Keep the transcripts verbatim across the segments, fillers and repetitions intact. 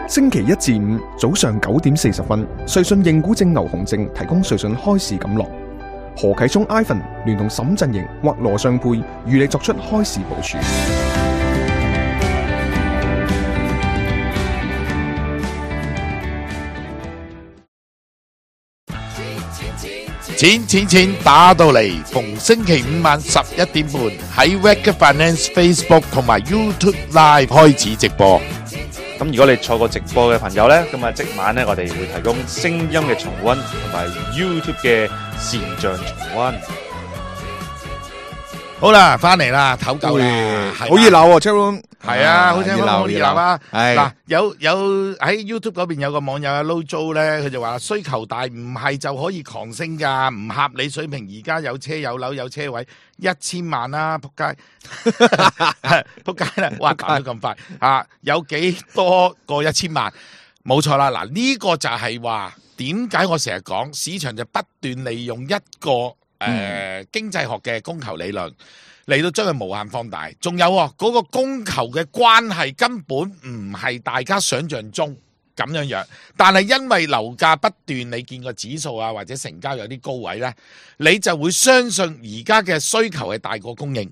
星期一至五早上九點四十分，瑞信認股證牛熊證提供瑞信開市錦囊。何啟聰 Ivan 聯同沈振盈或羅尚佩與你作出開市部署。錢錢錢打到嚟，逢星期五晚十一點半喺 Wake Finance Facebook 同埋 YouTube Live 開始直播。咁如果你錯過直播嘅朋友呢，咁啊即晚呢，我哋會提供聲音嘅重溫同埋 YouTube 嘅視像重溫。好啦，翻嚟啦，唞夠啦，好熱鬧喎 ，Chatroom 係啊，好聽好熱鬧啊！係嗱，有有喺 YouTube 嗰邊有個網友阿 Lojo 咧，佢就話需求大唔係就可以狂升噶，唔合理水平。而家有車有樓有車位，一千萬啦，仆街，仆街啦！哇，講得咁快啊！有幾多個一千萬？冇錯啦，嗱呢個就係話點解我成日講市場就不斷利用一個誒、呃、經濟學嘅供求理論。嚟到將佢無限放大，仲有嗰、那個供求嘅關係根本唔係大家想象中咁樣樣，但係因為樓價不斷，你見個指數啊或者成交有啲高位呢，你就會相信而家嘅需求係大過供應。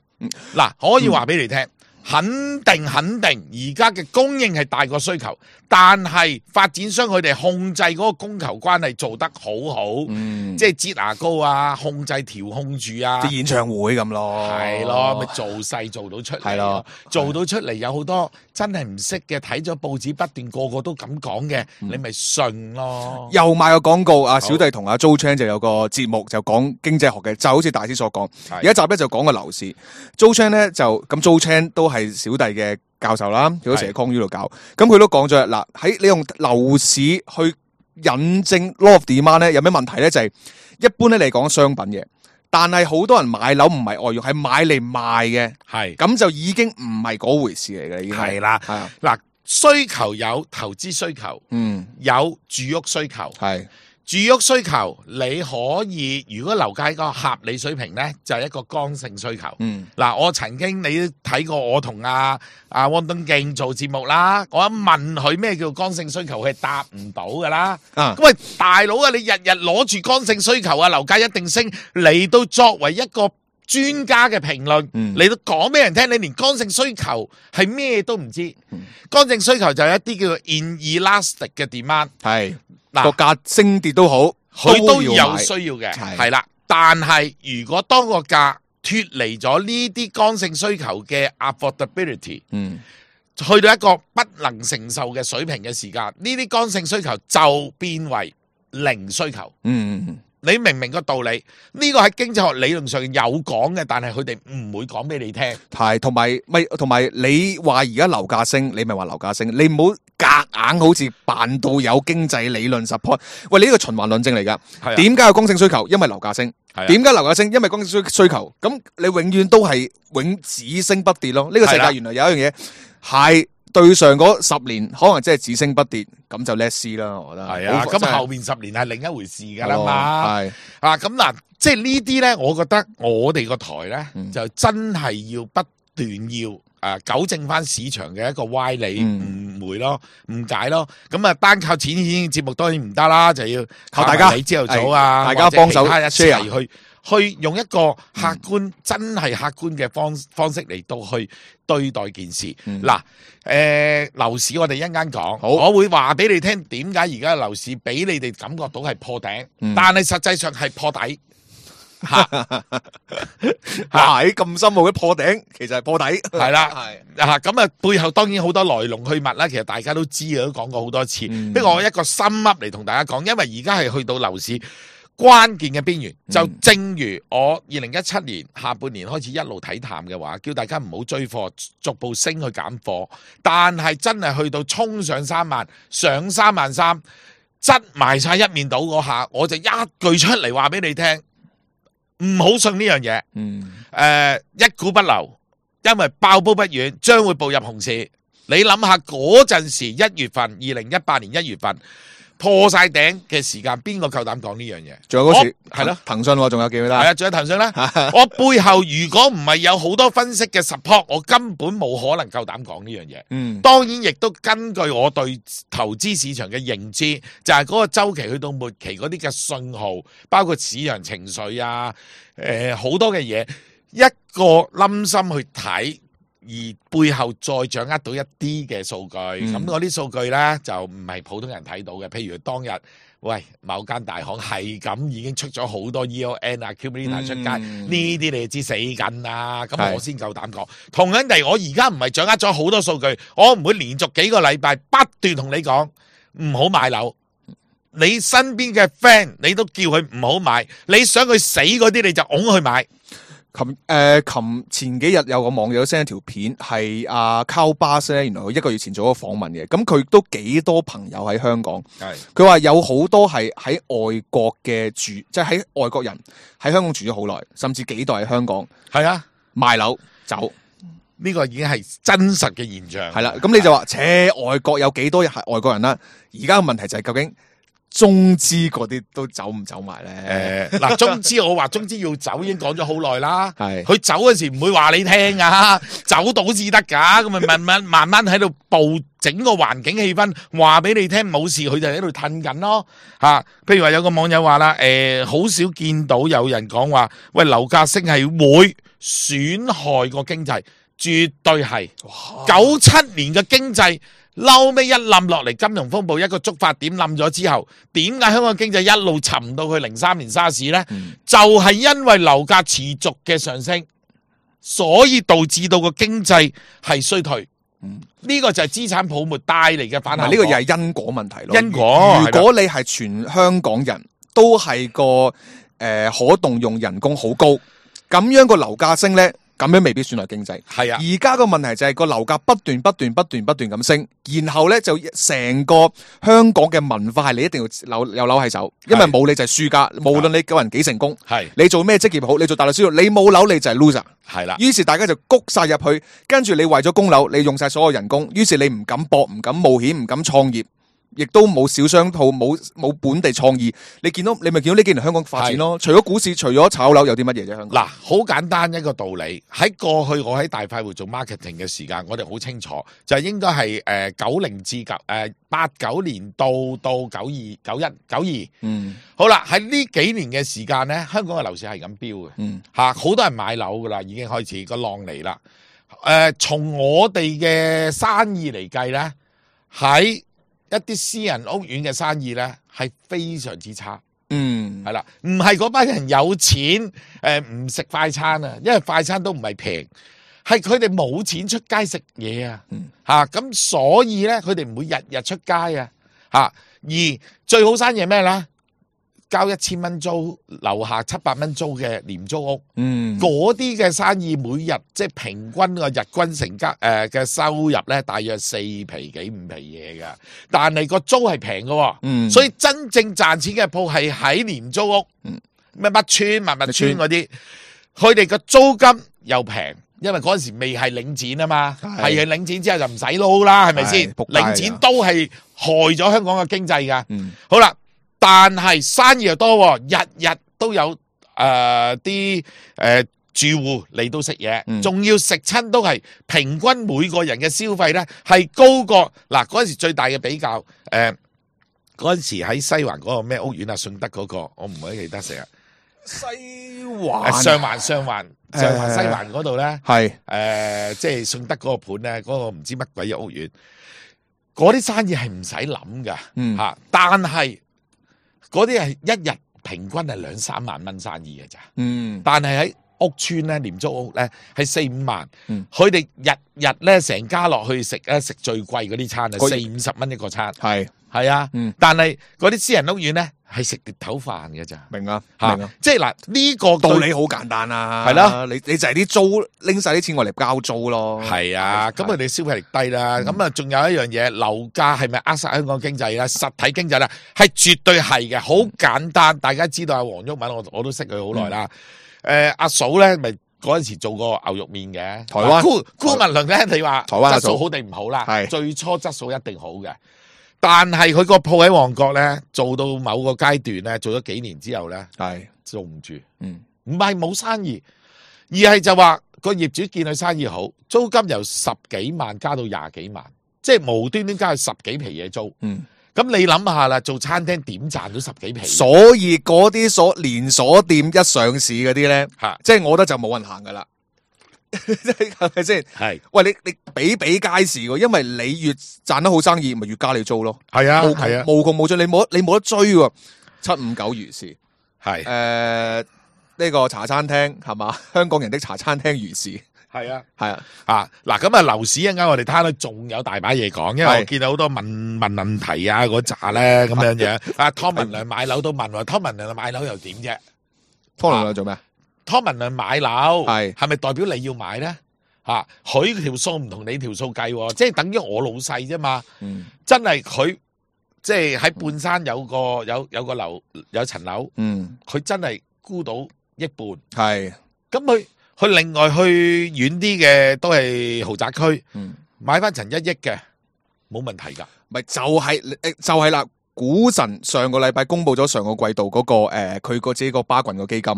嗱、嗯，可以話俾你聽、嗯，肯定肯定而家嘅供應係大過需求，但係發展商佢哋控制嗰個供求關係做得好好，嗯、即係擠牙膏啊，控制調控住啊，啲演唱會咁咯，係咯，咪做勢做到出嚟，係咯，做到出嚟有好多真係唔識嘅，睇咗報紙不斷個個都咁講嘅，你咪信咯。又賣個廣告，阿小弟同阿 Joe Chan 就有個節目就講經濟學嘅，就好似大師所講，有一集咧就講個樓市 ，Joe Chan 咧就咁 Joe Chan 都係小弟嘅教授啦，佢都成日 Con U 度搞，咁佢都講咗嗱，喺你用樓市去引證 law of demand 咧，有咩問題咧？就係、是、一般咧嚟講商品嘅，但係好多人買樓唔係外用，係買嚟賣嘅，係咁就已經唔係嗰回事嚟嘅，已經係啦，係啊，嗱，需求有投資需求，嗯，有住屋需求，係。住屋需求你可以，如果樓價一個合理水平呢，就係、是、一個剛性需求。嗯，嗱，我曾經你睇過我同阿阿汪敦敬做節目啦，我一問佢咩叫剛性需求，佢係答唔到噶啦。啊，咁喂，大佬啊，你日日攞住剛性需求啊，樓價一定升，嚟到作為一個專家嘅評論，嚟、嗯、到講俾人聽，你連剛性需求係咩都唔知。嗯、剛性需求就係一啲叫做 inelastic 嘅 demand， 係。個價升跌都好，佢都有需要嘅，係啦。但係如果當個價脫離咗呢啲剛性需求嘅 affordability， 嗯，去到一個不能承受嘅水平嘅時間，呢啲剛性需求就變為零需求。嗯嗯。你明唔明個道理？呢個喺經濟學理論上有講嘅，但係佢哋唔會講俾你聽。係，同埋咪同埋你話而家樓價升，你咪話樓價升，你唔好夾硬好似扮到有經濟理論 support。喂，你呢個循環論證嚟噶。點解有剛性需求？因為樓價升。點解樓價升？因為剛性需需求。咁你永遠都係永只升不跌咯。呢個世界原來有一樣嘢係。對上嗰十年可能真係只升不跌，咁就 let's see 啦，我覺得係啊。咁後面十年係另一回事噶啦嘛。係啊，咁嗱，即係呢啲咧，我覺得我哋個台咧、嗯、就真係要不斷要誒、呃、糾正翻市場嘅一個歪理、誤、嗯、會咯、誤解咯。咁啊，單靠錢錢節目當然唔得啦，就要靠大家。你朝頭早啊，大家幫手一齊去。去用一個客觀、嗯、真係客觀嘅方方式嚟到去對待件事。嗱、嗯，誒樓、呃、市我哋一陣間講，我會話俾你聽點解而家樓市俾你哋感覺到係破頂，嗯、但係實際上係破底。嚇喺咁深奧嘅破頂，其實係破底。係啦，係嚇咁啊，背後當然好多來龍去脈啦。其實大家都知啊，都講過好多次。嗯、不過我一個深噏嚟同大家講，因為而家係去到樓市關鍵嘅邊緣，就正如我二零一七年下半年開始一路睇淡嘅話，叫大家唔好追貨，逐步升去減貨。但係真係去到衝上三萬，上三萬三，執埋晒一面倒嗰下，我就一句出嚟話俾你聽，唔好信呢樣嘢。嗯，誒、呃，一股不留，因為爆煲不遠，將會步入熊市。你諗下嗰陣時一月份，二零一八年一月份。破晒頂嘅時間，邊個夠膽講呢樣嘢？仲有嗰時我係咯騰訊喎，仲有記唔記得？係啊，仲有騰訊啦。我背後如果唔係有好多分析嘅 support，我根本冇可能夠膽講呢樣嘢。嗯，當然亦都根據我對投資市場嘅認知，就係、是、嗰個週期去到末期嗰啲嘅信號，包括市場情緒啊，誒、呃、好多嘅嘢，一個冧心去睇。而背後再掌握到一啲嘅數據，咁嗰啲數據呢，就唔係普通人睇到嘅。譬如當日，喂某間大行係咁已經出咗好多 E O N 啊、accumulator 出街，呢啲、嗯、你就知死緊啦。咁我先夠膽講。同樣地，我而家唔係掌握咗好多數據，我唔會連續幾個禮拜不斷同你講唔好買樓。你身邊嘅 friend 你都叫佢唔好買，你想佢死嗰啲你就拱佢買。琴誒琴前幾日有個網友 send 一條片，係阿 Carl Bass 咧，原來佢一個月前做咗個訪問嘅，咁佢都幾多朋友喺香港，係佢話有好多係喺外國嘅住，即係喺外國人喺香港住咗好耐，甚至幾代喺香港，係啊賣樓走，呢個已經係真實嘅現象。係啦，咁你就話，切外國有幾多係外國人啦？而家嘅問題就係究竟中資嗰啲都走唔走埋咧？誒，嗱，中資我話中資要走已經講咗好耐啦。係，佢係走嗰時唔會話你聽啊，走到至得噶，咁咪慢慢慢慢喺度佈整個環境氣氛，話俾你聽冇事，佢就喺度褪緊咯。吓，譬如話有個網友話啦，誒，好少見到有人講話，喂，樓價升係會損害個經濟，絕對係。九七年嘅經濟。嬲尾一冧落嚟，金融風暴一個觸發點冧咗之後，點解香港經濟一路沉到去零三年沙士呢？嗯、就係因為樓價持續嘅上升，所以導致到個經濟係衰退。呢、嗯、個就係資產泡沫帶嚟嘅反效果。呢個又係因果問題咯。因果，如果你係全香港人都係個誒、呃、可動用人工好高，咁樣個樓價升呢。咁樣未必損害經濟，係啊！而家個問題就係個樓價不斷不斷不斷不斷咁升，然後咧就成個香港嘅文化係你一定要樓有樓係走，因為冇你就係輸家，無論你個人幾成功，係你做咩職業好，你做大律師，你冇樓你就係 loser，係啦。於是大家就谷晒入去，跟住你為咗供樓，你用晒所有人工，於是你唔敢搏，唔敢冒險，唔敢創業。亦都冇小商鋪，冇冇本地創意。你見到你咪見到呢幾年香港發展咯。除咗股市，除咗炒樓，有啲乜嘢啫？香港嗱，好簡單一個道理。喺過去我喺大快活做 marketing 嘅時間，我哋好清楚，就係應該係誒九零至九誒八九年到到九二九一九二。嗯，好啦，喺呢幾年嘅時間咧，香港嘅樓市係咁飆嘅。嗯，嚇好多人買樓噶啦，已經開始個浪嚟啦。誒、呃，從我哋嘅生意嚟計咧，喺一啲私人屋苑嘅生意咧係非常之差，嗯，係啦，唔係嗰班人有錢，誒唔食快餐啊，因為快餐都唔係平，係佢哋冇錢出街食嘢啊，吓咁、嗯啊、所以咧佢哋唔會日日出街啊，吓而最好生意係咩咧？交一千蚊租，樓下七百蚊租嘅廉租屋，嗯，嗰啲嘅生意每日即係平均個日均成交誒嘅收入咧，大約四皮幾五皮嘢噶，但係個租係平嘅，嗯，所以真正賺錢嘅鋪係喺廉租屋，嗯，咩乜村、乜乜村嗰啲，佢哋個租金又平，因為嗰陣時未係領展啊嘛，係係領展之後就唔使撈啦，係咪先？領展都係害咗香港嘅經濟噶，嗯，好啦。但係生意又多，日日都有誒啲誒住戶嚟到食嘢，仲、嗯、要食親都係平均每個人嘅消費咧係高過嗱嗰陣時最大嘅比較誒嗰陣時喺西環嗰個咩屋苑啊順德嗰、嗰個我唔係記得成日西環上環上環上環西環嗰度咧係誒即係順德嗰個盤咧嗰個唔知乜鬼嘅屋苑，嗰啲生意係唔使諗噶吓，但係。嗰啲係一日平均係兩三萬蚊生意嘅咋，嗯，但係喺屋邨咧廉租屋咧係四五萬，佢哋、嗯、日日咧成家落去食咧食最貴嗰啲餐啊，四五十蚊一個餐，係係啊，嗯、但係嗰啲私人屋苑咧係食碟頭飯嘅咋，明啊，明啊，即係嗱呢個道理好簡單啊，係啦，你你就係啲租拎晒啲錢我嚟交租咯，係啊，咁佢哋消費力低啦，咁啊仲有一樣嘢，樓價係咪扼殺香港經濟咧？實體經濟咧係絕對係嘅，好簡單，大家知道阿黃毓民，我我都識佢好耐啦，誒阿嫂咧咪嗰陣時做過牛肉麵嘅，台灣顧顧文麟咧，你話台灣質素好定唔好啦？係最初質素一定好嘅。但係佢個鋪喺旺角咧，做到某個階段咧，做咗幾年之後咧，係做唔住，嗯唔係冇生意，而係就話個業主見佢生意好，租金由十幾萬加到廿幾萬，即係無端端加去十幾皮嘢租。嗯。咁你諗下啦，做餐廳點賺到十幾皮？所以嗰啲所連鎖店一上市嗰啲咧，嚇即係我覺得就冇人行噶啦，係咪先？係喂，你你比比皆是喎，因為你越賺得好生意，咪越加你租咯。係啊無係啊窮無窮無盡，你冇得你冇得追喎。七五九如是，係誒呢個茶餐廳係嘛？香港人的茶餐廳如是，係啊。係啊，啊嗱，咁啊樓市一陣間我哋攤到仲有大把嘢講，因為我係見到好多問問問題啊嗰扎咧咁樣樣。啊湯文亮買樓都問喎，湯文亮買樓又點啫？湯龍亮做咩啊？湯文亮買樓係係咪代表你要買咧？嚇佢條數唔同你條數計喎，即係等於我老細啫嘛。嗯真係佢即係喺半山有個有有個樓有層樓，嗯，佢真係沽到一半。係咁佢佢另外去遠啲嘅都係豪宅區，嗯，買翻層一億嘅冇問題㗎。咪就係誒就係啦。股神上個禮拜公布咗上個季度嗰、個誒佢個自己個巴郡個基金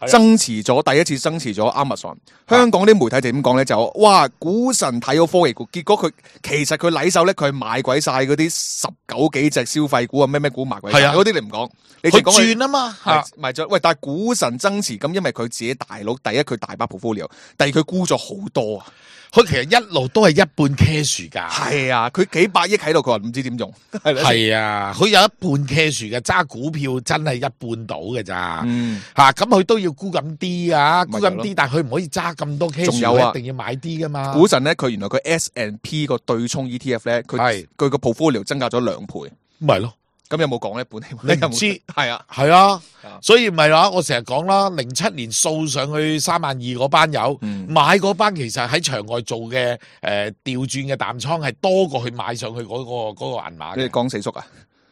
啊增持咗第一次增持咗 Amazon。香港啲媒體就點講咧？就哇股神睇好科技股，結果佢其實佢禮手咧，佢買鬼晒嗰啲十九幾隻消費股啊，咩咩股買鬼晒係啊嗰啲你唔講，你佢淨講佢轉啊嘛係嚇，賣咗。喂，但係股神增持咁，因為佢自己大佬，第一佢大把 portfolio，第二佢沽咗好多啊。佢其實一路都係一半 cash 㗎。係啊，佢幾百億喺度，佢話唔知點用。係啦，係啊，佢有一半 cash 嘅，揸股票真係一半到嘅咋嗯。嚇，咁佢都要沽咁啲啊，沽咪就係咯咁啲，但係佢唔可以揸咁多 cash，仲有啊一定要買啲㗎嘛。股神咧，佢原來佢 S and P 個對沖 E T F 咧，佢係佢個 portfolio 增加咗兩倍。咪咯，咁有冇講呢本？你唔知係啊，係啊啊，所以咪話我成日講啦，零七年掃上去三萬二嗰班友，嗯買嗰班其實喺場外做嘅誒調轉嘅淡倉係多過佢買上去嗰、個嗰、個銀碼嘅。你講四叔啊？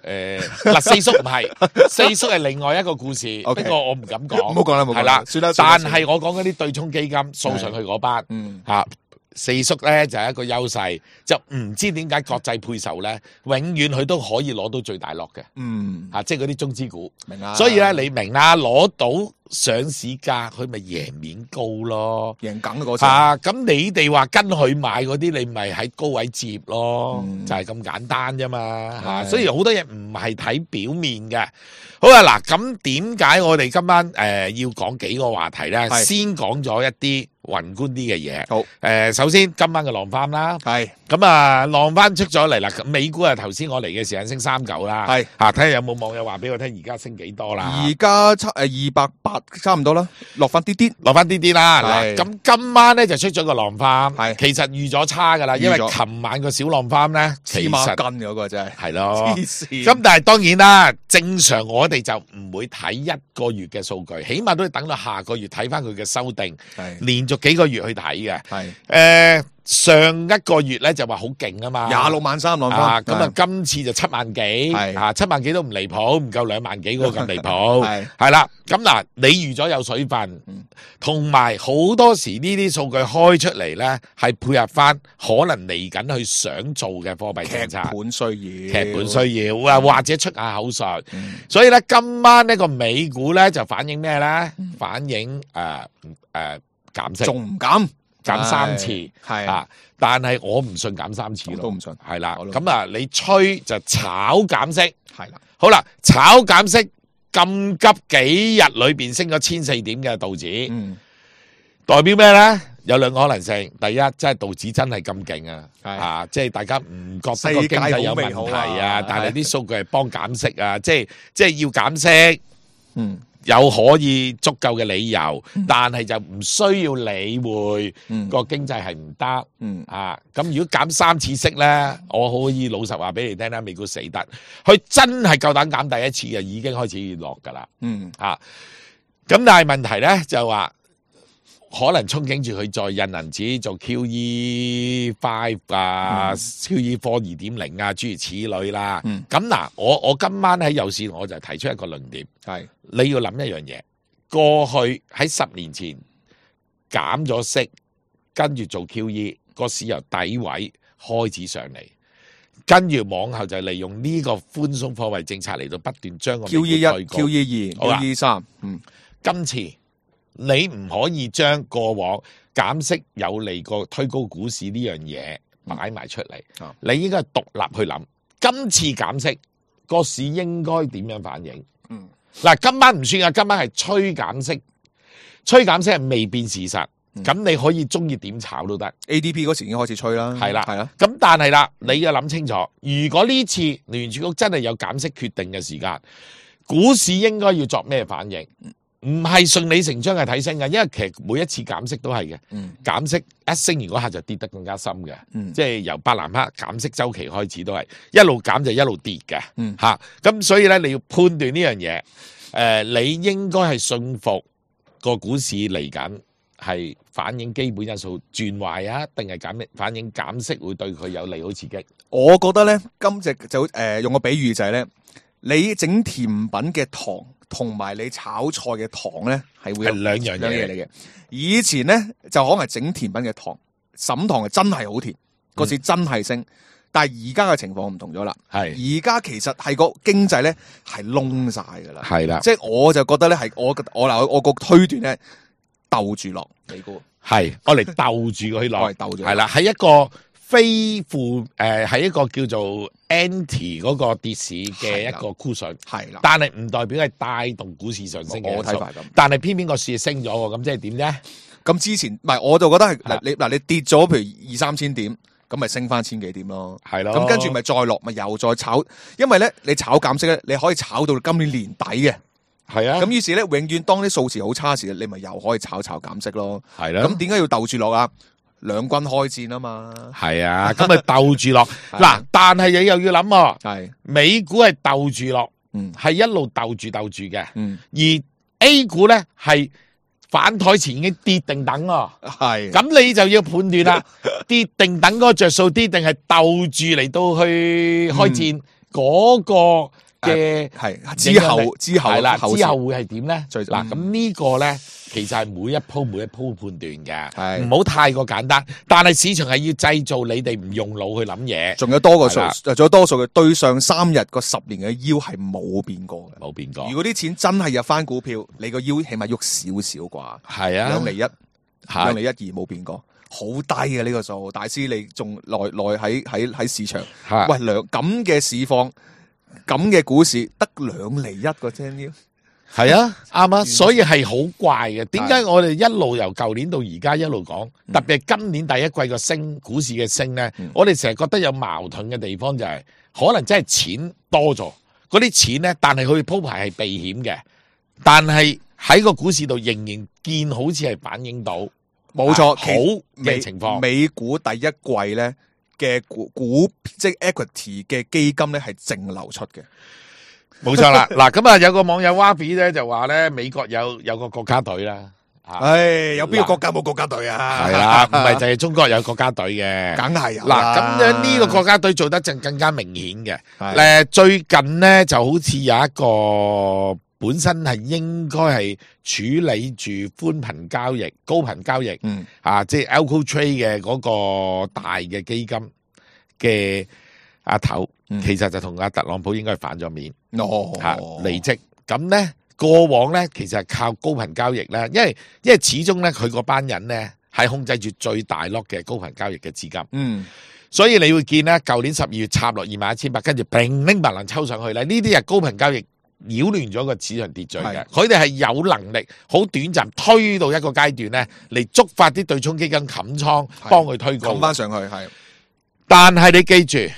誒嗱、四叔唔係，四叔係另外一個故事，不 OK 過我唔敢講。唔好講啦，唔好講係啦，算啦。算啦但係我講嗰啲對沖基金掃上去嗰班嗯嚇。四叔咧就係、一個優勢，就唔知點解國際配售咧，永遠佢都可以攞到最大落嘅嗯，嚇，即係嗰啲中資股。明啦。所以咧，你明啦，攞到上市價，佢咪贏面高咯。贏梗嗰次。嚇，咁你哋話跟佢買嗰啲，你咪喺高位接咯，嗯就係咁簡單啫嘛。嚇，係所以好多嘢唔係睇表面嘅。好啊，嗱，咁點解我哋今晚誒、呃、要講幾個話題咧？係先講咗一啲宏觀啲嘅嘢。好，誒、首先今晚嘅浪翻啦。係咁啊，浪翻出咗嚟啦。咁美股啊，頭先我嚟嘅時間升三九啦。係嚇，睇下有冇網友話俾我聽，而家升幾多啦？而家差誒二百八差唔多啦，落翻啲啲。落翻啲啲啦。係嗱，咁今晚咧就出咗個浪翻，係其實預咗差噶啦，因為預咗琴晚個小浪翻咧，其黐孖實筋嗰個真係。係咯。黐線。咁但係當然啦，正常我哋就唔會睇一個月嘅數據，起碼都要等到下個月睇翻佢嘅修訂，係連續幾個月去睇嘅。係誒、上一個月咧就話好勁啊嘛，廿六萬三浪啊，翻。咁啊今次就七萬幾，係啊七萬幾都唔離譜，唔夠兩萬幾嗰個咁離譜，係係啦。咁嗱，你預咗有水分嗯，同埋好多時呢啲數據開出嚟咧，係配合翻可能嚟緊佢想做嘅貨幣政劇策。本需要。劇本需要啊，或者出下口術，嗯所以咧今晚呢個美股咧就反映咩咧？反映誒誒減息，仲唔減？減三次係啊！但係我唔信減三次咯，我都唔信係啦，我都唔咁啊，你吹就炒減息，係啦。好啦，炒減息咁急幾日裏邊升咗千四點嘅道指，嗯，代表咩咧？有兩個可能性，第一，即係道指真係咁勁啊，係啊，即係大家唔覺得個經世界濟有問好美好題啊啊，但係係啲數據係幫減息啊，即係即係要減息。嗯有可以足夠嘅理由，但係就唔需要理會嗯個經濟係唔得嗯啊！咁如果減三次息咧，我可以老實話俾你聽啦，美股死得，佢真係夠膽減第一次嘅，已經開始落㗎啦嗯啊！咁但係問題咧就話，可能憧憬住佢再印銀紙做 Q E five 啊、嗯、Q E four 二點零啊，諸如此類啦。嗯咁嗱，我我今晚喺有線我就提出一個論點。係你要諗一樣嘢，過去喺十年前減咗息，跟住做 Q E，個市由底位開始上嚟，跟住往後就利用呢個寬鬆貨幣政策嚟到不斷將個美 Q 股 E 一、推高 Q E 二、好啦 Q E 三，嗯，今次你唔可以將過往減息有利過推高股市呢樣嘢擺埋出嚟，嗯你應該係獨立去諗。今次減息個市應該點樣反應？嗯，嗱，今晚唔算啊，今晚係吹減息，吹減息係未變事實。咁、嗯、你可以中意點炒都得。A D P 嗰時已經開始吹啦，係啦，係啦。咁但係啦，你要諗清楚，如果呢次聯儲局真係有減息決定嘅時間，股市應該要作咩反應？唔係順理成章係睇升嘅，因為其實每一次減息都係嘅。嗯，減息一升完嗰下就跌得更加深嘅。嗯，即係由伯南克減息週期開始都係一路減就一路跌嘅。嗯，嚇，咁所以咧你要判斷呢樣嘢，誒、呃，你應該係信服個股市嚟緊。係反映基本因素轉壞啊，定係減反映減息會對佢有利好刺激？我覺得咧，今隻就誒、呃、用個比喻就係咧，你整甜品嘅糖同埋你炒菜嘅糖咧，係會有係兩樣兩嘢嘢嚟嘅。以前咧就可能係整甜品嘅糖，沈糖係真係好甜，個市真係升。嗯、但係而家嘅情況唔同咗啦。係而家其實係個經濟咧係窿晒㗎啦。係啦，即係我就覺得咧係我我嗱我個推斷咧。鬥住落美股，係我嚟鬥住佢落，我嚟鬥住，係啦，係一個非負誒，係一個叫做 anti 嗰個跌市嘅一個 cushion，係啦，但係唔代表係帶動股市上升嘅。我睇法咁，但係偏偏個市升咗喎，咁即係點啫？咁之前唔係，我就覺得係嗱，你嗱你跌咗，譬如二三千點，咁咪升翻千幾點咯，係咯。咁跟住咪再落，咪又再炒，因為咧你炒減息咧，你可以炒到今年年底嘅。係啊，咁於是咧，永遠當啲數字好差時，你咪又可以炒炒減息咯。係啦，咁點解要鬥住落啊？兩軍開戰啊嘛。係啊，咁咪鬥住落。嗱，但係你又要諗喎，係美股係鬥住落，嗯，係一路鬥住鬥住嘅，嗯，而 A 股咧係反台前已經跌定等喎，係。咁你就要判斷啦，跌定等嗰個着數啲，定係鬥住嚟到去開戰嗰個。嘅係之後之後係啦，後之後會係點咧？嗱，咁呢個咧，其實係每一鋪每一鋪判斷嘅，唔係好太過簡單。但係市場係要製造你哋唔用腦去諗嘢，仲有多個數，仲有多數嘅對上三日個十年嘅腰係冇變過嘅，冇變過。如果啲錢真係入翻股票，你個腰起碼喐少少啩？係啊，兩厘一，兩厘一二冇變過，好低嘅呢個數。大師你仲耐耐喺喺喺市場，喂兩咁嘅市況。咁嘅股市得兩厘一個啫，係啊，啱啊，所以係好怪嘅。點解我哋一路由舊年到而家一路講，特別係今年第一季個升股市嘅升咧，嗯、我哋成日覺得有矛盾嘅地方就係、是，可能真係錢多咗，嗰啲錢咧，但係佢鋪排係避險嘅，但係喺個股市度仍然見好似係反映到，冇錯，好嘅情況。美股第一季咧。嘅股股即係 equity 嘅基金咧係淨流出嘅，冇錯啦。嗱咁啊，有個網友 Wabi 咧就話咧，美國有有個國家隊啦。唉，有邊個國家冇國家隊啊？係啦，唔係就係中國有國家隊嘅，梗係有。嗱咁樣呢個國家隊做得就更加明顯嘅。誒，最近咧就好似有一個本身係應該係處理住寬頻交易、高頻交易，嗯啊，即係 Algo Trade 嘅嗰個大嘅基金嘅阿頭，嗯、其實就同阿特朗普應該係反咗面，哦，嚇離職。咁咧過往咧其實係靠高頻交易咧，因為因為始終咧佢嗰班人咧係控制住最大粒嘅高頻交易嘅資金，嗯，所以你會見咧舊年十二月插落二萬一千八，跟住乒拎白能抽上去咧，呢啲係高頻交易擾亂咗個市場秩序嘅，佢哋係有能力好短暫推到一個階段咧嚟觸發啲對沖基金冚倉，幫佢推高冚翻上去係。但係你記住，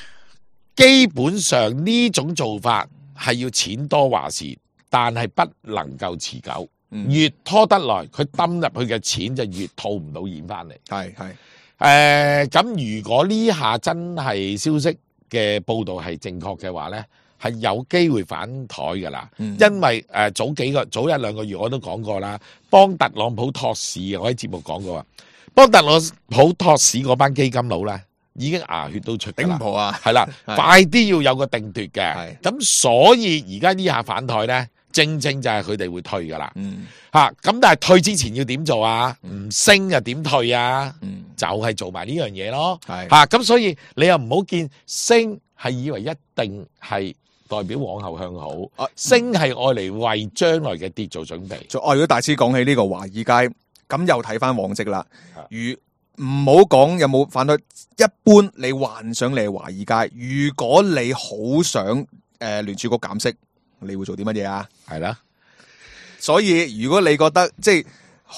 基本上呢種做法係要錢多話事，但係不能夠持久。嗯、越拖得來，佢抌入去嘅錢就越套唔到現翻嚟。係係誒，咁、呃、如果呢下真係消息嘅報道係正確嘅話咧，係有機會反台噶啦。嗯、因為誒、呃、早幾個早一兩個月我都講過啦，幫特朗普托市，我喺節目講過啊，幫特朗普托市嗰班基金佬咧。已經牙血都出㗎啦，頂唔破啊！係啦，快啲要有個定奪嘅。咁所以而家呢下反台咧，正正就係佢哋會退㗎啦。嗯，嚇咁，但係退之前要點做啊？唔升又點退啊？嗯，就係做埋呢樣嘢咯。係嚇咁，所以你又唔好見升係以為一定係代表往後向好，啊升係愛嚟為將來嘅跌做準備。再如果大師講起呢個華爾街，咁又睇翻往績啦。啊如唔好講有冇反對，一般你幻想你係華爾街，如果你好想誒、呃、聯儲局減息，你會做啲乜嘢啊？係啦，所以如果你覺得即係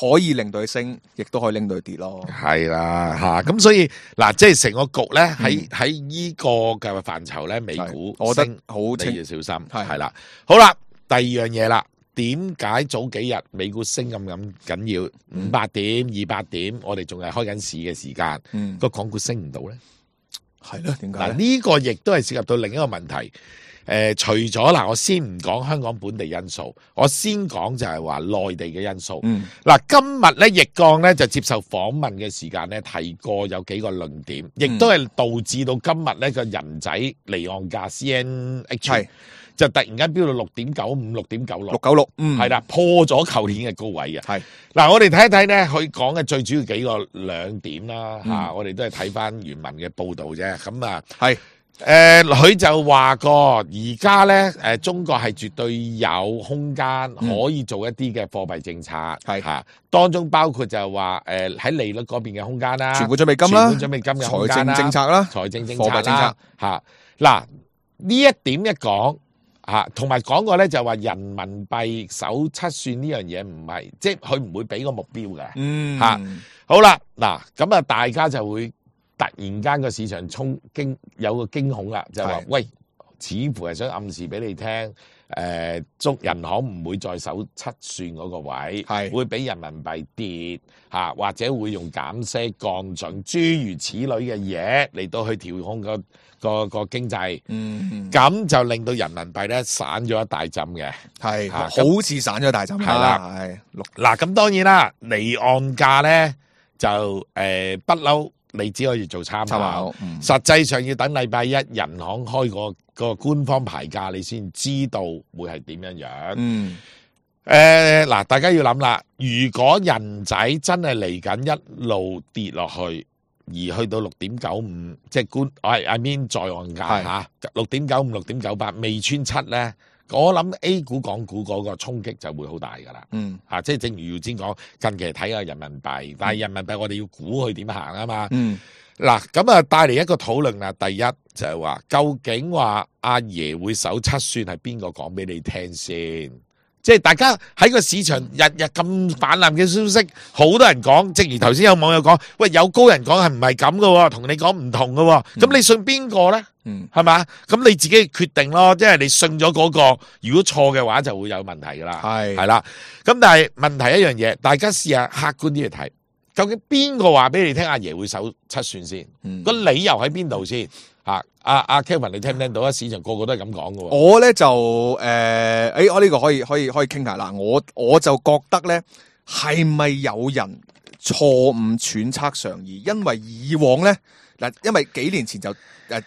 可以令到佢升，亦都可以令到佢跌咯。係啦嚇，咁所以嗱，即係成個局咧喺喺依個嘅範疇咧，美股我覺得升好清你要小心。係係啦，好啦，第二樣嘢啦。點解早幾日美股升咁咁緊要？五百點、二百點，我哋仲係開緊市嘅時間，嗯，個港股升唔到咧？係咯，點解嗱，咧？呢個亦都係涉及到另一個問題。誒、除咗嗱，我先唔講香港本地因素，我先講就係話內地嘅因素。嗯，嗱，今日咧，易綱咧就接受訪問嘅時間咧，提過有幾個論點，亦都係導致到今日咧個人仔離岸價 C N H 係就突然間飆到六點九五、六點九六六。九六，嗯，係啦，破咗舊年嘅高位嘅。係嗱，我哋睇一睇咧，佢講嘅最主要幾個兩點啦，嗯吓、我哋都係睇翻原文嘅報導啫。咁啊，係誒，佢、就話過，而家咧，誒、中國係絕對有空間可以做一啲嘅貨幣政策，係吓、當中包括就係話，誒、喺利率嗰邊嘅空間啦，存款準備金啦，存款準備金嘅空財政間啦，政策啦，財政政策貨幣政策啦，吓嗱呢一點一講。吓，同埋講過咧，就話人民幣首七算呢樣嘢唔係，即係佢唔會俾個目標嘅。嗯，嚇好啦，嗱咁啊，大家就會突然間個市場衝驚有個驚恐啦，就係話係喂，似乎係想暗示俾你聽，誒中人行唔會再守七算嗰個位，係會俾人民幣跌嚇，或者會用減息降準諸如此類嘅嘢嚟到去調控個個個經濟。嗯，咁就令到人民幣咧散咗一大浸嘅。係嚇好似散咗大針係啦係六嗱，咁當然啦，離岸價咧就誒不嬲，你只可以做參考參考，。嗯實際上要等禮拜一人行開個個官方牌價，你先知道會係點樣樣。嗯，誒嗱、大家要諗啦，如果人仔真係嚟緊一路跌落去，而去到六點九五，即係官，I I mean 在岸價係嚇，六點九五、六點九八未穿七咧，我諗 A 股、港股嗰個衝擊就會好大噶啦。嗯啊，即係正如耀先講，近期睇下人民幣，但係人民幣我哋要估佢點行啊嘛。嗯嗱，咁啊帶嚟一個討論啦。第一就係話，究竟話阿爺會守七算係邊個講俾你聽先？即係大家喺個市場日日咁泛濫嘅消息，好多人講，正如頭先有網友講，喂有高人講係唔係咁嘅喎，同你講唔同嘅喎，咁、你信邊個咧？嗯係嘛？咁你自己決定咯，即係你信咗嗰、個，如果錯嘅話就會有問題噶啦。係係啦，咁但係問題一樣嘢，大家試下客觀啲去睇，究竟邊個話俾你聽阿爺會守七算先？嗯個理由喺邊度先？嚇，阿阿 Kevin 你聽唔聽到啊？市場個個都係咁講嘅喎。我咧就誒，誒、欸，我呢個可以可以可以傾下嗱，我我就覺得咧，係咪有人錯誤揣測上意？因為以往咧嗱，因為幾年前就誒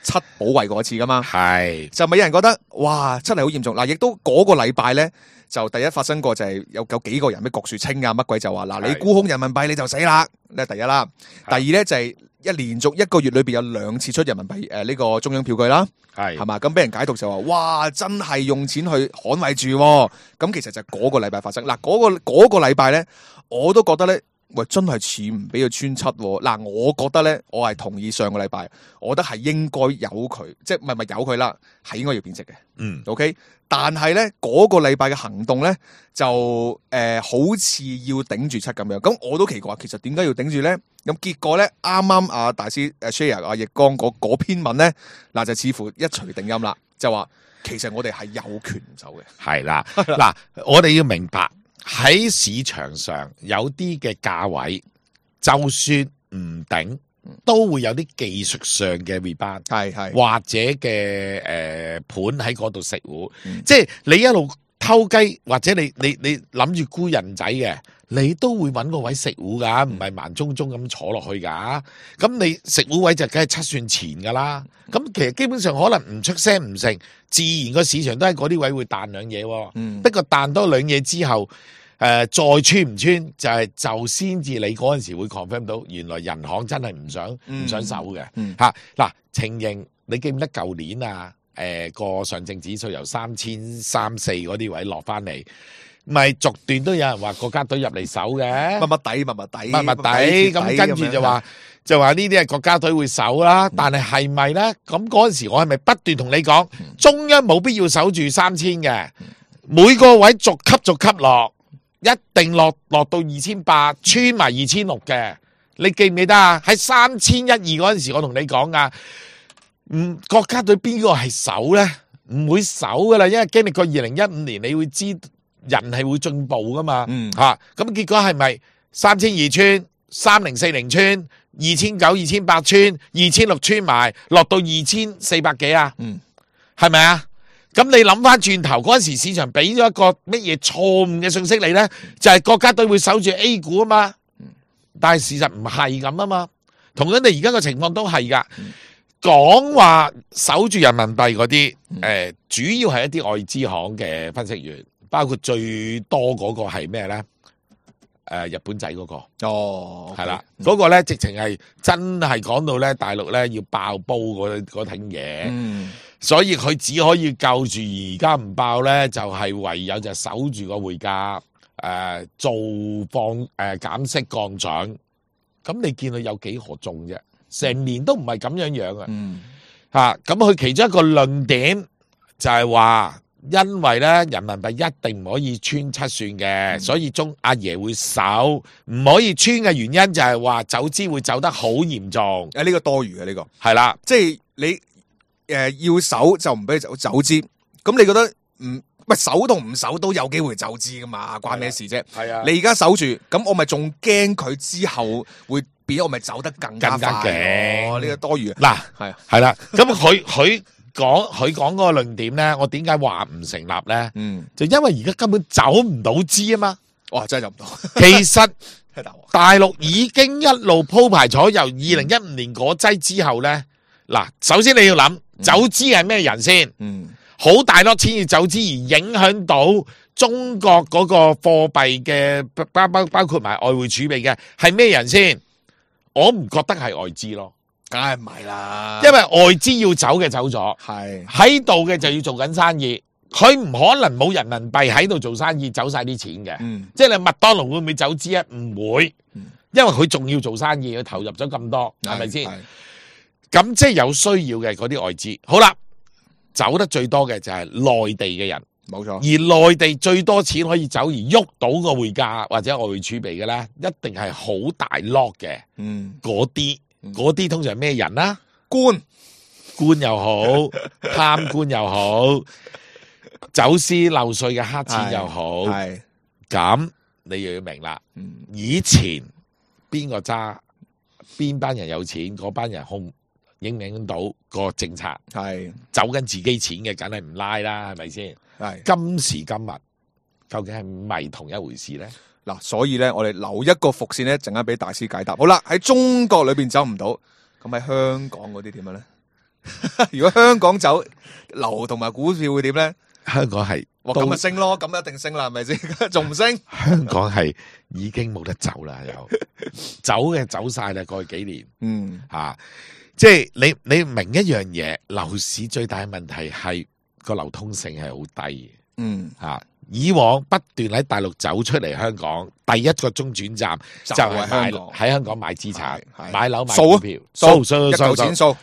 七保衛過一次噶嘛，係就咪有人覺得哇真係好嚴重嗱，亦都嗰個禮拜咧就第一發生過就係有有幾個人咩郭樹清啊乜鬼就話嗱，你係沽空人民幣你就死啦，呢第一啦，第二咧就係、一連續一個月裏邊有兩次出人民幣誒呢個中央票據啦。係係嘛？咁俾人解讀就話，哇！真係用錢去捍衞住喎。咁其實就嗰個禮拜發生。嗱，嗰、個嗰、個禮拜咧，我都覺得咧，喂，真係似唔俾佢穿七喎。嗱，我覺得咧，我係同意上個禮拜，我覺得係應該有佢，即係唔係唔係有佢啦，係應該要貶值嘅。嗯 OK，但係咧嗰個禮拜嘅行動咧，就誒、呃、好似要頂住七咁樣。咁我都奇怪，其實點解要頂住咧？咁結果咧，啱啱阿大師誒 share 阿易綱嗰嗰篇文咧，嗱就似乎一錘定音啦，就話其實我哋係有權唔走嘅。係啦，嗱，我哋要明白喺市場上有啲嘅價位，就算唔頂，都會有啲技術上嘅 rebound。係係或者嘅誒盤喺嗰度食糊，嗯即係你一路偷雞，或者你你你諗住沽人仔嘅，你都會揾個位食糊噶，唔係慢中中咁坐落去噶。咁你食糊位就梗係七算前噶啦。咁其實基本上可能唔出聲唔成，自然個市場都喺嗰啲位會彈兩嘢喎。嗯不過彈多兩嘢之後，誒、再穿唔穿就係、就先至你嗰陣時會 confirm 到，原來人行真係唔想唔、嗯想守嘅嗯嚇嗱、情形。你記唔記得舊年啊？誒個上證指數由三千三四嗰啲位落翻嚟，咪逐段都有人話國家隊入嚟守嘅，密密底，密密底，密密底，咁跟住就話就話呢啲係國家隊會守啦。但係係咪咧？咁嗰陣時我係咪不斷同你講，中央冇必要守住三千嘅，每個位逐級逐級落，一定落落到二千八，穿埋二千六嘅。你記唔記得啊？喺三千一二嗰陣時，我同你講啊。嗯，國家隊邊個係守咧？唔會守噶啦，因為經歷過二零一五年，你會知人係會進步噶嘛。嗯，吓咁、啊、結果係咪三千二穿、三零四零穿、二千九、二千八穿、二千六穿埋，落到二千四百幾啊？嗯，係咪啊？咁你諗翻轉頭嗰陣時，市場俾咗一個乜嘢錯誤嘅信息你咧？就係、是、國家隊會守住 A 股啊嘛。但係事實唔係咁啊嘛，同樣你而家個情況都係噶。講話守住人民幣嗰啲，誒，主要係一啲外資行嘅分析員，包括最多嗰個係咩咧？誒，日本仔嗰個，哦，係啦，嗰個咧直情係真係講到咧大陸咧要爆煲嗰嗰挺嘢，嗯，所以佢只可以救住而家唔爆咧，就係唯有就守住個匯價，誒，做放誒減息降準，咁你見到有幾何中啫？成年都唔係咁樣樣啊！嗯，嚇咁佢其中一個論點就係話，因為咧人民幣一定唔可以穿七算嘅，嗯、所以中阿爺會守，唔可以穿嘅原因就係話走資會走得好嚴重。誒呢個多餘嘅呢個係啦，即係你誒、呃、要守就唔俾你走走資，咁你覺得唔喂守同唔守都有機會走資噶嘛？關咩事啫？係啊，你而家守住，咁我咪仲驚佢之後會。我咪走得更加快，哦！呢個多餘嗱，係係啦。咁佢佢講佢講嗰個論點咧，我點解話唔成立咧？嗯，就因為而家根本走唔到資啊嘛。哇，真係走唔到。其實大陸已經一路鋪排咗，由二零一五年嗰劑之後咧，嗱，首先你要諗走資係咩人先？嗯，好大粒錢要走資而影響到中國嗰個貨幣嘅包包包括埋外匯儲備嘅係咩人先？我唔覺得係外資咯，梗係唔係啦，因為外資要走嘅走咗，係喺度嘅就要做緊生意，佢唔可能冇人民幣喺度做生意走晒啲錢嘅，嗯，即係你麥當勞會唔會走資啊？唔會，嗯、因為佢仲要做生意，佢投入咗咁多，係咪先？咁即係有需要嘅嗰啲外資，好啦，走得最多嘅就係內地嘅人。冇錯，而內地最多錢可以走而喐到個匯價或者外匯儲備嘅咧，一定係好大 lock 嘅。嗯，嗰啲嗰啲通常咩人啦？官官又好，貪官又好，走私漏稅嘅黑錢又好。係咁，你又要明啦。嗯，以前邊個揸邊班人有錢，嗰班人控影唔影到個政策？係走緊自己錢嘅，梗係唔拉啦，係咪先？係今時今日，究竟係咪同一回事咧？嗱，所以咧，我哋留一個伏線咧，陣間俾大師解答。好啦，喺中國裏邊走唔到，咁喺香港嗰啲點樣咧？如果香港走樓同埋股票會點咧？香港係哇，咁咪升咯，咁一定升啦，係咪先？仲唔升？香港係已經冇得走啦，又走嘅走晒啦，過去幾年，嗯吓、啊，即係你你明一樣嘢，樓市最大嘅問題係。個流通性係好低，嗯吓、啊，以往不斷喺大陸走出嚟香港，第一個中轉站就係買喺香港買資產、買樓、買股票，掃掃一嚿錢掃，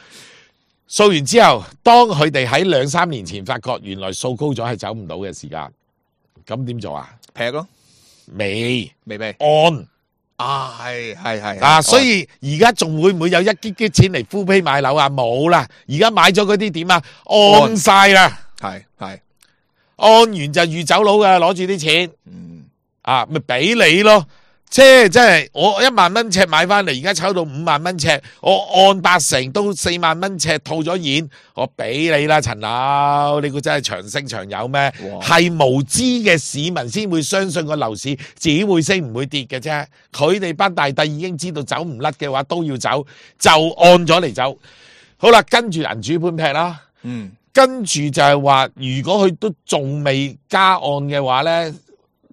掃完之後，當佢哋喺兩三年前發覺原來掃高咗係走唔到嘅時間，咁點做啊？劈咯，未未未按。啊，係係係啊，所以而家仲會唔會有一擊擊錢嚟敷皮買樓啊？冇啦，而家買咗嗰啲點啊？按晒啦，係係按完就預走佬㗎，攞住啲錢，嗯啊，咪俾你咯。即係即係我一萬蚊尺買翻嚟，而家炒到五萬蚊尺，我按八成都四萬蚊尺套咗現，我俾你啦，陳樓，你估真係長升長有咩？係無知嘅市民先會相信個樓市只會升唔會跌嘅啫。佢哋班大帝已經知道走唔甩嘅話都要走，就按咗嚟走。好啦，跟住銀主盤劈啦，嗯，跟住就係話，如果佢都仲未加按嘅話咧。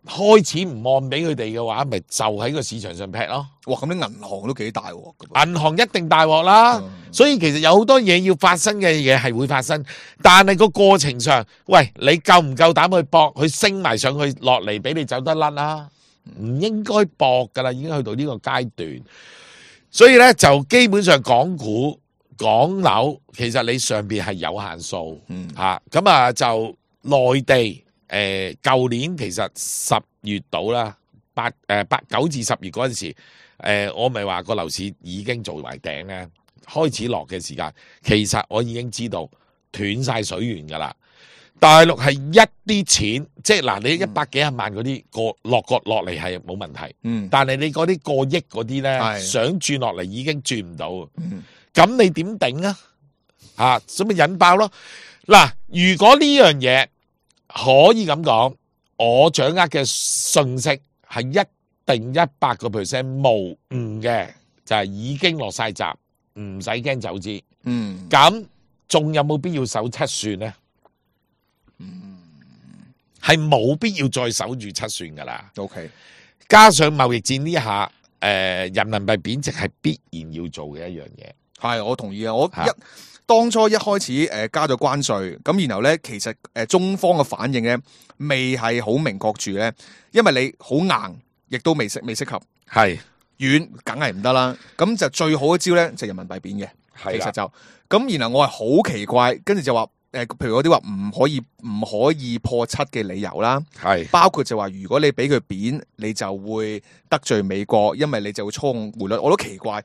開始唔按俾佢哋嘅話，咪就喺個市場上劈咯。哇！咁啲銀行都幾大鑊㗎。銀行一定大鑊啦，嗯、所以其實有好多嘢要發生嘅嘢係會發生，但係個過程上，喂，你夠唔夠膽去搏，去升埋上去落嚟俾你走得甩啦？唔應該搏噶啦，已經去到呢個階段。所以咧就基本上港股、港樓，其實你上邊係有限數，嗯吓咁啊就內地誒，舊年其實十月到啦，八誒八九至十月嗰陣時，誒、呃、我咪話個樓市已經做埋頂咧，開始落嘅時間，其實我已經知道斷晒水源噶啦。大陸係一啲錢，即係嗱，你一百幾廿萬嗰啲過落角落嚟係冇問題，嗯但係你嗰啲過億嗰啲咧，係想轉落嚟已經轉唔到，嗯咁你點頂啊？啊，所以咪引爆咯。嗱，如果呢樣嘢可以咁講，我掌握嘅信息係一定一百個 percent 無誤嘅，就係已經落晒閘，唔使驚走資。嗯咁仲有冇必要守七算呢？係冇必要再守住七算噶啦。 ，OK，加上貿易戰呢下，誒、呃、人民幣貶值係必然要做嘅一樣嘢。係我同意啊！我嚇一當初一開始誒加咗關稅，咁然後咧其實誒中方嘅反應咧未係好明確住咧，因為你好硬，亦都未適未適合，係軟梗係唔得啦。咁就最好嘅招咧就人民幣貶嘅，係啦其實就咁。然後我係好奇怪，跟住就話誒，譬如嗰啲話唔可以唔可以破七嘅理由啦，係包括就話如果你俾佢貶，你就會得罪美國，因為你就會操控匯率。我都奇怪。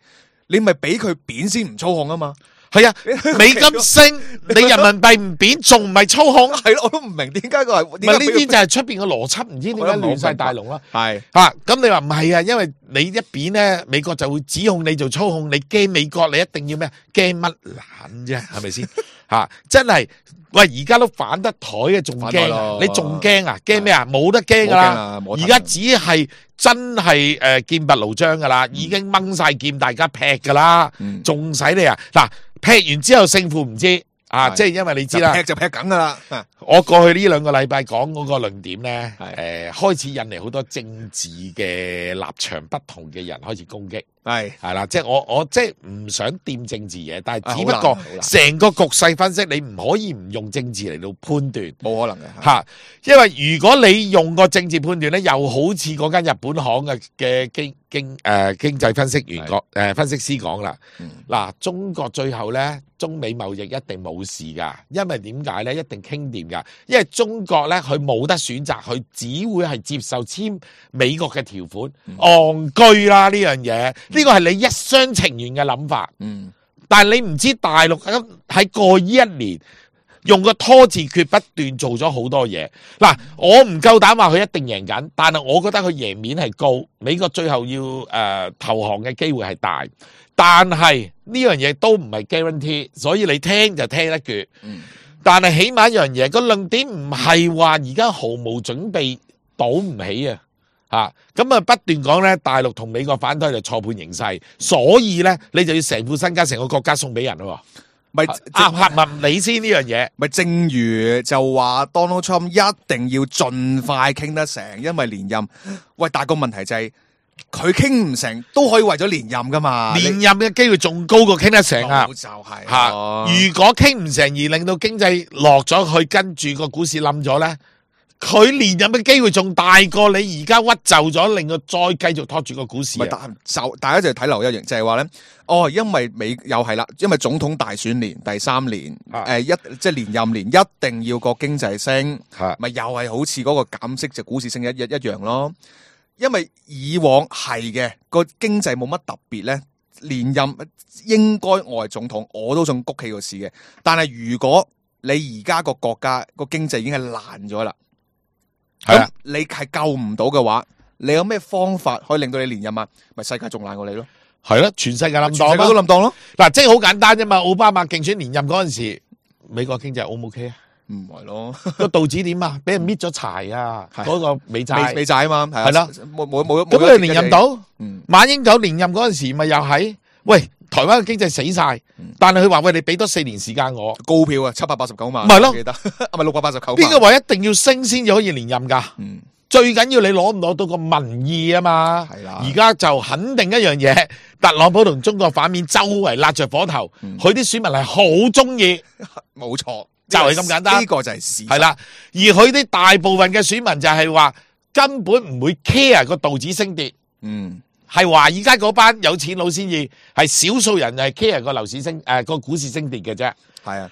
你咪俾佢貶先唔操控啊嘛？係啊，美金升，你人民幣唔貶，仲唔係操控？係咯，我都唔明點解佢係。唔係呢啲就係出邊嘅邏輯，唔知點解亂晒大龍啦。係吓，咁你話唔係啊？因為你一貶咧，美國就會指控你做操控，你驚美國，你一定要咩？驚乜撚啫？係咪先？吓，真係喂，而家都反得台嘅，仲驚啊？你仲驚啊？驚咩啊？冇得驚噶啦！而家只係真係誒劍拔弩張噶啦，已經掹晒劍，大家劈噶啦，仲使你啊？嗱，劈完之後勝負唔知啊，即係因為你知啦，劈就劈緊噶啦。我過去呢兩個禮拜講嗰個論點咧，係誒開始引嚟好多政治嘅立場不同嘅人開始攻擊。係係啦，即係我我即係唔想掂政治嘢，但係只不啊好過難好難成個局勢分析，你唔可以唔用政治嚟到判斷冇可能嘅。吓，因為如果你用個政治判斷咧，又好似嗰間日本行嘅嘅經經誒經濟分析員講誒分析師講啦，嗱，中國最後咧中美貿易一定冇事噶，因為點解咧？一定傾掂噶，因為中國咧佢冇得選擇，佢只會係接受簽美國嘅條款，戇居啦呢樣嘢。呢個係你一廂情願嘅諗法，嗯，但係你唔知大陸喺喺過呢一年用個拖字訣不斷做咗好多嘢。嗱，我唔夠膽話佢一定贏緊，但係我覺得佢贏面係高，美國最後要誒、呃、投降嘅機會係大，但係呢樣嘢都唔係 guarantee，所以你聽就聽得絕。嗯，但係起碼一樣嘢，個論點唔係話而家毫無準備賭唔起啊！吓咁啊，不斷講咧，大陸同美國反對就錯判形勢，所以咧你就要成副身家、成個國家送俾人咯。咪啱合唔理先呢樣嘢，咪正如就話 Donald Trump 一定要盡快傾得成，因為連任。喂，但係個問題就係佢傾唔成都可以為咗連任噶嘛？連任嘅機會仲高過傾得成啊！就係吓，咯如果傾唔成而令到經濟落咗去，跟住個股市冧咗咧，佢連任嘅機會仲大過你而家屈就咗，令佢再繼續拖住個股市啊。咪大就大家就睇留一樣，就係話咧，哦，因為美又係啦，因為總統大選年第三年，誒、啊一即係連任年，一定要個經濟升，係咪又係好似嗰個減息就股市升一一一樣咯。因為以往係嘅個經濟冇乜特別咧，連任應該我係總統，我都想谷起個市嘅。但係如果你而家個國家個經濟已經係爛咗啦。咁、係啊你係救唔到嘅話，你有咩方法可以令到你連任啊？咪世界仲爛過你咯，係咯，全世界冧全世界檔都冧檔咯。嗱，即係好簡單啫嘛。奧巴馬競選連任嗰陣時，美國經濟 O 唔 OK 啊？唔係咯，個道指點啊？俾人搣咗柴啊！係嗰個美美債美債啊嘛，係係啦，冇冇冇咁佢連任，到？嗯，馬英九連任嗰陣時，咪又係喂台灣嘅經濟死晒，但係佢話喂，你俾多四年時間我，高票啊，七百八十九萬，咪咯我記得，啊咪六百八十九萬，邊個話一定要升先至可以連任㗎？嗯最緊要你攞唔攞到個民意啊嘛。係啦而家就肯定一樣嘢，特朗普同中國反面周圍揦着火頭，佢啲、嗯、選民係好中意，冇錯，就係咁簡單。呢個就係事實。係啦，而佢啲大部分嘅選民就係話根本唔會 care 個道指升跌。嗯。係華爾街嗰班有錢佬先至，係少數人係 care 個樓市升誒個、呃、股市升跌嘅啫。係啊，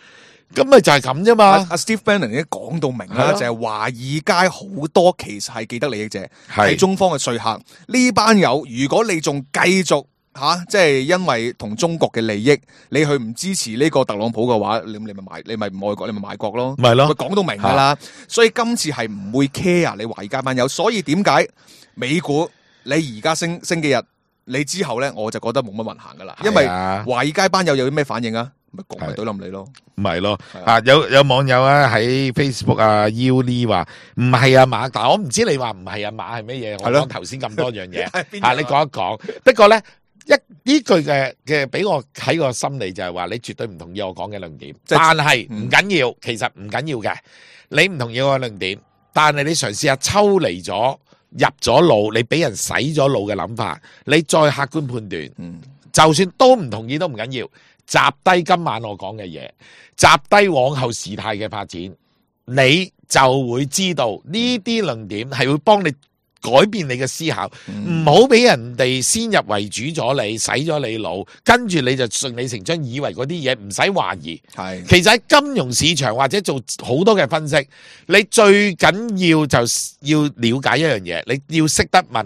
咁咪就係咁啫嘛。阿、啊、Steve Bannon 已經講到明啦，就係華爾街好多其實係既得利益者，係中方嘅說客。呢班友，如果你仲繼續吓，即、啊、係、就是、因為同中國嘅利益，你去唔支持呢個特朗普嘅話，你你咪買，你咪唔愛國，你咪賣國咯。咪咯，佢講到明噶啦。所以今次係唔會 care 你華爾街班友。所以點解美股？你而家升升幾日，你之後咧我就覺得冇乜運行噶啦，因為華爾街班友有啲咩反應啊？咪講咪懟冧你咯，唔係咯啊！有有網友啊喺 Facebook 啊 Uli 話唔係啊馬，但係我唔知你話唔係啊馬係咩嘢？我講頭先咁多樣嘢啊，你講一講。不過咧一呢句嘅嘅俾我喺個心理就係話你絕對唔同意我講嘅論點，但係唔緊要，其實唔緊要嘅。你唔同意我嘅論點，但係你嘗試下抽離咗。入咗腦，你俾人洗咗腦嘅諗法，你再客觀判斷，嗯、就算都唔同意都唔緊要，集低今晚我講嘅嘢，集低往後事態嘅發展，你就會知道呢啲論點係會幫你改變你嘅思考，唔好俾人哋先入為主咗你，洗咗你腦，跟住你就順理成章以為嗰啲嘢唔使懷疑。係，其實喺金融市場或者做好多嘅分析，你最緊要就要了解一樣嘢，你要識得問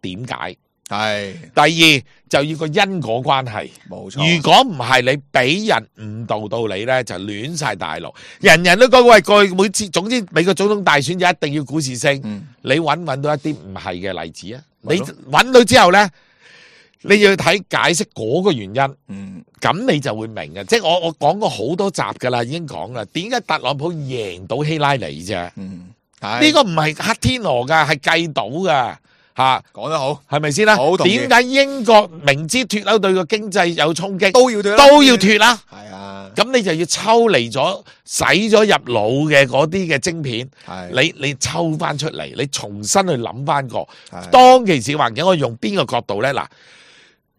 點解。係，第二就要個因果關係，冇錯。如果唔係你俾人誤導到你咧，就亂晒大陸。人人都講喂，過去每次，總之美國總統大選就一定要股市升。嗯、你揾唔揾到一啲唔係嘅例子啊？你揾到之後咧，你要睇解釋嗰個原因。嗯，咁你就會明嘅。即係我我講過好多集噶啦，已經講啦。點解特朗普贏到希拉里啫？嗯，呢個唔係黑天鵝噶，係計到噶。吓，講得好，係咪先啦？點解英國明知脫歐對個經濟有衝擊，都要脫都要脫啦？係啊，咁你就要抽離咗洗咗入腦嘅嗰啲嘅晶片，你你抽翻出嚟，你重新去諗翻個當其時環境，我用邊個角度咧？嗱，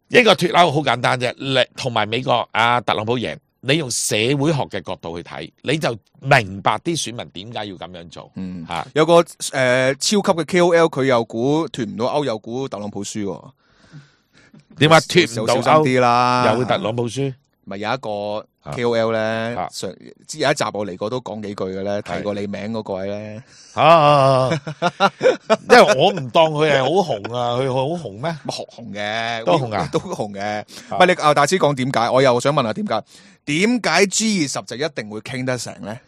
一個脫歐好簡單啫，同埋美國阿特朗普贏。你用社會學嘅角度去睇，你就明白啲選民點解要咁樣做。嗯，吓有個誒、呃、超級嘅 K O L， 佢又估脫唔到歐，又估特朗普輸。點解脫唔到歐？小心啲啦，有特朗普輸。咪有一個 K O L 咧，上之有一集我嚟過都講幾句嘅咧，提過你名嗰個位咧。啊，因為我唔當佢係好紅啊，佢好紅咩？學紅嘅，都紅啊，都紅嘅。唔係你啊，大師講點解？我又想問下點解？點解 G 二十就一定會傾得成咧？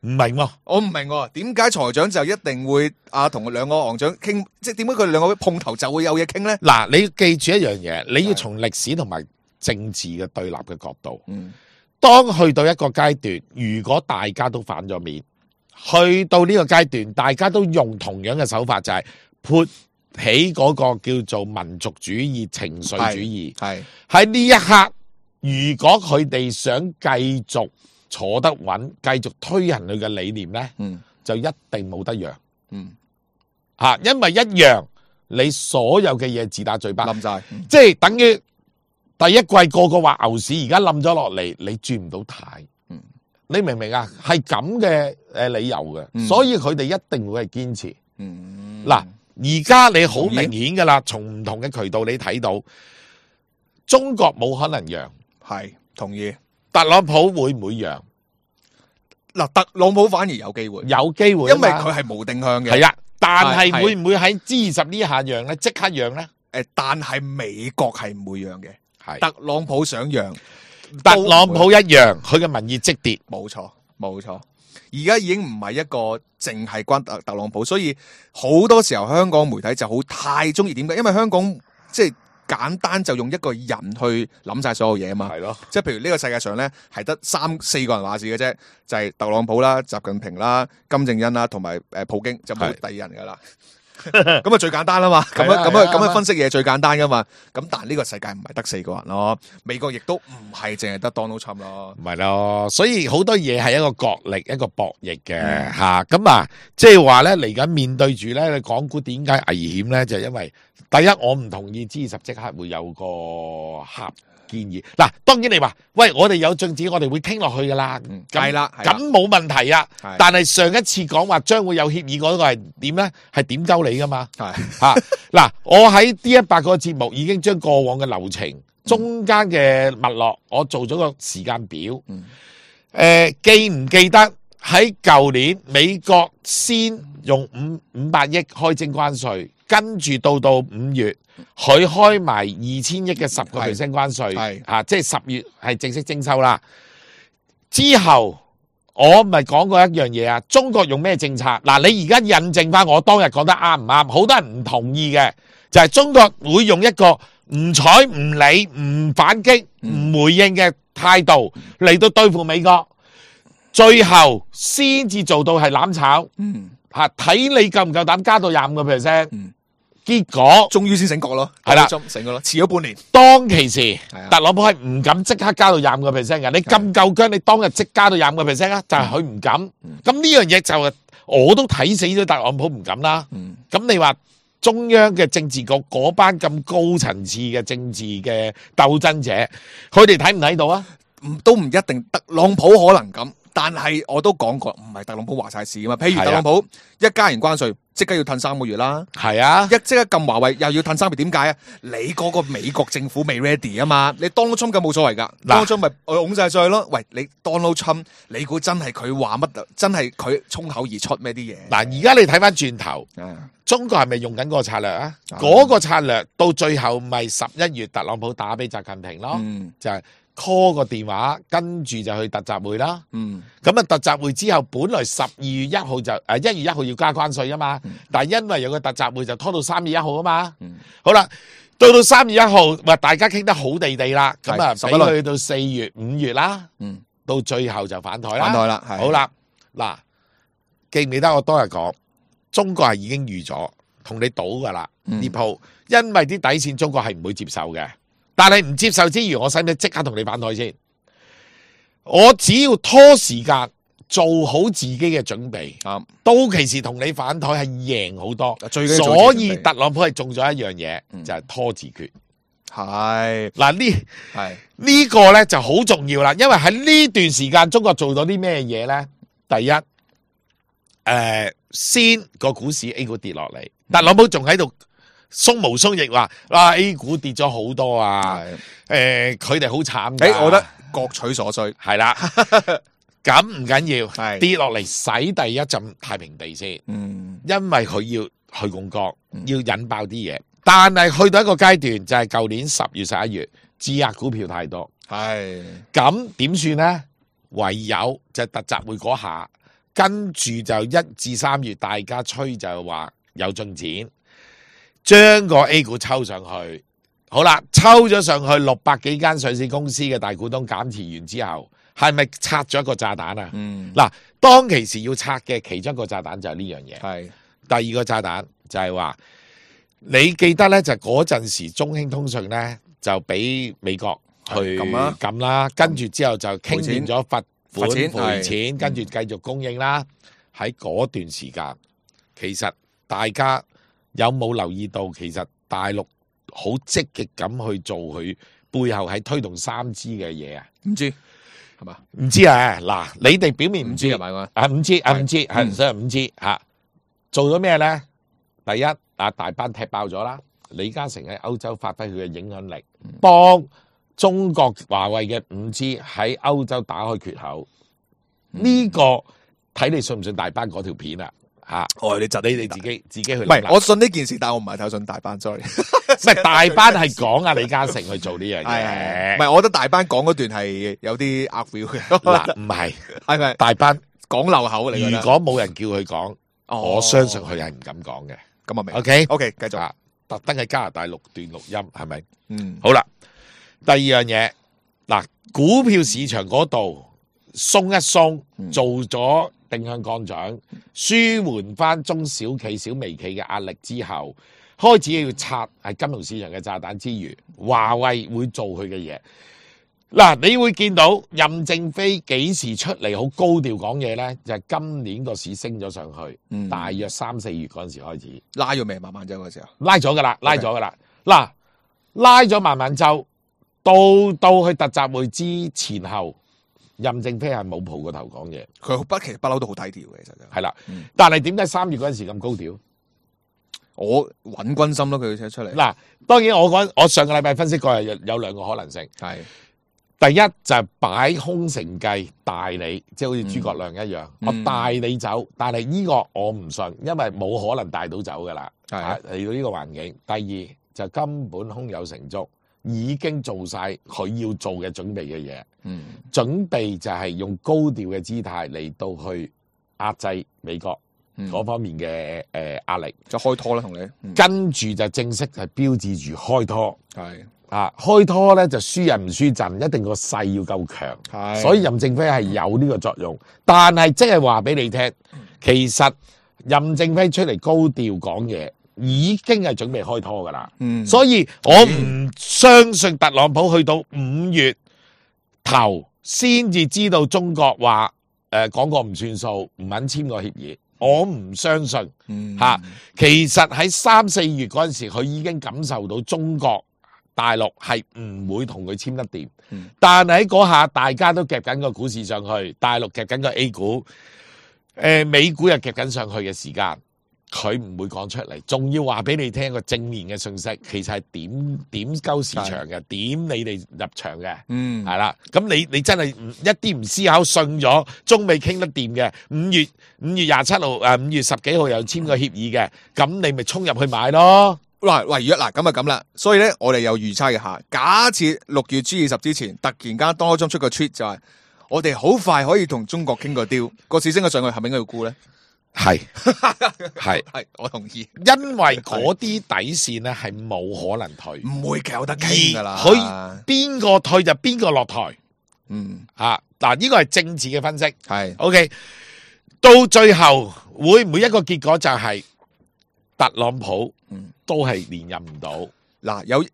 唔明喎，我唔明喎。點解財長就一定會啊同兩個行長傾？即係點解佢哋兩個碰頭就會有嘢傾咧？嗱，你要記住一樣嘢，你要從歷史同埋政治嘅對立嘅角度。嗯，當去到一個階段，如果大家都反咗面，去到呢個階段，大家都用同樣嘅手法，就係潑起嗰個叫做民族主義、情緒主義。係喺呢一刻。如果佢哋想繼續坐得穩，繼續推行佢嘅理念咧，嗯，就一定冇得讓，嗯，吓，因為一讓你所有嘅嘢自打嘴巴，冧晒，嗯、即係等於第一季個個話牛市，而家冧咗落嚟，你轉唔到軚，嗯，你明唔明啊？係咁嘅誒理由嘅，嗯、所以佢哋一定會係堅持，嗯，嗱，而家你好明顯噶啦，從唔同嘅渠道你睇到，中國冇可能讓。係同意，特朗普會唔會讓？嗱，特朗普反而有機會，有機會，因為佢係無定向嘅。係啊，但係會唔會喺 G 二十呢下讓咧？即刻讓咧？誒，但係美國係唔會讓嘅。係的特朗普想讓，特朗普一讓，佢嘅民意即跌。冇錯，冇錯。而家已經唔係一個淨係關特特朗普，所以好多時候香港媒體就好太中意點解？因為香港即係。簡單就用一個人去諗晒所有嘢啊嘛，係咯，即係譬如呢個世界上咧係得三四個人話事嘅啫，就係、是、特朗普啦、習近平啦、金正恩啦同埋誒普京，就冇第二人噶啦。咁啊最簡單啦嘛，咁樣係啊咁樣係啊咁樣分析嘢最簡單噶嘛。咁但係呢個世界唔係得四個人咯，美國亦都唔係淨係得 Donald Trump 咯。唔係咯，所以好多嘢係一個角力，一個博弈嘅吓。咁啊，即係話咧嚟緊面對住咧，你港股點解危險咧？就係因為第一，我唔同意 G 二十即刻會有個合建議。嗱，當然你話喂，我哋有進展，我哋會傾落去噶啦。嗯咁係啦係啦咁冇問題啊係。但係上一次講話將會有協議嗰個係點咧？係點鳩你噶嘛？係吓嗱，我喺 D 一百個節目已經將過往嘅流程、中間嘅脈絡，我做咗個時間表。嗯誒，記唔記得喺舊年美國先用五五百億開徵關稅，跟住到到五月，佢開埋二千億嘅十個 percent 關稅，係啊，即係十月係正式徵收啦。之後我咪講過一樣嘢啊，中國用咩政策？嗱，你而家印證翻我當日講得啱唔啱？好多人唔同意嘅，就係中國會用一個唔睬唔理、唔反擊、唔回應嘅態度嚟到對付美國，最後先至做到係攬炒嗯，吓，睇你夠唔夠膽加到廿五個 percent。嗯結果終於先醒覺咯，係啦 Donald Trump 醒覺咯，遲咗半年。當其時，啊特朗普係唔敢即刻加到廿五個 percent 嘅。你咁夠姜，你當日即加到廿五個 percent 啊？就係佢唔敢。咁呢樣嘢就係我都睇死咗特朗普唔敢啦。嗯咁你話中央嘅政治局嗰班咁高層次嘅政治嘅鬥爭者，佢哋睇唔睇到啊？唔都唔一定，特朗普可能咁，但係我都講過，唔係特朗普話晒事噶嘛。譬如係啊特朗普一加完關稅，即刻要褪三個月啦。係啊，一即刻撳華為，又要褪三個月，點解啊？你嗰個美國政府未 ready 啊嘛？你 Donald Trump 咁冇所謂噶嗱，Donald Trump 咪我拱晒上去咯。喂，你 Donald Trump，你估真係佢話乜？真係佢衝口而出咩啲嘢？嗱，而家你睇翻轉頭，啊中國係咪用緊嗰個策略啊？啊嗰個策略到最後咪十一月特朗普打俾習近平咯，嗯就係 call 個電話，跟住就去特集會啦。嗯咁啊，特集會之後，本來十二月一號就誒一月一號要加關稅啊嘛，但係因為有個特集會就拖到三月一號啊嘛。嗯好啦，到到三月一號，話大家傾得好地地啦，咁啊係俾佢到四月、五月啦，嗯，到最後就反台啦。反台啦，係好啦，嗱，記唔記得我當日講，中國係已經預咗同你賭噶啦嗯呢鋪，因為啲底線中國係唔會接受嘅。但係唔接受之餘，我使唔使即刻同你反台先？我只要拖時間，做好自己嘅準備，啱到期時同你反台係贏好多。最緊要做所自己準備以特朗普係中咗一樣嘢，嗯就係拖字訣。係嗱呢係呢個咧就好重要啦，因為喺呢段時間中國做咗啲咩嘢咧？第一，誒、先個股市 A 股跌落嚟，特朗普仲喺度鬆毛鬆翼話，哇 A 股跌咗好多啊！係，誒，佢哋好慘㗎。誒，我覺得各取所需，係啦，咁唔緊要，係跌落嚟洗第一陣太平地先，嗯因為佢要去槓桿，要引爆啲嘢。但係去到一個階段，就係舊年十月十一月，質押股票太多，係咁點算呢？唯有就係特集會嗰下，跟住就一至三月大家吹就話有進展，將個 A 股抽上去。好啦，抽咗上去六百幾間上市公司嘅大股東減持完之後，係咪拆咗一個炸彈啊？嗯嗱，當其時要拆嘅其中一個炸彈就係呢樣嘢。係第二個炸彈就係話，你記得咧就嗰陣時中興通訊咧就俾美國去係撳啦撳啦，跟住之後就傾掂咗罰款罰錢賠錢，係跟住繼續供應啦。喺嗰段時間，其實大家有冇留意到，其實大陸好積極咁去做佢背後喺推動三 G 嘅嘢啊？唔知係嘛？唔知啊，嗱，你哋表面唔知唔知係咪嘛？啊，五 G 啊，五 G 係嗯所以五 G 吓，做咗咩咧？第一啊，大班踢爆咗啦，李嘉誠喺歐洲發揮佢嘅影響力，幫中國華為嘅五 G 喺歐洲打開缺口。呢、個睇你信唔信大班嗰條片啊？吓，哦，你窒你哋自己自己去唔諗啦。係，我信呢件事，但係我唔係太信大班，sorry。唔係大班係講啊李嘉誠去做呢樣係係係，嘢，唔係，我覺得大班講嗰段係有啲呃 feel 嘅，嗱唔係係咪大班。講漏口嚟？如果冇人叫佢講，哦我相信佢係唔敢講嘅。咁啊明 OK， ，OK，繼續，啊，特登喺加拿大錄段錄音，係咪？嗯，好啦，第二樣嘢，嗱，股票市場嗰度鬆一鬆，嗯做咗定向降準，舒緩翻中小企、小微企嘅壓力之後，開始要拆係金融市場嘅炸彈之餘，華為會做佢嘅嘢。嗱，你會見到任正非幾時出嚟好高調講嘢呢？就係、是、今年個市升咗上去，嗯大約三四月嗰陣時開始拉咗未？慢慢走嗰時候，拉咗噶啦，拉咗噶啦。嗱，拉咗慢慢走，到到去特集會之前後，任正非係冇蒲過頭講嘢，佢不其實不嬲都好低調嘅，其實就係啦。嗯但係點解三月嗰陣時咁高調？我穩軍心咯，佢寫出嚟。嗱，當然我講我上個禮拜分析過係有有兩個可能性。係第一就係擺空城計大你，即係好似諸葛亮一樣，嗯我帶你走，但係呢個我唔信，因為冇可能帶到走噶啦。係啊嚟到呢個環境。第二就根本胸有成竹，已經做晒佢要做嘅準備嘅嘢。嗯準備就係用高調嘅姿態嚟到去壓制美國嗯嗰方面嘅誒壓力，就開拖啦，同你。嗯跟住就正式係標誌住開拖。係啊，開拖咧就輸人唔輸陣，一定個勢要夠強。係所以任正非係有呢個作用，但係即係話俾你聽，其實任正非出嚟高調講嘢，已經係準備開拖噶啦。嗯所以我唔相信特朗普去到五月頭先至知道中國話誒講過唔算數，唔肯簽個協議。我唔相信嗯嚇、其實喺三四月嗰陣時，佢已經感受到中國大陸係唔會同佢簽得掂。嗯但係喺嗰下大家都夾緊個股市上去，大陸夾緊個 A 股，誒、美股又夾緊上去嘅時間，佢唔會講出嚟，仲要話俾你聽個正面嘅信息，其實係點點鳩市場嘅，點你哋入場嘅。嗯係啦，咁你你真係唔一啲唔思考，信咗中美傾得掂嘅，五月五月廿七號誒五月十幾號又簽個協議嘅，咁你咪衝入去買咯。嗱，喂，如果嗱咁啊咁啦，所以咧我哋有預測一下，假設六月 G 二十之前突然間多咗出個 tweet 就係我哋好快可以同中國傾個 deal，個市升咗上去，係咪應該要沽咧？係係，係，我同意，因為嗰啲底線咧係冇可能退，唔會有得傾噶啦。而佢邊個退就邊個落台嗯啊！嗱，呢個係政治嘅分析。係 OK，到最後會唔會一個結果就係特朗普嗯都係連任唔到？嗱有誒，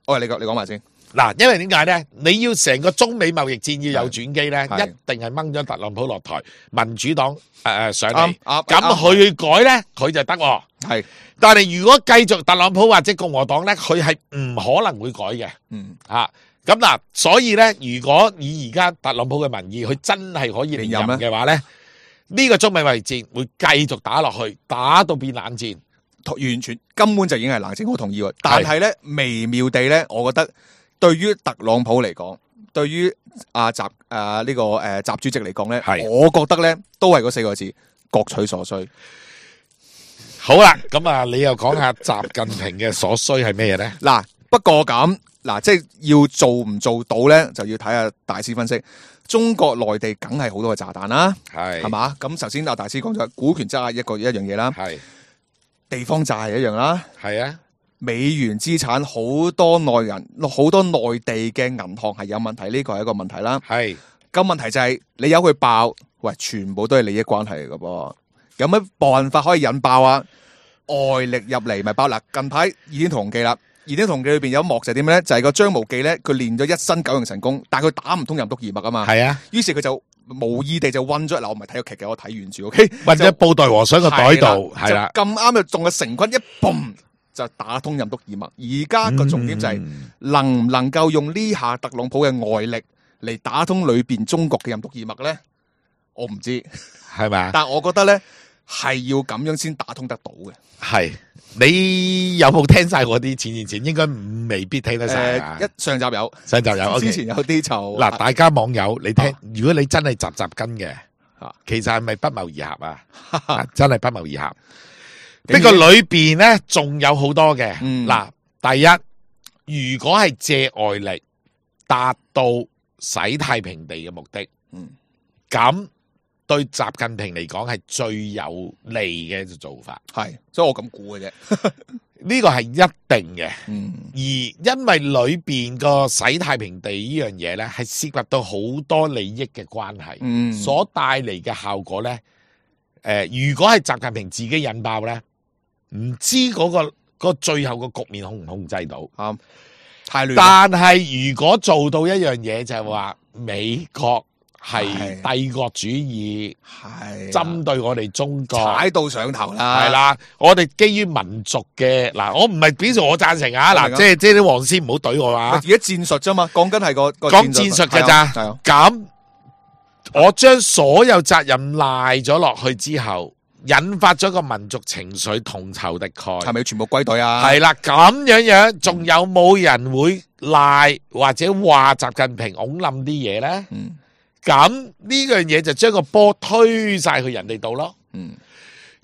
喂你講你講埋先，嗱，因為點解咧？你要成個中美貿易戰要有轉機咧，係一定係掹咗特朗普落台，民主黨誒誒上嚟，啱啱咁佢去改咧，佢就得喎。係但係如果繼續特朗普或者共和黨咧，佢係唔可能會改嘅。嗯啊，咁嗱，所以咧，如果以而家特朗普嘅民意，佢真係可以連任連任嘅話咧，呢個中美貿易戰會繼續打落去，打到變冷戰。完全根本就已經係冷靜，我同意喎。但係咧微妙地咧，我覺得對於特朗普嚟講，對於阿習啊呢個誒習主席嚟講咧，係我覺得咧都係嗰四個字，各取所需。好啦，咁啊，你又講下習近平嘅所需係咩嘢咧？嗱，不過咁嗱，即係要做唔做到咧，就要睇下大師分析。中國內地梗係好多嘅炸彈啦，係係嘛？咁首先阿大師講咗股權質押一個一樣嘢啦，係地方債係一樣啦。係啊，美元資產好多內人好多內地嘅銀行係有問題，呢個係一個問題啦。係咁問題就係、你有佢爆，喂，全部都係利益關係嚟嘅噃。有乜辦法可以引爆啊？外力入嚟咪爆嗱。近排《倚天屠龍記》啦，《倚天屠龍記》裏邊有一幕就係點咧？就係、個張無忌咧，佢練咗一身九陽神功，但係佢打唔通任督二脈啊嘛。係啊，於是佢就無意地就温咗嗱，我唔係睇個劇嘅，我睇完住，OK，或者布袋和尚個袋度，係啦，就咁啱就中咗成軍一嘣就打通任督二脈。而家個重點就係、嗯能唔能夠用呢下特朗普嘅外力嚟打通裏邊中國嘅任督二脈咧？我唔知，係咪啊？但我覺得咧係要咁樣先打通得到嘅。係你有冇聽晒嗰啲前前前？應該未必聽得晒啊。誒一上集有，上集有，之前有啲就嗱，大家網友你聽，如果你真係集集跟嘅啊，其實係咪不謀而合啊？啊真係不謀而合。竟然呢個裏邊咧，仲有好多嘅。嗯嗱，第一，如果係借外力達到洗太平地嘅目的，嗯咁對習近平嚟講係最有利嘅做法。係，所以我咁估嘅啫。呢個係一定嘅。嗯，而因為裏邊個洗太平地呢樣嘢呢，係涉及到好多利益嘅關係，嗯所帶嚟嘅效果呢，誒、呃，如果係習近平自己引爆呢，唔知嗰、個、個最後個局面控唔控制到？啱，太亂啦。但係如果做到一樣嘢，就係話美國係帝國主義，係針對我哋中國。踩到上頭啦。係啦，我哋基於民族嘅嗱，我唔係表示我贊成啊，嗱，我明啊即係即係啲黃絲唔好懟我啊而，家戰術啫嘛，講緊係個個講戰術㗎咋係啊，咁我將所有責任賴咗落去之後，引發咗個民族情緒同仇敵愾，係咪要全部歸隊啊？係啦，咁樣樣仲有冇人會賴或者話習近平拱冧啲嘢咧？嗯咁呢樣嘢就將個波推晒去人哋度咯。嗯，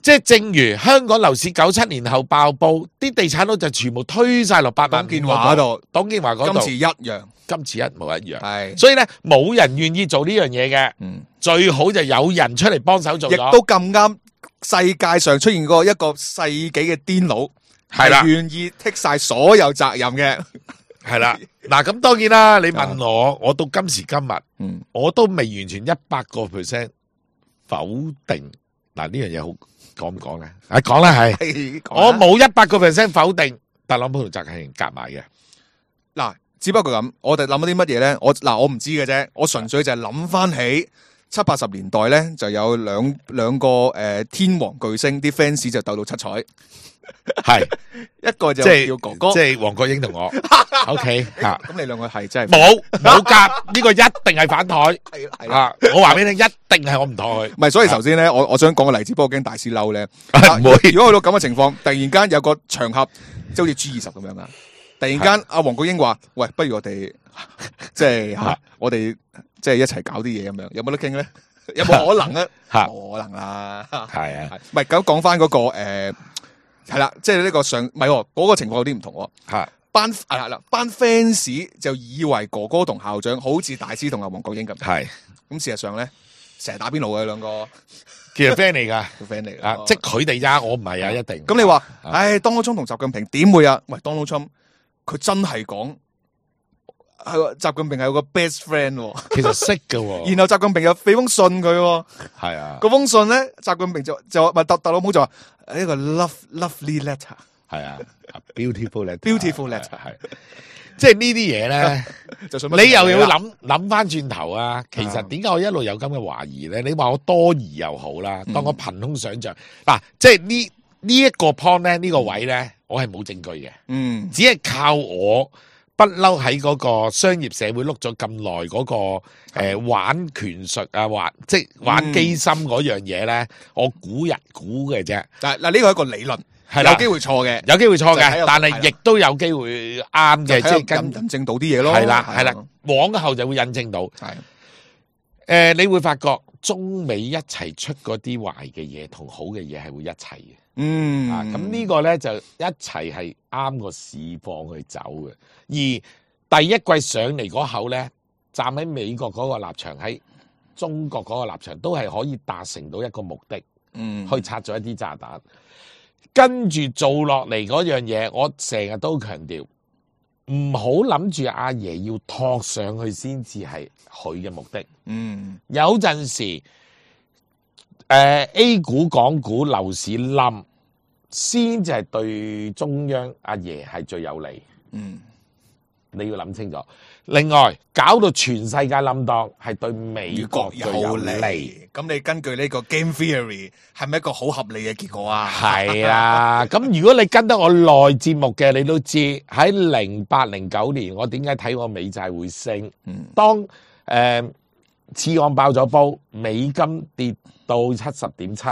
即係正如香港樓市九七年後爆煲，啲地產佬就全部推晒落八萬董建華嗰度，董建華嗰度，今次一樣今次一模一樣。係，所以咧，冇人願意做呢樣嘢嘅，嗯，最好就有人出嚟幫手做亦咗。都咁啱，世界上出現過一個世紀嘅癲佬，係啦係願意剔晒所有責任嘅。係啦，嗱咁當然啦，你問我，我到今時今日，嗯，我都未完全一百個 percent 否定。嗱呢樣嘢好講唔講咧？啊講啦係，係我冇一百個 percent 否定特朗普同習近平夾埋嘅。嗱，只不過咁，我哋諗咗啲乜嘢咧？我嗱，我唔知嘅啫，我純粹就係諗翻起七八十年代咧，就有兩兩個誒、呃、天王巨星，啲 fans 就鬥到七彩，係一個就即係叫哥哥，即係黃國英同我，OK 吓，咁你兩個係真係冇冇夾，呢個一定係反台係係啦。啊！我話俾你聽，一定係我唔妥佢。唔係，所以頭先咧，我我想講個例子，不過驚大師嬲咧。唔會如果去到咁嘅情況，突然間有個場合，即係好似 G 二十咁樣啊！突然間，阿黃國英話：，喂，不如我哋即係吓，我哋即係一齊搞啲嘢咁樣，有冇得傾咧？有冇可能咧？吓冇可能啦。係啊，唔係咁講翻嗰個誒，係啦，即係呢個上，唔係喎嗰個情況有啲唔同喎。吓班啊嗱，班 fans 就以為哥哥同校長好似大師同阿黃國英咁，係，咁事實上咧，成日打邊爐嘅兩個其實 friend 嚟噶。個 friend 嚟啊！嘅，即係佢哋咋，我唔係啊，一定。咁你話，啊唉，Donald Trump 同習近平點會啊？喂，Donald Trump 佢真係講係喎習近平係有個 best friend，喎其實識嘅喎，然後習近平又俾封信佢喎，係啊，嗰封信咧，習近平就就話特特朗普就話呢個 love lovely letter，係啊，beautiful letter， Beautiful letter 係，即係呢啲嘢咧，就信你又要諗諗諗翻轉頭啊！其實點解我一路有咁嘅懷疑咧？你話我多疑又好啦，當我憑空想像嗱，即係呢呢一個 point 咧，呢個位咧，我係冇證據嘅，嗯只係靠我。不嬲喺嗰個商業社會碌咗咁耐嗰個誒、呃、玩權術啊，玩即係玩機心嗰樣嘢咧，我估人估嘅啫，嗱嗱呢個係一個理論，係啦有機會錯嘅，有機會錯就睇嘅，但有係啦係亦都有機會啱嘅，即係跟印印證到啲嘢咯，係啦係啦啊，往後就會印證到。誒、係呃，你會發覺中美一齊出嗰啲壞嘅嘢同好嘅嘢係會一齊嘅。嗯啊，咁呢個咧就一齊係啱個市況去走嘅。而第一季上嚟嗰口咧，站喺美國嗰個立場，喺中國嗰個立場，都係可以達成到一個目的，嗯去拆咗一啲炸彈。跟住做落嚟嗰樣嘢，我成日都強調，唔好諗住阿爺要托上去先至係佢嘅目的。嗯有陣時，誒、呃、A 股、港股、樓市冧，先至係對中央阿爺係最有利。嗯你要諗清楚。另外，搞到全世界冧檔，係對美國最有有利。利，咁你根據呢個 game theory 係咪一個好合理嘅結果啊？係啊，咁如果你跟得我耐節目嘅，你都知喺零八零九年，我點解睇我美債會升？嗯當誒、呃、次按爆咗煲，美金跌到七十點七，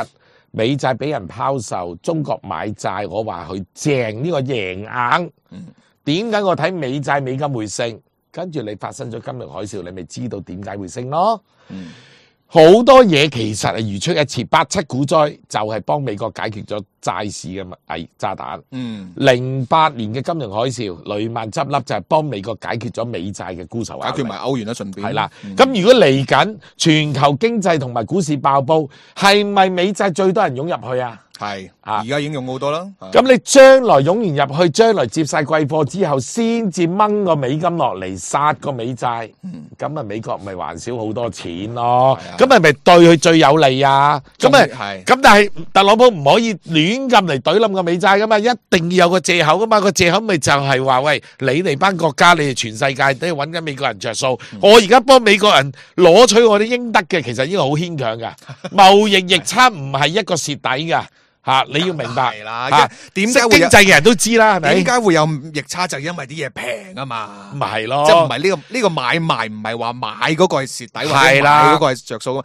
美債俾人拋售，中國買債，我話佢正呢、個贏硬。點解我睇美債美金會升？跟住你發生咗金融海嘯，你咪知道點解會升咯。嗯好多嘢其實係如出一轍，八七股災就係幫美國解決咗債市嘅危炸彈。嗯，零八年嘅金融海嘯，雷曼執笠就係幫美國解決咗美債嘅沽售壓力。解決埋歐元啦，順便係啦，咁、如果嚟緊全球經濟同埋股市爆煲，係咪美債最多人湧入去啊？係啊而家已經用好多啦。咁你將來湧完入去，將來接晒貴貨之後，先至掹個美金落嚟殺個美債，咁啊美國咪還少好多錢咯？咁係咪對佢最有利啊？咁啊係咁，但係特朗普唔可以亂咁嚟懟冧個美債噶嘛，一定要有個藉口噶嘛。個藉口咪就係話喂，你哋班國家，你哋全世界都要揾緊美國人着數，我而家幫美國人攞取我哋應得嘅，其實呢個好牽強噶。貿易逆差唔係一個蝕底噶。吓，你要明白係啦，吓，點解會有識經濟嘅人都知啦，係咪？點解會有逆差？就因為啲嘢平啊嘛，咪係咯，即係唔係呢個呢個買賣唔係話買嗰個係蝕底，或者買係啦嗰個係着數。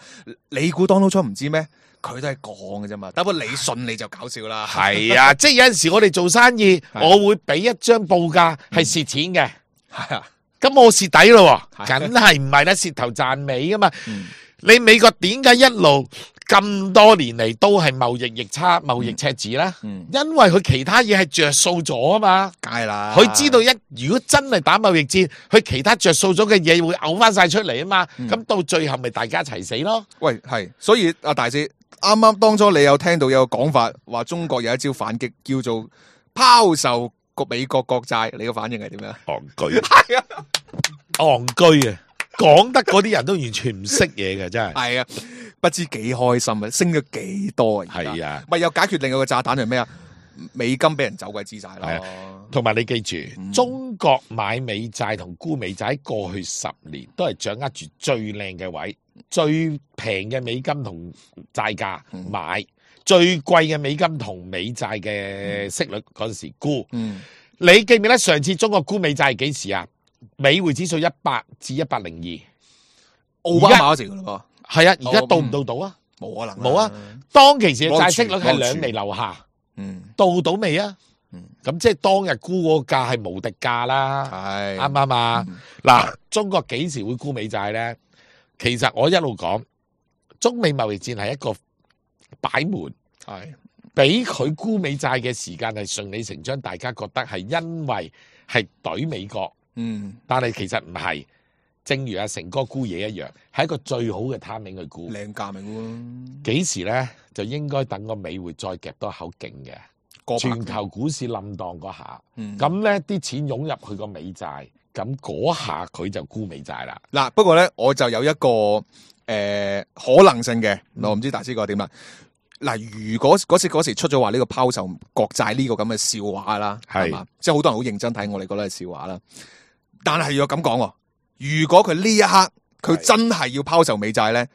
你估 Donald Trump唔知咩？佢都係講嘅啫嘛，不過你信你就搞笑啦。係啊，即係有陣時我哋做生意，我會俾一張報價係蝕錢嘅，係啊，咁我蝕底咯，係梗係唔係啦，蝕頭賺尾噶嘛。你美國點解一路咁多年嚟都係貿易逆差、貿易赤字咧？因為佢其他嘢係着數咗啊嘛。梗係啦，佢知道一如果真係打貿易戰，佢其他着數咗嘅嘢會嘔翻晒出嚟啊嘛。咁到最後咪大家一齊死咯。喂，係，所以阿大師啱啱當初你有聽到有個講法，話中國有一招反擊，叫做拋售個美國國債，你個反應係點樣？戇居，係啊，戇居啊！講得嗰啲人都完全唔識嘢嘅，真係。係啊，不知幾開心啊，升咗幾多啊？係啊，咪又解決另外個炸彈係咩啊？美金俾人走鬼資晒啦。同埋你記住，嗯、中國買美債同沽美債喺過去十年都係掌握住最靚嘅位，最平嘅美金同債價買，嗯、最貴嘅美金同美債嘅息率嗰陣時沽。嗯，你記唔記得上次中國沽美債係幾時啊？美匯指數一百至一百零二，奧巴馬嗰時噶咯噃。係啊，而家到唔到到啊？冇可能，冇啊！當其時嘅債息率係兩厘樓下，嗯，到到未啊？嗯，咁即係當日沽嗰個價係無敵價啦，係啱唔啱啊？嗱，中國幾時會沽美債咧？其實我一路講，中美貿易戰係一個擺門，係俾佢沽美債嘅時間係順理成章，大家覺得係因為係懟美國。嗯，但係其實唔係，正如阿成哥沽嘢一樣，係一個最好嘅 timing去沽，靚價咪沽咯。幾時咧就應該等個美匯再夾多口勁嘅，全球股市冧蕩嗰下，咁咧啲錢湧入去個美債，咁嗰下佢就沽美債啦。嗱，不過咧我就有一個誒、呃、可能性嘅，我唔知大師覺得點啦。嗱，如果嗰時嗰時出咗話呢個拋售國債呢個咁嘅笑話啦，係嘛，即係好多人好認真睇，我哋覺得係笑話啦。但係要咁講，如果佢呢一刻佢真係要拋售美債咧，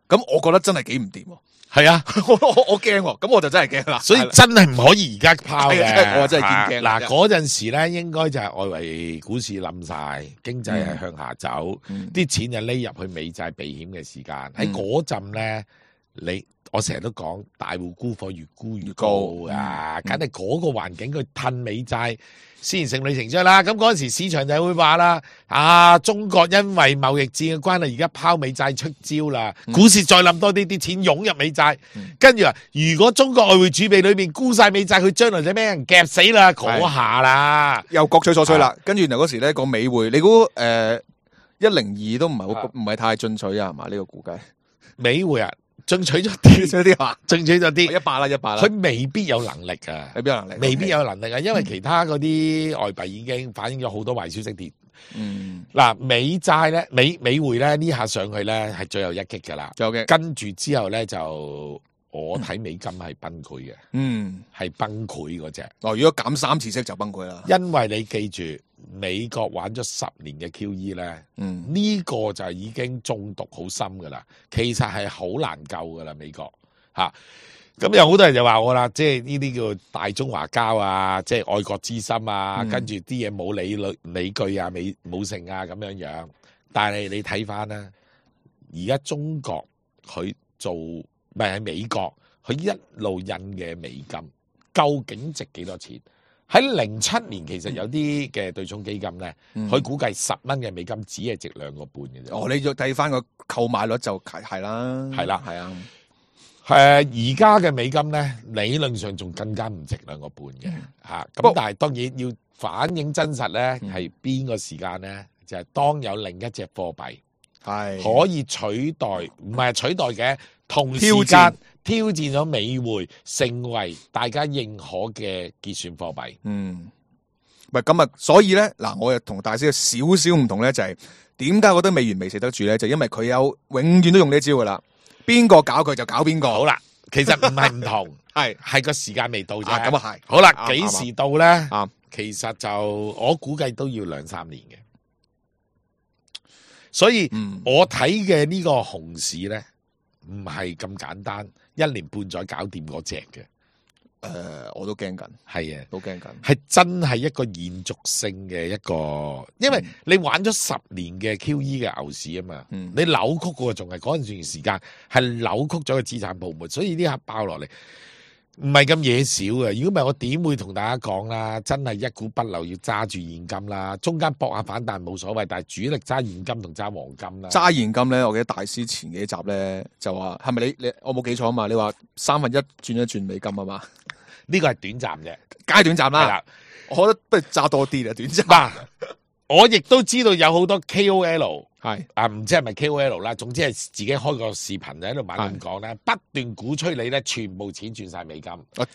咁我覺得真係幾唔掂。係啊，我我我驚，咁我就真係驚啦。所以真係唔可以而家拋嘅，我真係見驚。嗱，嗰陣時咧，應該就係外圍股市冧晒，經濟係向下走，啲、嗯、錢就匿入去美債避險嘅時間。喺嗰陣咧，你我成日都講，大戶沽貨越沽越高啊，梗係嗰個環境佢褪美債。先成理成章啦，咁嗰陣時市場就會話啦，啊中國因為貿易戰嘅關係，而家拋美債出招啦，嗯、股市再冧多啲，啲錢湧入美債，跟住話如果中國外匯儲備裏面沽晒美債，佢將來就俾人夾死啦，嗰下啦，又各取所需啦。啊、跟住原來嗰時咧個美匯，你估誒一零二都唔係好唔係太進取啊？係嘛？呢、呢個估計美匯啊？進取咗啲，啲話進取咗啲，一百啦，一百啦。佢未必有能力啊，未必有能力，未必有能力啊，因為其他嗰啲外幣已經反映咗好多壞消息跌。嗯，嗱，美債咧，美美匯咧呢下上去咧係最後一擊噶啦，有嘅。跟住之後咧就我睇美金係崩潰嘅，嗯，係崩潰嗰隻。哦，如果減三次息就崩潰啦，因為你記住。美國玩咗十年嘅 Q E 咧，嗯，呢個就已經中毒好深噶啦，其實係好難救噶啦，美國吓。咁、啊、有好多人就話我啦，即係呢啲叫大中華膠啊，即係愛國之心啊，嗯、跟住啲嘢冇理理理據啊，美冇成啊咁樣樣。但係你睇翻啦，而家中國佢做咪喺美國，佢一路印嘅美金究竟值幾多錢？喺零七年，其實有啲嘅對沖基金咧，佢、嗯、估計十蚊嘅美金只係值兩個半嘅啫。哦，你要計翻個購買率就係係啦，係啦係啊，誒而家嘅美金咧，理論上仲更加唔值兩個半嘅嚇。咁、不過但係當然要反映真實咧，係邊個時間咧？就係、當有另一隻貨幣係可以取代，唔係取代嘅，同時挑戰間挑戰咗美匯，成為大家認可嘅結算貨幣。嗯，唔係咁啊，所以咧嗱，我又同大師有少少唔同咧，就係點解我覺得美元未食得住咧？就因為佢有永遠都用呢招噶啦，邊個搞佢就搞邊個。好啦，其實唔係唔同，係係個時間未到啫。啊，咁啊係。好啦，啱幾時到咧？啱其實就我估計都要兩三年嘅。所以、嗯我睇嘅呢個熊市咧，唔係咁簡單，一年半載搞掂嗰隻嘅。誒、我都驚緊，係啊，都驚緊。係真係一個延續性嘅一個，因為你玩咗十年嘅 Q E 嘅牛市啊嘛，嗯你扭曲嘅仲係嗰陣段時間係扭曲咗個資產泡沫，所以呢下爆落嚟唔係咁嘢少嘅。如果唔係我點會同大家講啦？真係一股不留，要揸住現金啦，中間搏下反彈冇所謂，但係主力揸現金同揸黃金啦。揸現金咧，我記得大師前幾集咧就話係咪你你我冇記錯啊嘛？你話三分一轉一轉美金啊嘛？呢個係短暫嘅，階段站啦係啦。我覺得不如揸多啲啦，短暫。嗱，我亦都知道有好多 K O L。係啊，唔知係咪 K O L 啦，總之係自己開個視頻就喺度猛咁講咧，不斷鼓吹你咧，全部錢轉晒美金，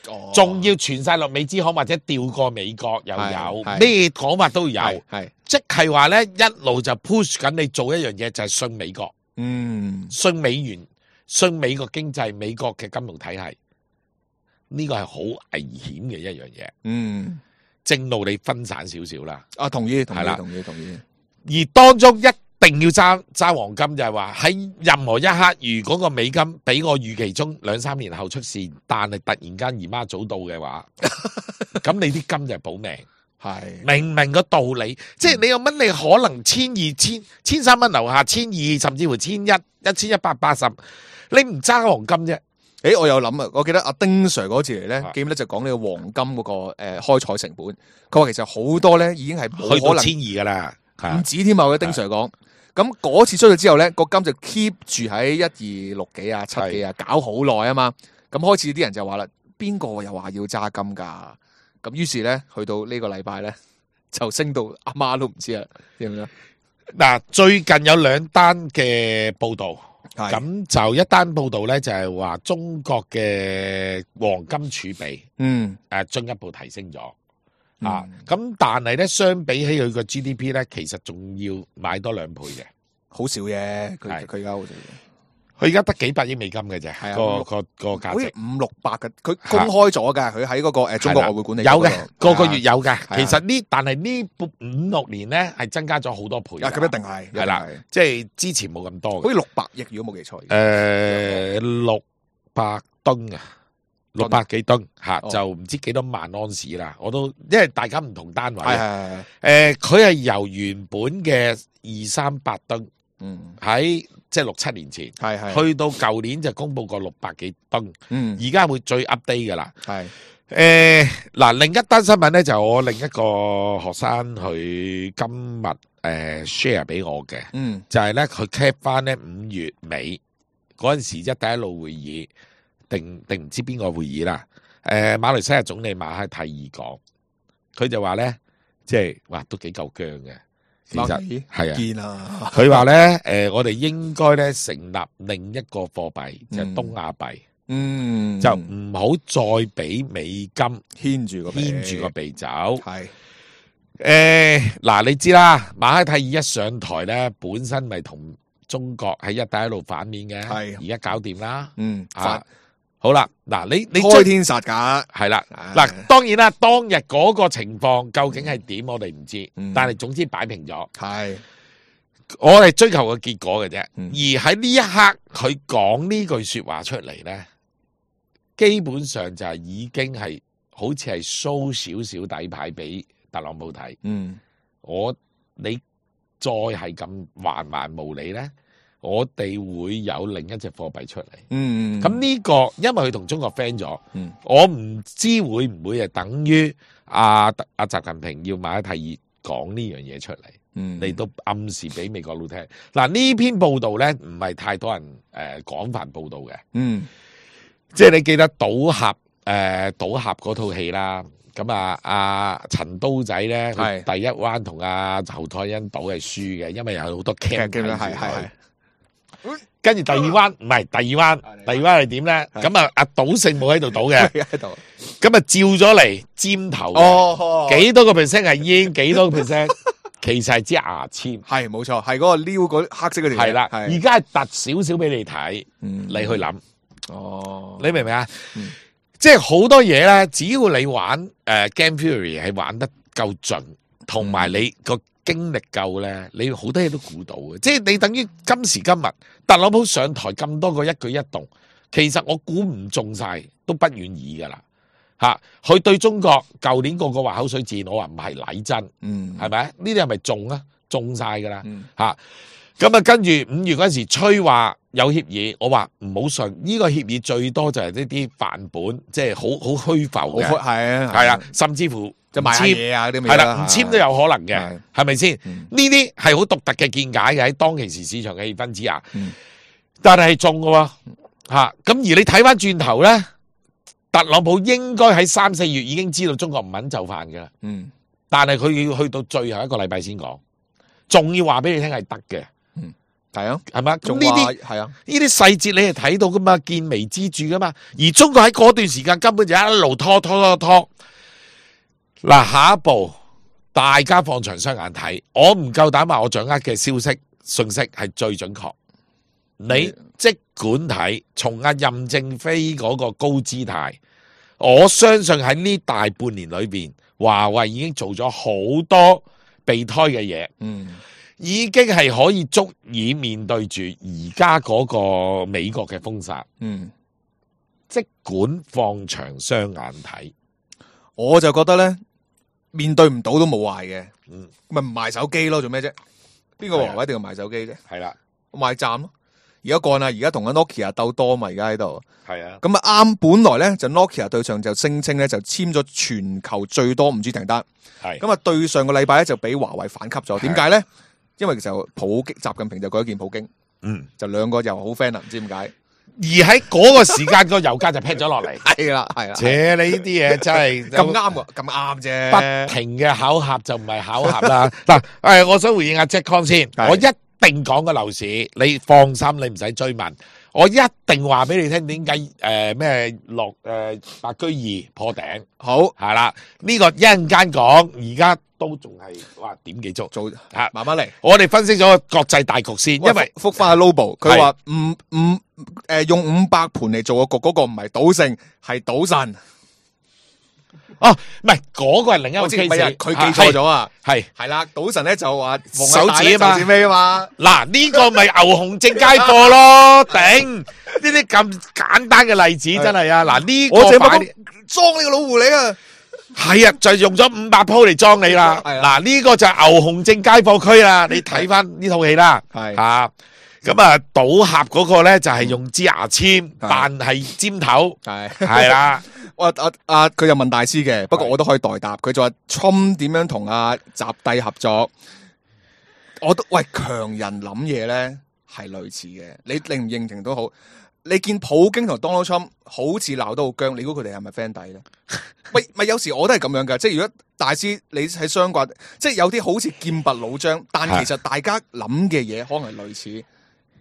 哦仲要傳晒落美資行或者調過美國又有，係係咩講法都有，係係即係話咧一路就 push 緊你做一樣嘢，就係信美國、嗯信美元、信美國經濟、美國嘅金融體系，呢個係好危險嘅一樣嘢。嗯正路你分散少少啦，啊，同意同係啦意同意同意。而當中一定要揸揸黃金，就係話喺任何一刻，如果個美金比我預期中兩三年後出事，但係突然間姨媽早到嘅話，咁你啲金就係保命。係明唔明個道理？即係你有乜你可能千二千千三蚊樓下，千二甚至乎千一一千一百八十，你唔揸黃金啫？誒，我有諗啊，我記得阿丁 Sir 嗰次嚟咧啊，記唔記得就講呢個黃金嗰、個誒、呃、開採成本？佢話其實好多咧已經係冇可能去到千二噶啦，唔止添啊！我嘅丁 Sir 講，咁嗰次出咗之後咧，個金就 keep 住喺一二六幾啊、七幾啊，搞好耐啊嘛。咁開始啲人就話啦，邊個又話要揸金㗎？咁於是咧，去到呢個禮拜咧，就升到阿媽都唔知啊，知唔知啊？嗱，最近有兩單嘅報導。係咁就一單報道咧，就係話中國嘅黃金儲備嗯誒進一步提升咗嗯啊！咁但係咧，相比起佢個 G D P 咧，其實仲要買多兩倍嘅。好少嘅，佢係佢而家好少嘅。佢而家得幾百億美金嘅啫，係啊個個個價值好似五六百嘅，佢公開咗㗎，佢喺嗰個誒中國外匯管理有嘅，個個月有有嘅。啊其實呢，但係呢五六年咧係增加咗好多倍㗎。啊，咁一定係係啦一定係，即係之前冇咁多嘅。好似六百億，如果冇記錯。誒六百噸啊，六百幾噸嚇，哦就唔知幾多萬安士啦。我都因為大家唔同單位，係係係，誒佢係由原本嘅二三百噸嗯，喺即係六七年前，係係，去到舊年就公佈過六百幾噸，嗯，而家會最 update 噶啦。係，誒嗱，另一單新聞咧就我另一個學生佢今日誒 share 俾我嘅。嗯，就係咧，佢 cap 翻咧五月尾嗰陣時，一帶一路會議定定唔知邊個會議啦。誒、馬來西亞總理馬哈蒂爾講，佢就話咧，即係哇都幾夠僵嘅。其實係啊，見啊，佢話咧，誒、我哋應該咧成立另一個貨幣，就係、東亞幣，嗯，就唔好再俾美金牽住個鼻牽住個鼻走。係，誒嗱、你知啦，馬哈蒂爾一上台咧，本身咪同中國喺一帶一路反面嘅，係而家搞掂啦。嗯，啊發，好啦，嗱，你你開天殺價，係啦，唉嗱，當然啦，當日嗰個情況究竟係點，我哋唔知，嗯但係總之擺平咗，係，我哋追求個結果嘅啫。嗯而喺呢一刻，佢講呢句說話出嚟咧，基本上就係已經係好似係 show 少少底牌俾特朗普睇。嗯，我你再係咁橫蠻無理咧，我哋會有另一隻貨幣出嚟。嗯，咁呢、個因為佢同中國 friend 咗，嗯我唔知會唔會係等於阿阿習近平要馬哈蒂爾講呢樣嘢出嚟。嗯嚟到暗示俾美國佬聽。嗱呢篇報道咧唔係太多人誒廣泛報道嘅，嗯即係你記得賭俠誒賭俠嗰套戲啦。咁啊，阿陳刀仔咧，佢係第一彎同阿侯賽因賭係輸嘅，因為有好多 cam 劇嘅睇住係係佢係。跟住第二彎唔係第二彎，第二彎係點咧？係咁啊，阿賭聖冇喺度賭嘅，喺度。咁啊照咗嚟尖頭嘅，哦，幾多個 percent 係煙，幾多個 percent 其實係支牙籤，係冇錯，係嗰個撩嗰黑色嗰條嘢。係啦。而係家係突少少俾你睇，嗯你去諗，哦，你明唔明啊嗯？即係好多嘢咧，只要你玩誒 Game Theory 係玩得夠盡，同埋你個經歷夠咧，你好多嘢都估到嘅。即係你等於今時今日，特朗普上台咁多個一舉一動，其實我估唔中晒，都不願意噶啦嚇。佢對中國舊年個個話口水戰，我話唔係禮真，嗯係咪？呢啲係咪中啊？中晒噶啦嗯嚇。咁啊，跟住五月嗰陣時吹話有協議，我話唔好信。呢、個協議最多就係呢啲範本，即係好好虛浮嘅，好係啊係啊，甚至乎就賣下簽嘢啊嗰啲係啦，唔簽都有可能嘅係，係咪先？嗯呢啲係好獨特嘅見解嘅喺當其時市場嘅氣氛之下，嗯但係係中嘅喎嚇。咁而你睇翻轉頭咧，特朗普應該喺三四月已經知道中國唔肯就範嘅啦，嗯但係佢要去到最後一個禮拜先講，仲要話俾你聽係得嘅。係啊，係嘛？咁仲呢啲話係啊，呢啲細節你係睇到噶嘛，見微知著噶嘛。而中國喺嗰段時間根本就一路拖拖拖拖。嗱，下一步大家放長雙眼睇，我唔夠膽話我掌握嘅消息信息係最準確。你即管睇從阿任正非嗰個高姿態，我相信喺呢大半年裏邊，華為已經做咗好多備胎嘅嘢。嗯已經係可以足以面對住而家嗰個美國嘅封殺，嗯，即管放長雙眼睇。我就覺得咧，面對唔到都冇壞嘅，嗯，咪唔賣手機咯，做咩啫？邊個係啊華為一定要賣手機啫？係啦，賣站咯。而家幹啦，而家同緊 Nokia 鬥多嘛，而家喺度。係啊，咁啊啱，本來咧就 Nokia 對上就聲稱咧就簽咗全球最多五 G 訂單，係咁啊對上個禮拜咧就俾華為反級咗。係點解咧？因為就普京習近平就舉一件普京，嗯，就兩個又好 friend 啦，唔知點解。而喺嗰個時間個油價就劈咗落嚟。係啦，係啦，且你呢啲嘢真係咁啱喎，咁啱啫。不停嘅巧合就唔係巧合啦。嗱，誒，我想回應阿 Jack Con 先，係我一定講個樓市，你放心，你唔使追問。我一定話俾你聽點解誒咩落誒白居二破頂，好係啦，呢、個一陣間講，而家都仲係哇點幾足做嚇。慢慢嚟。我哋分析咗個國際大局先，因為覆翻阿 Lobo，佢話五五誒用五百盤嚟做個局，嗰個唔係賭聖，係賭神。哦唔係嗰個係另一個我知唔 case，係啊佢記錯咗啊。係係啦，賭神咧就話手指啊嘛手指尾啊嘛。嗱呢個咪牛熊證街貨咯，頂呢啲咁簡單嘅例子真係啊！嗱呢我淨係個擺裝你個老狐狸啊！係啊，就用咗五百鋪嚟裝你啦。係啊嗱呢個就係牛熊證街貨區啦，你睇翻呢套戲啦。係吓咁啊，賭俠嗰個咧就係用支牙籤扮係尖頭，係係啦。我啊啊佢又問大師嘅，不過我都可以代答。佢就話 Trump 點樣同阿習帝合作？我都喂強人諗嘢咧係類似嘅，你認唔認同都好。你見普京同 Donald Trump 好似鬧得好僵，你估佢哋係咪 friend 底咧？喂，咪有時我都係咁樣噶，即係如果大師你喺相關，即係有啲好似劍拔弩張，但其實大家諗嘅嘢可能係類似，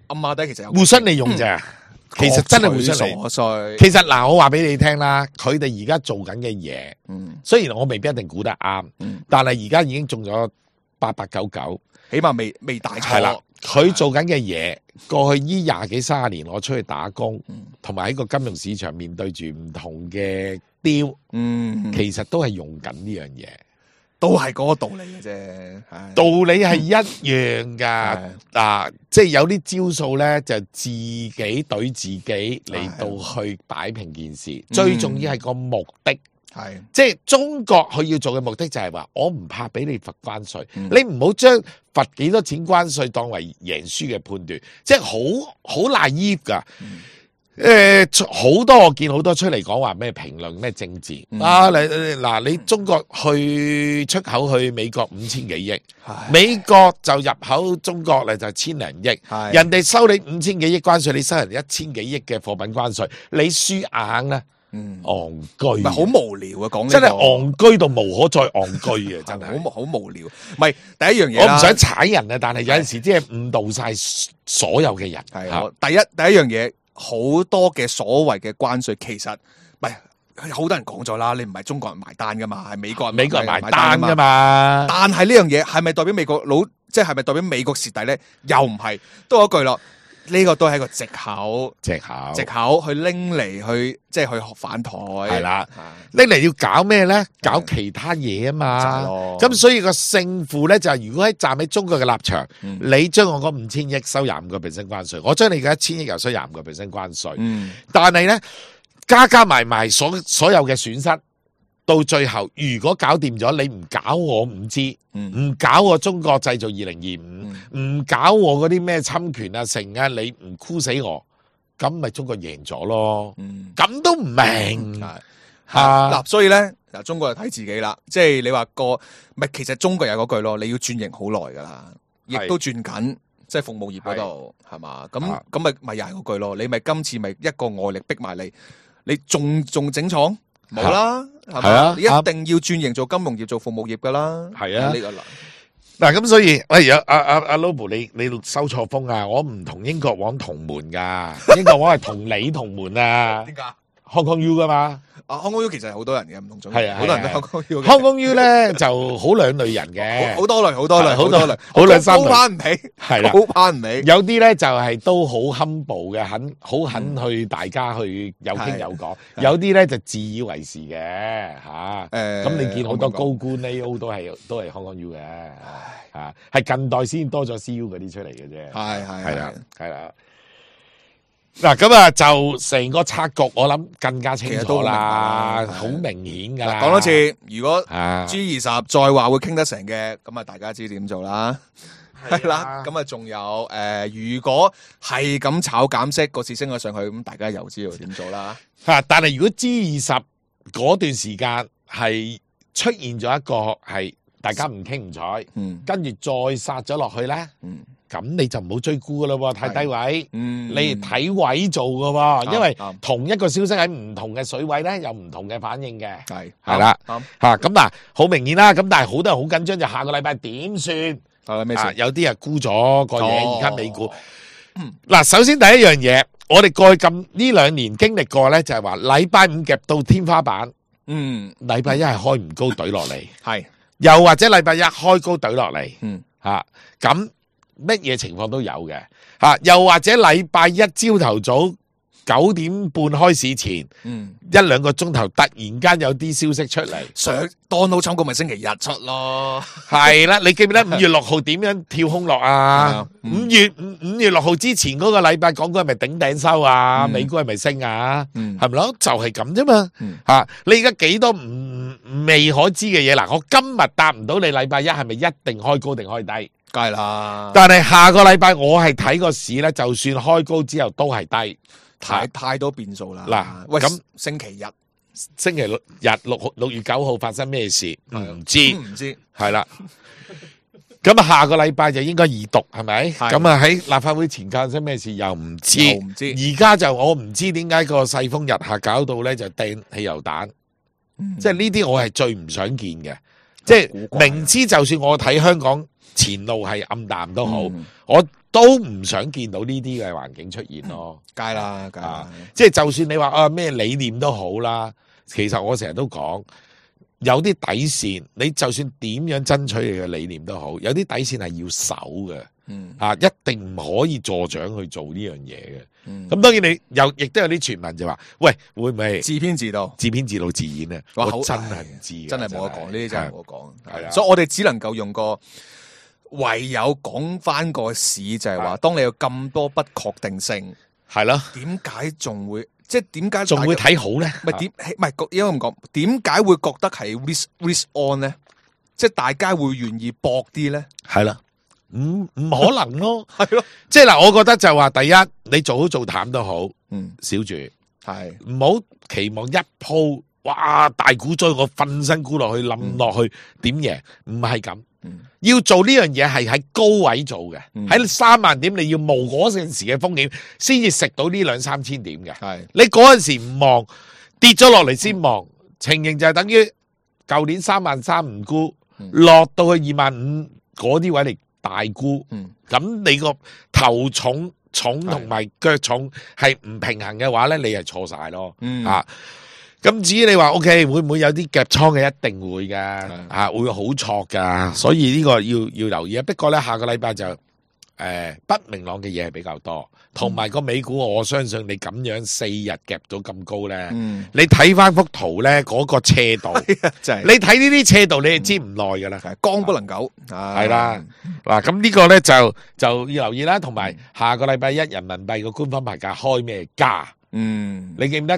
暗馬底其實有互相利用咋，其實真係互相利用。瑣碎。其實嗱，我話俾你聽啦，佢哋而家做緊嘅嘢，嗯雖然我未必一定估得啱，嗯，但係而家已經中咗八八九九，起碼未未大係啦錯。。佢做緊嘅嘢，過去呢廿幾三十年，我出去打工嗯，同埋喺個金融市場面對住唔同嘅雕，嗯，其實都係用緊呢樣嘢。都係嗰個道理嘅啫。唉道理係一樣噶，係嗱，即係有啲招數咧，就自己懟自己嚟到去擺平件事。最重要係個目的，係即係中國佢要做嘅目的就係話，我唔怕俾你罰關稅，嗯你唔好將罰幾多錢關稅當為贏輸嘅判斷，即係好好 naive 噶。誒，好多我見好多出嚟講話咩評論咩政治、嗯、啊！你嗱，你中國去出口去美國五千幾億，美國就入口中國咧就千零億，人哋收你五千幾億關稅，你收人哋一千幾億嘅貨品關稅，你輸硬啦，嗯，戇居，唔係好無聊啊！講真係戇居到無可再戇居啊！真係好好無聊。唔係第一樣嘢，我唔想踩人啊，但係有陣時即係誤導晒所有嘅人。係第一第一樣嘢。好多嘅所謂嘅關稅，其實唔係好多人講咗啦，你唔係中國人埋單噶嘛，係美國人美國人埋單噶嘛。但係呢樣嘢係咪代表美國佬，即係係咪代表美國蝕底咧？又唔係，都嗰句咯。呢個都係一個藉口，藉口，藉口去拎嚟去，即係去反台。係啦，拎嚟要搞咩咧？搞其他嘢啊嘛。咁所以個勝負咧就係，如果喺站喺中國嘅立場，嗯、你將我嗰五千億收廿五個 percent 關稅，我將你嘅一千億又收廿五個 percent 關稅。嗯、但係咧加加埋埋所所有嘅損失。到最後，如果搞掂咗，你唔搞我五 G， 唔搞我中國製造二零二五，唔搞我嗰啲咩侵權啊成啊，你唔箍死我，咁咪中國贏咗咯。咁、嗯、都唔明嚇嗱，所以咧嗱，中國就睇自己啦。即係你話個唔係，其實中國有嗰句咯，你要轉型好耐噶啦，亦都轉緊，即係服務業嗰度係嘛？咁咁咪咪又係嗰句咯。你咪今次咪一個外力逼埋你，你仲仲整廠？冇啦，係嘛？啊、你一定要轉型做金融業、做服務業噶啦。係啊，呢個嗱咁，所以喂，有阿阿阿 Lobo，你你收錯風啊！我唔同英國王同門噶，英國王係同你同門啊。點解？Hong Kong U 噶嘛？啊 Hong Kong U 其實係好多人嘅，唔同種，係啊，好多人都 Hong Kong U。Hong Kong U 咧就好兩類人嘅，好多類，好多類，好多類，好兩三類，高攀唔起，係啦，高攀唔起。有啲咧就係都好 humble 嘅，肯好肯去大家去有傾有講。有啲咧就自以為是嘅嚇。誒，咁你見好多高官 A O 都係都係 Hong Kong U 嘅，嚇係近代先多咗 C U 嗰啲出嚟嘅啫。係係係啦，係啦。嗱咁啊，就成個策局，我諗更加清楚啦，好明顯噶啦。講多次，如果 G 二十再話會傾得成嘅，咁啊大家知點做啦。係啦，咁啊仲有誒、呃，如果係咁炒減息，個市升咗上去，咁大家又知道點做啦。吓，但係如果 G 二十嗰段時間係出現咗一個係大家唔傾唔睬，嗯，跟住再殺咗落去咧，嗯。咁你就唔好追沽噶咯，太低位，嗯、你睇位做噶，啊、因為同一個消息喺唔同嘅水位咧，有唔同嘅反應嘅，係係啦，吓咁嗱，好明顯啦，咁但係好多人好緊張，就下個禮拜點算？啊，有啲人沽咗個嘢，而家美股，嗱、嗯，首先第一樣嘢，我哋過去咁呢兩年經歷過咧，就係話禮拜五夾到天花板，嗯，禮拜一係開唔高懟落嚟，係，又或者禮拜一開高懟落嚟，嗯，吓咁。乜嘢情況都有嘅，吓，又或者禮拜一朝頭早九點半開市前，嗯，一兩個鐘頭突然間有啲消息出嚟，上 Donald Trump 咪星期日出咯，係啦，你記唔記得五月六號點樣跳空落啊？五、嗯、月五五月六號之前嗰個禮拜，港股係咪頂頂收啊？嗯、美股係咪升啊？係咪咯？就係咁啫嘛，吓、嗯啊，你而家幾多唔未可知嘅嘢嗱？我今日答唔到你，禮拜一係咪一定開高定開低？梗係啦，但係下個禮拜我係睇個市咧，就算開高之後都係低，太太多變數啦。嗱，喂，咁星期日、星期六日六號六月九號發生咩事？唔知，唔知，係啦。咁啊，下個禮拜就應該二讀係咪？咁啊喺立法會前發生咩事又唔知，唔知。而家就我唔知點解個世風日下搞到咧就掟汽油彈，即係呢啲我係最唔想見嘅。即係明知就算我睇香港前路係暗淡都好，嗯、我都唔想見到呢啲嘅環境出現咯。梗係啦，梗係啦。即係就算你話啊咩理念都好啦，其實我成日都講有啲底線，你就算點樣爭取你嘅理念都好，有啲底線係要守嘅。嗯，啊，一定唔可以助長去做呢樣嘢嘅。咁、嗯、當然你有，亦都有啲傳聞就話，喂，會唔會自編自導、自編自導自演咧？我真係唔知，真係冇得講，呢啲真係冇得講。係啊，所以我哋只能夠用個唯有講翻個市，就係話，當你有咁多不確定性，係咯，點解仲會即係點解仲會睇好咧？唔係點？唔係應該咁講，點解會覺得係 risk risk on 咧？即係大家會願意搏啲咧？係啦。唔唔可能咯，係咯，即係嗱，我覺得就話第一，你做好做淡都好，嗯，少住，係唔好期望一鋪哇大股災我瞓身沽落去冧落去點贏，唔係咁。嗯要做呢樣嘢係喺高位做嘅，喺三萬點你要冒嗰陣時嘅風險，先至食到呢兩三千點嘅。係你嗰陣時唔望，跌咗落嚟先望，情形就係等於舊年三萬三唔沽，落到去二萬五嗰啲位嚟大沽，咁你個頭重重同埋腳重係唔平衡嘅話咧，你係錯晒咯。啊！咁至於你話 O K 會唔會有啲夾倉嘅？一定會噶，啊會好錯噶，所以呢個要要留意啊。不過咧下個禮拜就誒、呃、不明朗嘅嘢係比較多，同埋個美股我相信你咁樣四日夾到咁高咧，嗯、你睇翻幅圖咧嗰、那個斜度，就是、你睇呢啲斜度你就知唔耐噶啦，剛不能久係啦。嗱咁呢個咧就就要留意啦，同埋下個禮拜一人民幣個官方牌價開咩價？嗯，你記唔記得？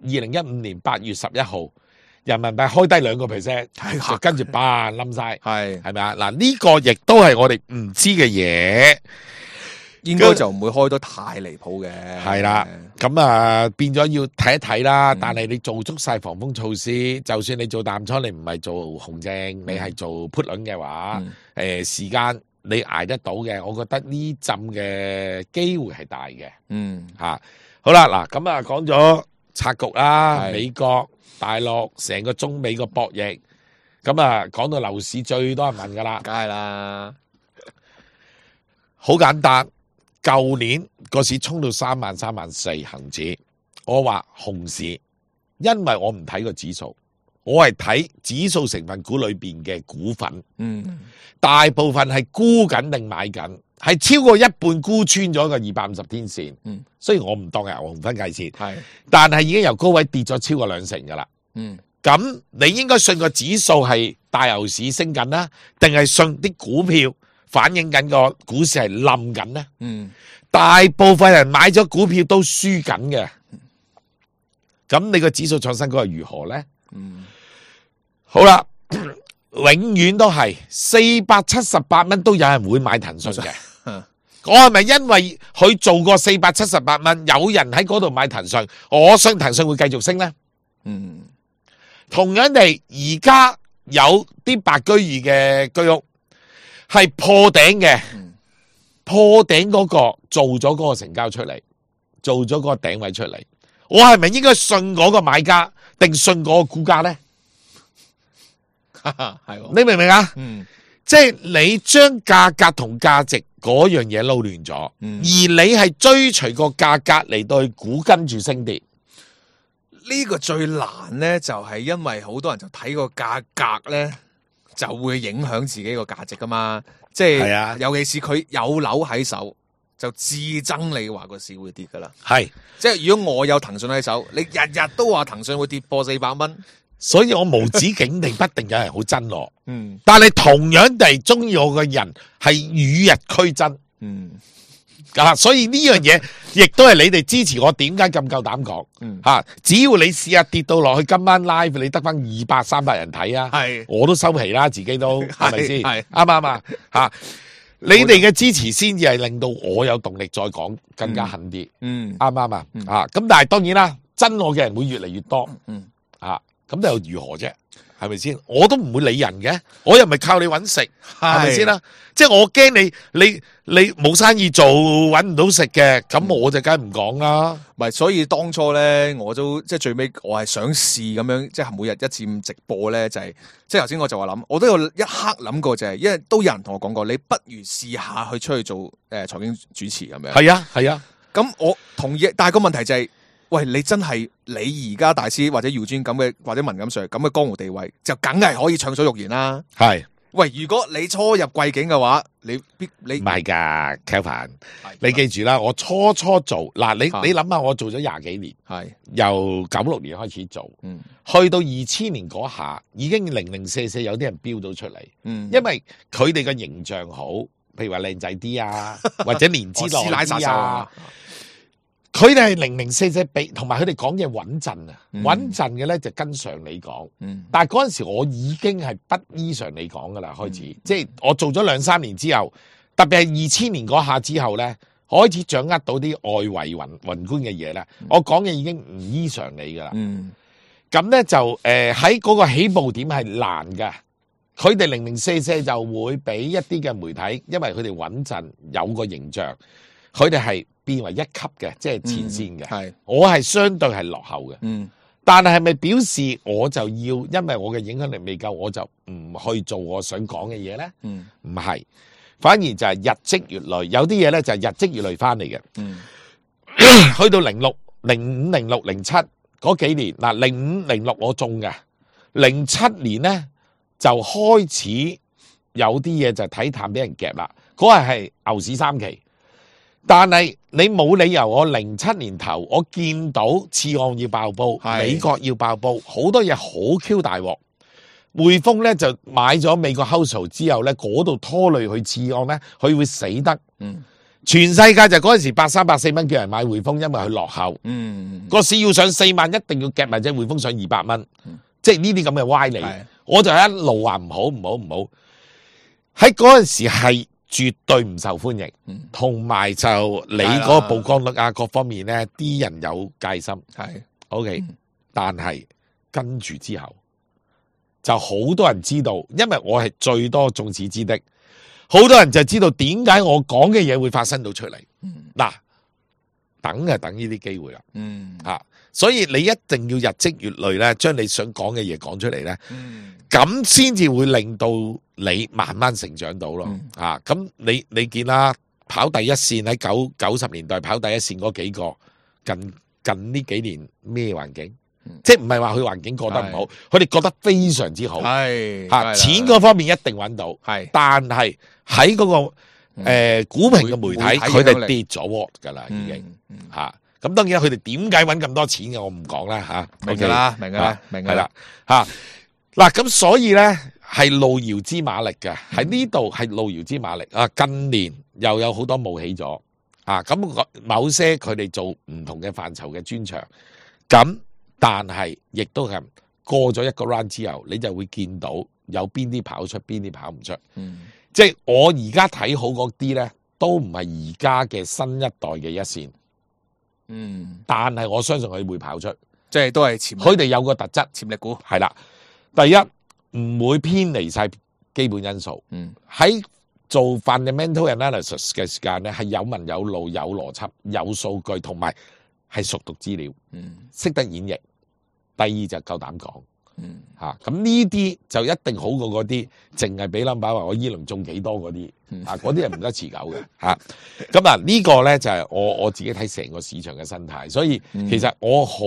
二零一五年八月十一號，人民幣開低兩個 percent，就跟住嘭冧晒，係係咪啊？嗱呢個亦都係我哋唔知嘅嘢，應該就唔會開得太離譜嘅。係啦，咁啊變咗要睇一睇啦。但係你做足晒防風措施，就算你做淡倉，你唔係做紅證，你係做 put 輪嘅話，誒時間你捱得到嘅，我覺得呢浸嘅機會係大嘅。嗯，吓好啦，嗱咁啊講咗。拆局啦，美國、大陸成個中美個博弈，咁啊講到樓市最多人問噶啦，梗係啦，好簡單。舊年個市衝到三萬三萬四恒指，我話熊市，因為我唔睇個指數，我係睇指數成分股裏邊嘅股份，嗯，大部分係沽緊定買緊。係超過一半沽穿咗個二百五十天線，嗯，雖然我唔當係牛熊分界線，係，但係已經由高位跌咗超過兩成噶啦，嗯，咁你應該信個指數係大牛市升緊啦，定係信啲股票反映緊個股市係冧緊呢？嗯，大部分人買咗股票都輸緊嘅，咁你個指數創新高係如何呢？嗯，好啦，永遠都係四百七十八蚊都有人會買騰訊嘅。我係咪因為佢做過四百七十八蚊，有人喺嗰度買騰訊，我相信騰訊會繼續升呢？嗯，同樣地，而家有啲白居易嘅居屋係破頂嘅，嗯、破頂嗰個做咗嗰個成交出嚟，做咗嗰個頂位出嚟，我係咪應該信嗰個買家，定信嗰個估價呢？係，你明唔明啊？嗯。即係你將價格同價值嗰樣嘢撈亂咗，嗯、而你係追隨個價格嚟到去估跟住升跌，呢個最難咧，就係因為好多人就睇個價格咧，就會影響自己個價值噶嘛。即係，係啊、尤其是佢有樓喺手，就至憎你話個市會跌噶啦。係，即係如果我有騰訊喺手，你日日都話騰訊會跌破四百蚊。所以我無止境地不定有人好憎我，嗯，但係同樣地中意我嘅人係與日俱增，嗯，啊，所以呢樣嘢亦都係你哋支持我，點解咁夠膽講？嗯，吓，只要你試下跌到落去，今晚 live 你得翻二百三百人睇啊，係，我都收皮啦，自己都係咪先？係啱唔啱啊？吓，你哋嘅支持先至係令到我有動力再講更加狠啲，嗯，啱唔啱啊？啊，咁但係當然啦，憎我嘅人會越嚟越多，嗯，啊。咁又如何啫？係咪先？我都唔會理人嘅，我又唔係靠你搵食，係咪先啦？即係我驚你，你你冇生意做，搵唔到食嘅，咁我就梗係唔講啦。唔係，所以當初咧，我都即係最尾，我係想試咁樣，即係每日一至五直播咧，就係、是、即係頭先我就話諗，我都有一刻諗過就係、是，因為都有人同我講過，你不如試下去出去做誒財經主持咁樣。係啊，係啊。咁我同意，但係個問題就係、是。喂，你真係你而家大師或者姚尊咁嘅或者文錦 Sir 咁嘅江湖地位，就梗係可以暢所欲言啦。係，喂，如果你初入貴境嘅話，你必你唔係噶 Kelvin 你記住啦，我初初做嗱，你你諗下，我做咗廿幾年，係由九六年開始做，嗯，去到二千年嗰下，已經零零四四有啲人標到出嚟，嗯，因為佢哋嘅形象好，譬如話靚仔啲啊，或者年資耐啲啊。佢哋係零零四四比，同埋佢哋講嘢穩陣啊，穩陣嘅咧就跟常理講。嗯、但係嗰陣時我已經係不依常理講噶啦，開始，嗯、即係我做咗兩三年之後，特別係二千年嗰下之後咧，開始掌握到啲外圍宏宏觀嘅嘢咧，我講嘅已經唔依常理噶啦。嗯，咁咧就誒喺嗰個起步點係難嘅，佢哋零零四四就會俾一啲嘅媒體，因為佢哋穩陣有個形象，佢哋係變為一級嘅，即係前線嘅。係、我係相對係落後嘅。嗯，但係係咪表示我就要因為我嘅影響力未夠，我就唔去做我想講嘅嘢咧？嗯，唔係，反而就係日積月累，有啲嘢咧就係日積月累翻嚟嘅。嗯，去到零六、零五、零六、零七嗰幾年，嗱零五、零六我中嘅，零七年咧就開始有啲嘢就睇淡俾人夾啦。嗰日係牛市三期。但係你冇理由，我零七年頭我見到次按要爆煲，美國要爆煲，好多嘢好 Q 大鑊。匯豐咧就買咗美國 household 之後咧，嗰度拖累佢次按咧，佢會死得。嗯，全世界就嗰陣時八三百四蚊叫人買匯豐，因為佢落後。嗯，個市要上四萬，一定要夾埋隻匯豐上二百蚊。嗯、即係呢啲咁嘅歪理，我就一路話唔好唔好唔好。喺嗰陣時係絕對唔受歡迎，同埋就你嗰個曝光率啊，各方面咧，啲人有戒心。係 OK，嗯、但係跟住之後就好多人知道，因為我係最多眾矢之的，好多人就知道點解我講嘅嘢會發生到出嚟。嗱、嗯，等就等呢啲機會啦。嗯，吓，所以你一定要日積月累咧，將你想講嘅嘢講出嚟咧。嗯，咁先至會令到你慢慢成長到咯。嗯、啊，咁你你見啦，跑第一線喺九九十年代跑第一線嗰幾個，近近呢幾年咩環境？嗯、即係唔係話佢環境過得唔好，佢哋覺得非常之好。係吓、啊、錢嗰方面一定揾到。係，但係喺嗰個誒、呃、股評嘅媒體，佢哋跌咗鑊噶啦，已經吓。咁、嗯嗯啊、當然佢哋點解揾咁多錢嘅，我唔講啦吓。明噶啦，明噶啦，明係啦吓。嗱，咁所以咧係路遙知馬力嘅，喺呢度係路遙知馬力啊！近年又有好多冒起咗啊！咁某些佢哋做唔同嘅範疇嘅專長，咁但係亦都係過咗一個 round 之後，你就會見到有邊啲跑出，邊啲跑唔出。嗯，即係我而家睇好嗰啲咧，都唔係而家嘅新一代嘅一線。嗯，但係我相信佢會跑出，即係都係潛，佢哋有個特質，潛力股係啦。第一唔會偏離晒基本因素，嗯，喺做 fundamental analysis 嘅時間咧，係有文有路、有邏輯、有數據，同埋係熟讀資料，嗯，識得演繹。第二就夠膽講，嗯，吓咁呢啲就一定好過嗰啲淨係俾 number 話我依輪中幾多嗰啲，嗯、啊嗰啲係唔得持久嘅，吓咁啊呢個咧就係我我自己睇成個市場嘅生態，所以其實我好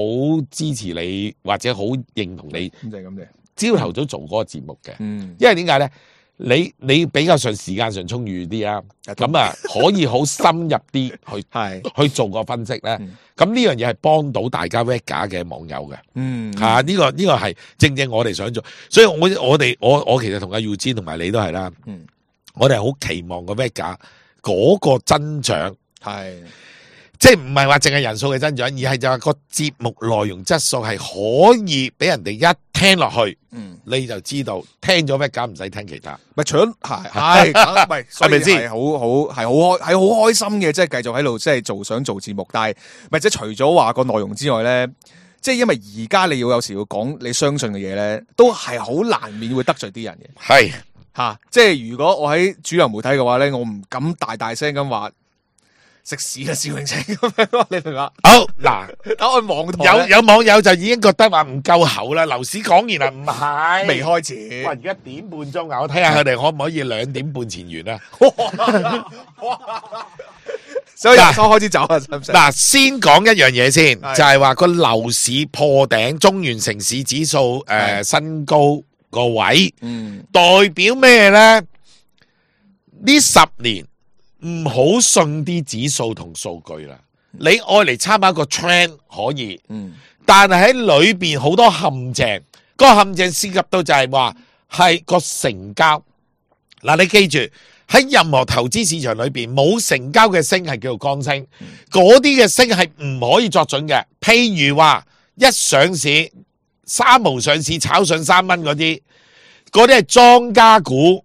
支持你或者好認同你，咁就係咁嘅。朝頭早做嗰個節目嘅，嗯，因為點解咧？你你比較上時間上充裕啲啊，咁啊可以好深入啲去係去做個分析咧。咁呢樣嘢係幫到大家 Vega 嘅網友嘅，嗯，吓呢個呢個係正正我哋想做，所以我我哋我我其實同阿 Eugene 同埋你都係啦，嗯，我哋係好期望個 Vega 嗰個增長係。即係唔係話淨係人數嘅增長，而係就係個節目內容質素係可以俾人哋一聽落去，嗯，你就知道聽咗咩梗唔使聽其他。咪除咗係係，唔係係咪先？係好好係好開係好開心嘅，即係繼續喺度即係做想做節目，但係咪即係除咗話個內容之外咧，即係因為而家你要有時要講你相信嘅嘢咧，都係好難免會得罪啲人嘅。係吓，即係如果我喺主流媒體嘅話咧，我唔敢大大聲咁話。食屎啊！蕭永清咁樣，你明嘛？好嗱，等我網台有有網友就已經覺得話唔夠厚啦。樓市講完啦，唔係未開始。哇！而家點半鐘啊，我睇下佢哋可唔可以兩點半前完啊？所以嗱，開始走啊！嗱，先講一樣嘢先，就係話個樓市破頂，中原城市指數誒新高個位，嗯，代表咩咧？呢十年。唔好信啲指數同數據啦，你愛嚟參考個 trend 可以，嗯，但係喺裏邊好多陷阱，嗰個陷阱涉及到就係話係個成交。嗱，你記住喺任何投資市場裏邊冇成交嘅升係叫做剛升，嗰啲嘅升係唔可以作準嘅。譬如話一上市三毛上市炒上三蚊嗰啲，嗰啲係莊家股。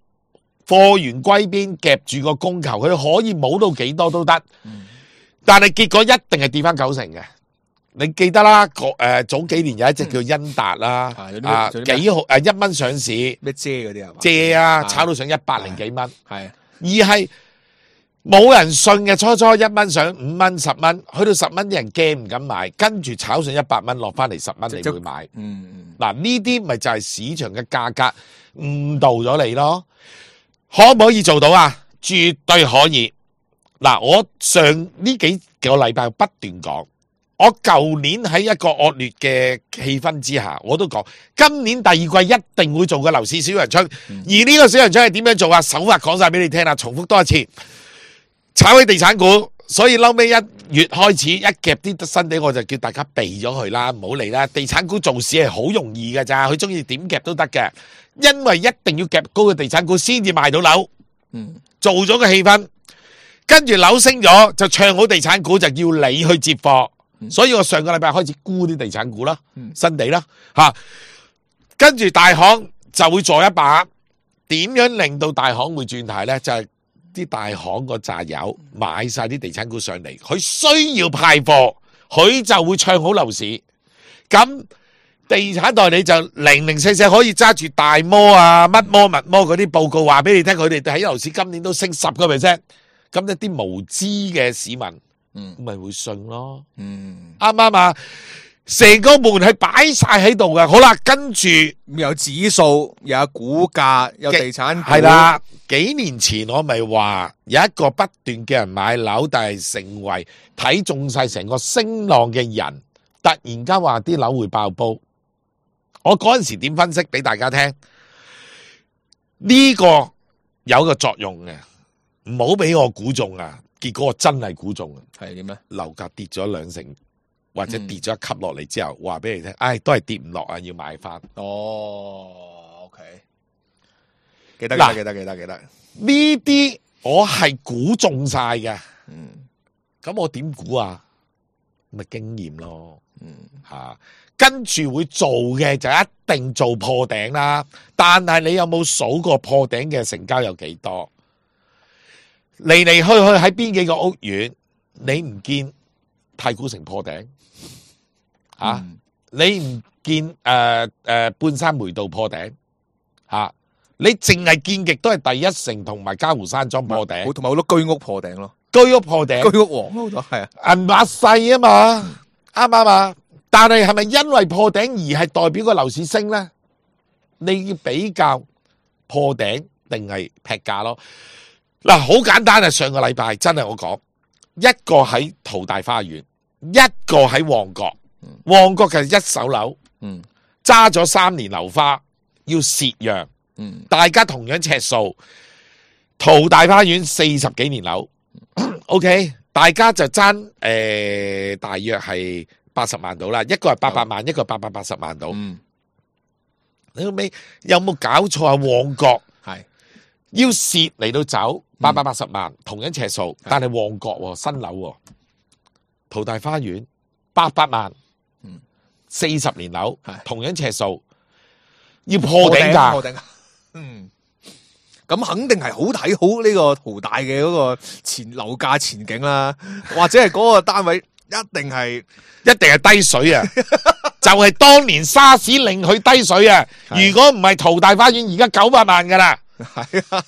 貨源歸邊夾住個供求，佢可以冇到幾多都得。但係結果一定係跌翻九成嘅。你記得啦，個誒早幾年有一隻叫恩達啦，啊幾號誒一蚊上市，咩遮嗰啲啊？借啊，炒到上一百零幾蚊，係而係冇人信嘅。初初一蚊上五蚊、十蚊，去到十蚊啲人驚唔敢買，跟住炒上一百蚊，落翻嚟十蚊，你會買。嗯，嗱呢啲咪就係市場嘅價格誤導咗你咯。可唔可以做到啊？絕對可以。嗱，我上呢幾個禮拜不斷講。我舊年喺一個惡劣嘅氣氛之下，我都講今年第二季一定會做個樓市小陽春，嗯、而呢個小陽春係點樣做啊？手法講晒俾你聽啦，重複多一次，炒起地產股，所以嬲尾一月開始一夾啲新地，我就叫大家避咗佢啦，唔好嚟啦。地產股做市係好容易㗎咋，佢中意點夾都得嘅，因為一定要夾高嘅地產股先至賣到樓，嗯，做咗個氣氛，跟住樓升咗就唱好地產股，就要你去接貨。所以我上個禮拜開始沽啲地產股啦，新地啦，吓，跟住大行就會做一把，點樣令到大行會轉軚呢？就係、是、啲大行個扎友買晒啲地產股上嚟，佢需要派貨，佢就會唱好樓市。咁地產代理就零零四四可以揸住大摩啊、乜摩、乜摩嗰啲報告話俾你聽，佢哋喺樓市今年都升十個 percent，咁一啲無知嘅市民。嗯，咪會信咯。嗯，啱唔啱啊？成個門係擺晒喺度嘅。好啦，跟住有指數，有股價，有地產股。係啦，幾年前我咪話有一個不斷嘅人買樓，但係成為睇中晒成個升浪嘅人，突然間話啲樓會爆煲。我嗰陣時點分析俾大家聽？呢個有個作用嘅，唔好俾我估中啊！結果我真係估中啊！係點咧？樓價跌咗兩成，或者跌咗一級落嚟之後，話俾你聽，唉，都係跌唔落啊，要買翻。哦 ，OK，記得記得記得記得記得。呢啲我係估中晒嘅。嗯，咁我點估啊？咪經驗咯。嗯，吓，跟住會做嘅就一定做破頂啦。但係你有冇數過破頂嘅成交有幾多？嚟嚟去去喺邊幾個屋苑，你唔見太古城破頂啊？嗯、你唔見誒誒、呃呃、半山梅道破頂啊？你淨係見極都係第一城同埋嘉湖山莊破頂，同埋好多居屋破頂咯，居屋破頂，居屋王好多係啊，銀碼細啊嘛，啱唔啱啊？但係係咪因為破頂而係代表個樓市升咧？你要比較破頂定係劈價咯？嗱，好簡單啊！上個禮拜真係我講，一個喺淘大花園，一個喺旺角。旺角嘅一手樓，揸咗三年樓花，要蝕讓。大家同樣尺數，淘大花園四十幾年樓，OK， 大家就爭誒、呃，大約係八十萬到啦，一個係八百萬，一個八百八十萬到。你後尾有冇搞錯啊？旺角係要蝕嚟到走。八百八十萬，同樣尺數，但係旺角新樓，淘大花園八百萬，四十年樓，同樣尺數，要破頂價。破頂價，嗯，咁肯定係好睇好呢個淘大嘅嗰個前樓價前景啦，或者係嗰個單位一定係一定係低水啊！就係當年沙士令佢低水啊！如果唔係淘大花園，而家九百萬噶啦。係啊，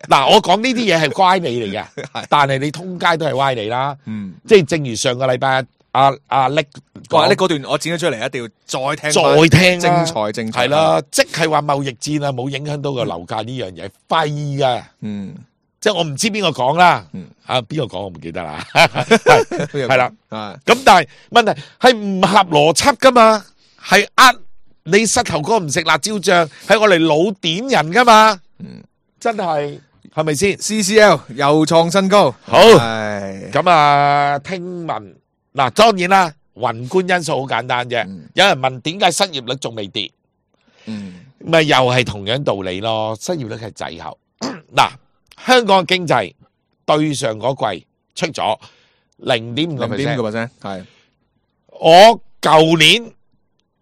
嗱，我講呢啲嘢係乖理嚟嘅，但係你通街都係歪理啦。嗯，即係正如上個禮拜阿阿叻話呢嗰段我剪咗出嚟，一定要再聽再聽精彩精彩。係啦，即係話貿易戰啊，冇影響到個樓價呢樣嘢，廢噶。嗯，即係我唔知邊個講啦。嗯，啊邊個講我唔記得啦。係啦，咁但係問題係唔合邏輯噶嘛，係呃你膝頭哥唔食辣椒醬，係我嚟老點人噶嘛。嗯，真係係咪先 ？C C L 又創新高，好咁啊！聽聞嗱，當然啦，宏觀因素好簡單啫。嗯、有人問點解失業率仲未跌？嗯，咪又係同樣道理咯。失業率係滯後。嗱，香港嘅經濟對上嗰季出咗零點五個 percent， 係我舊年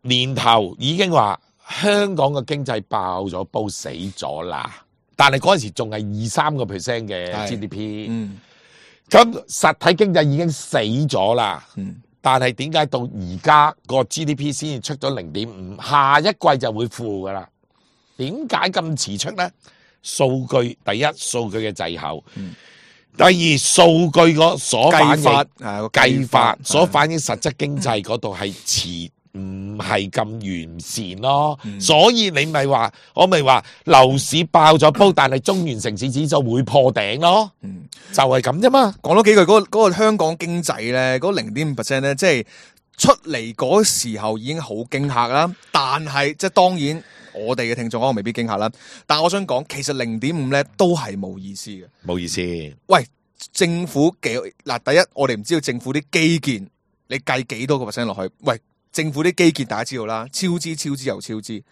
年頭已經話。香港嘅經濟爆咗煲死咗啦，但係嗰陣時仲係二三個 percent 嘅 G D P，嗯，咁實體經濟已經死咗啦。嗯但係點解到而家個 G D P 先至出咗零點五，下一季就會負噶啦？點解咁遲出呢？數據第一，數據嘅滯後；嗯、第二，數據個所反映計計計法法所反映實質經濟嗰度係遲，唔係咁完善咯。嗯、所以你咪話，我咪話樓市爆咗煲，但係中原城市指數會破頂咯。嗯，就係咁啫嘛。講多幾句嗰、嗰個嗰個香港經濟咧，嗰零點五 percent 咧，即係出嚟嗰時候已經好驚嚇啦。但係即係當然，我哋嘅聽眾可能未必驚嚇啦。但係我想講，其實零點五咧都係冇意思嘅。冇意思。喂，政府幾嗱？第一，我哋唔知道政府啲基建，你計幾多個 percent 落去？喂，政府啲基建大家知道啦，超支、超支又超支，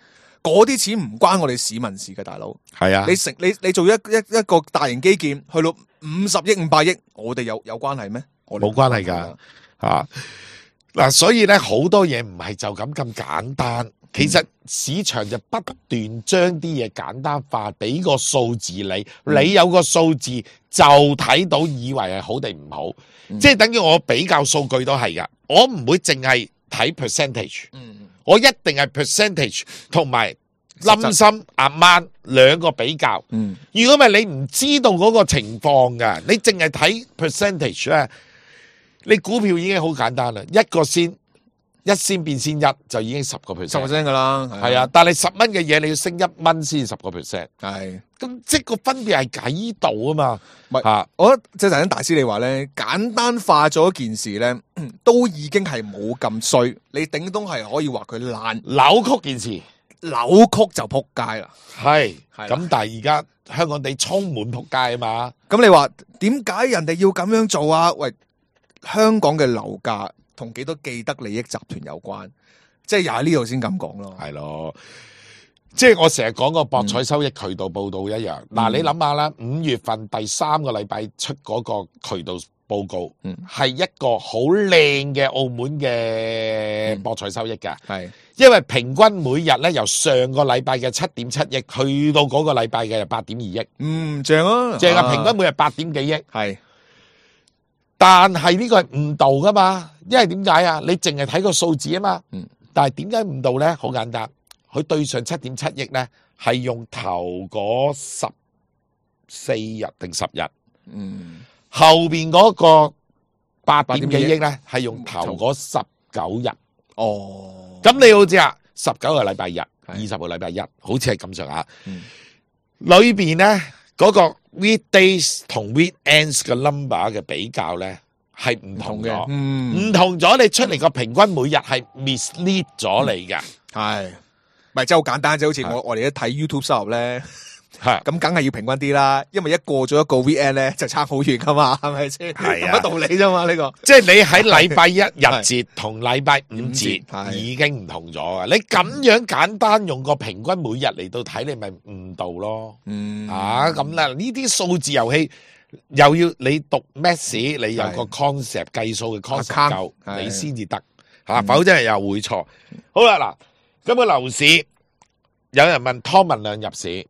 嗰啲錢唔關我哋市民事嘅，大佬。係啊，你成你你做一一一個大型基建，去到五十億、五百億，我哋有有關係咩？我哋冇關係㗎嚇。嗱，所以咧好多嘢唔係就咁咁簡單。其實市場就不斷將啲嘢簡單化，俾個數字你，你有個數字就睇到，以為係好定唔好，嗯、即係等於我比較數據都係噶，我唔會淨係睇 percentage，、嗯、我一定係 percentage 同埋冧心阿媽兩個比較。嗯、如果唔係你唔知道嗰個情況噶，你淨係睇 percentage 咧，你股票已經好簡單啦，一個先。一仙變先一就已經十個 percent， 十 percent 噶啦，係啊！但係十蚊嘅嘢你要升一蚊先十個 percent， 係咁即係個分別係喺度啊嘛。唔係啊，我覺得即係頭先大師你話咧，簡單化咗一件事咧，都已經係冇咁衰。你頂多係可以話佢爛扭曲件事，扭曲就撲街啦。係咁，但係而家香港地充滿撲街啊嘛。咁你話點解人哋要咁樣做啊？喂，香港嘅樓價同幾多既得利益集團有關，即係又喺呢度先咁講咯。係咯，即係我成日講個博彩收益渠道報道一樣。嗱、嗯，你諗下啦，五月份第三個禮拜出嗰個渠道報告，嗯，係一個好靚嘅澳門嘅博彩收益㗎。係、嗯，因為平均每日咧由上個禮拜嘅七點七億去到嗰個禮拜嘅八點二億。嗯，正啊，正啊，平均每日八點幾億。係。但係呢個係誤導噶嘛，因為點解啊？你淨係睇個數字啊嘛。嗯。但係點解誤導咧？好簡單，佢對上七點七億咧，係用頭嗰十四日定十日。嗯。後邊嗰個八點幾億咧，係用頭嗰十九日。哦。咁你好似啊，十九個禮拜日，二十個禮拜一，好似係咁上下。嗯。裏邊咧嗰個 weekdays 同 weekends 嘅 number 嘅比較咧係唔同嘅，唔同咗，你出嚟個平均每日係 mislead 咗你嘅，係咪真係好簡單啫？好似我我哋一睇 YouTube 收入咧，係咁梗係要平均啲啦，因為一過咗一個 weekend 咧就差好遠噶嘛，係咪先？係啊，乜道理啫嘛？呢個即係你喺禮拜一日節同禮拜五節已經唔同咗啊！你咁樣簡單用個平均每日嚟到睇，你咪誤導咯。嗯啊，咁啦，呢啲數字遊戲又要你讀 maths，你有個 concept 計數嘅 concept 夠，你先至得吓，否則又會錯。好啦，嗱，咁個樓市有人問湯文亮入市。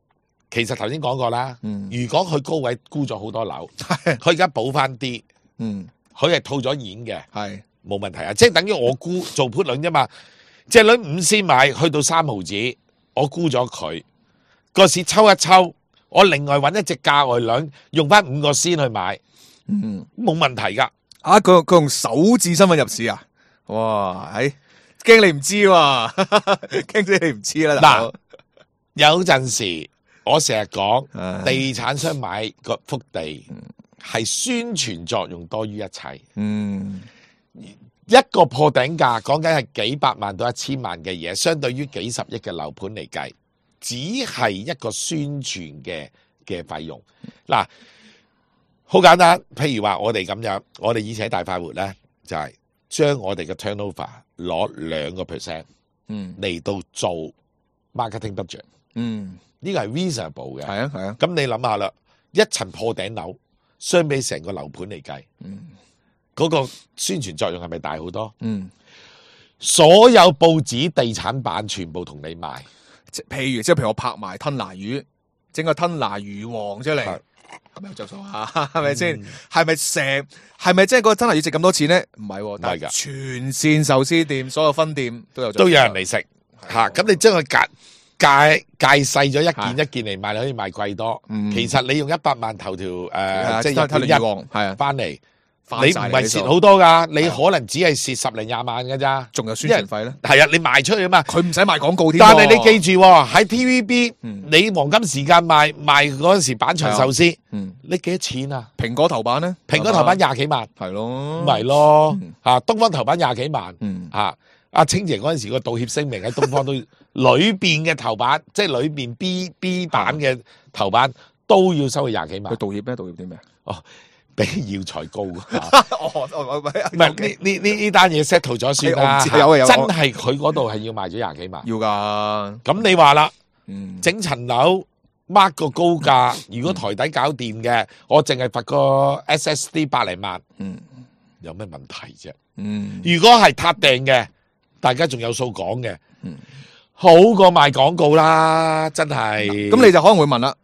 其實頭先講過啦，嗯、如果佢高位沽咗好多樓，佢而家補翻啲，佢係套咗現嘅，係冇問題啊！即係等於我沽做 put 輪啫嘛，隻輪五仙買去到三毫子，我沽咗佢，個市抽一抽，我另外揾一隻價外輪，用翻五個仙去買，冇、嗯、問題噶。啊，佢佢用首置身份入市啊？哇，係驚你唔知喎，驚死你唔知啦。嗱，有陣時。我成日講，地產商買個幅地係宣傳作用多於一切。嗯，一個破頂價講緊係幾百萬到一千萬嘅嘢，相對於幾十億嘅樓盤嚟計，只係一個宣傳嘅嘅費用。嗱，好簡單，譬如話我哋咁樣，我哋以前喺大快活咧，就係、是、將我哋嘅 turnover 攞兩個 percent，嗯，嚟到做 marketing budget，嗯。呢個係 reasonable 嘅，係啊係啊。咁你諗下啦，一層破頂樓相比成個樓盤嚟計，嗯，嗰個宣傳作用係咪大好多？嗯，所有報紙、地產版全部同你賣，即譬如即係譬如我拍埋吞拿魚，整個吞拿魚王出嚟，咁有着數啊，係咪先？係咪成？係咪即係個真係要值咁多錢咧？唔係喎，但係全線壽司店所有分店都有着數都有人嚟食嚇。咁你將佢隔界界細咗一件一件嚟賣，你可以賣貴多。其實你用一百萬頭條誒，即係一條一係啊，翻嚟，你唔係蝕好多㗎，你可能只係蝕十零廿萬㗎咋，仲有宣傳費咧。係啊，你賣出去啊嘛，佢唔使賣廣告添。但係你記住喎，喺 T V B，你黃金時間賣賣嗰陣時板場壽司，你幾多錢啊？蘋果頭版咧，蘋果頭版廿幾萬，係咯，咪咯嚇，東方頭版廿幾萬嗯嚇。阿清姐嗰陣時個道歉聲明喺東方都裏邊嘅頭版，即係裏邊 B B 版嘅頭版都要收佢廿幾萬。佢道歉咩？道歉啲咩？哦，比耀才高啊！哦，唔係唔係呢呢呢呢單嘢 settle 咗算啦。我唔知有啊有啊真係佢嗰度係要賣咗廿幾萬。要㗎。咁你話啦，嗯，整層樓 mark 個高價，如果台底搞掂嘅，我淨係罰個 S S D 百零萬，嗯，有咩問題啫？嗯，如果係撻訂嘅，大家仲有數講嘅，嗯，好過賣廣告啦，真係。咁你就可能會問啦，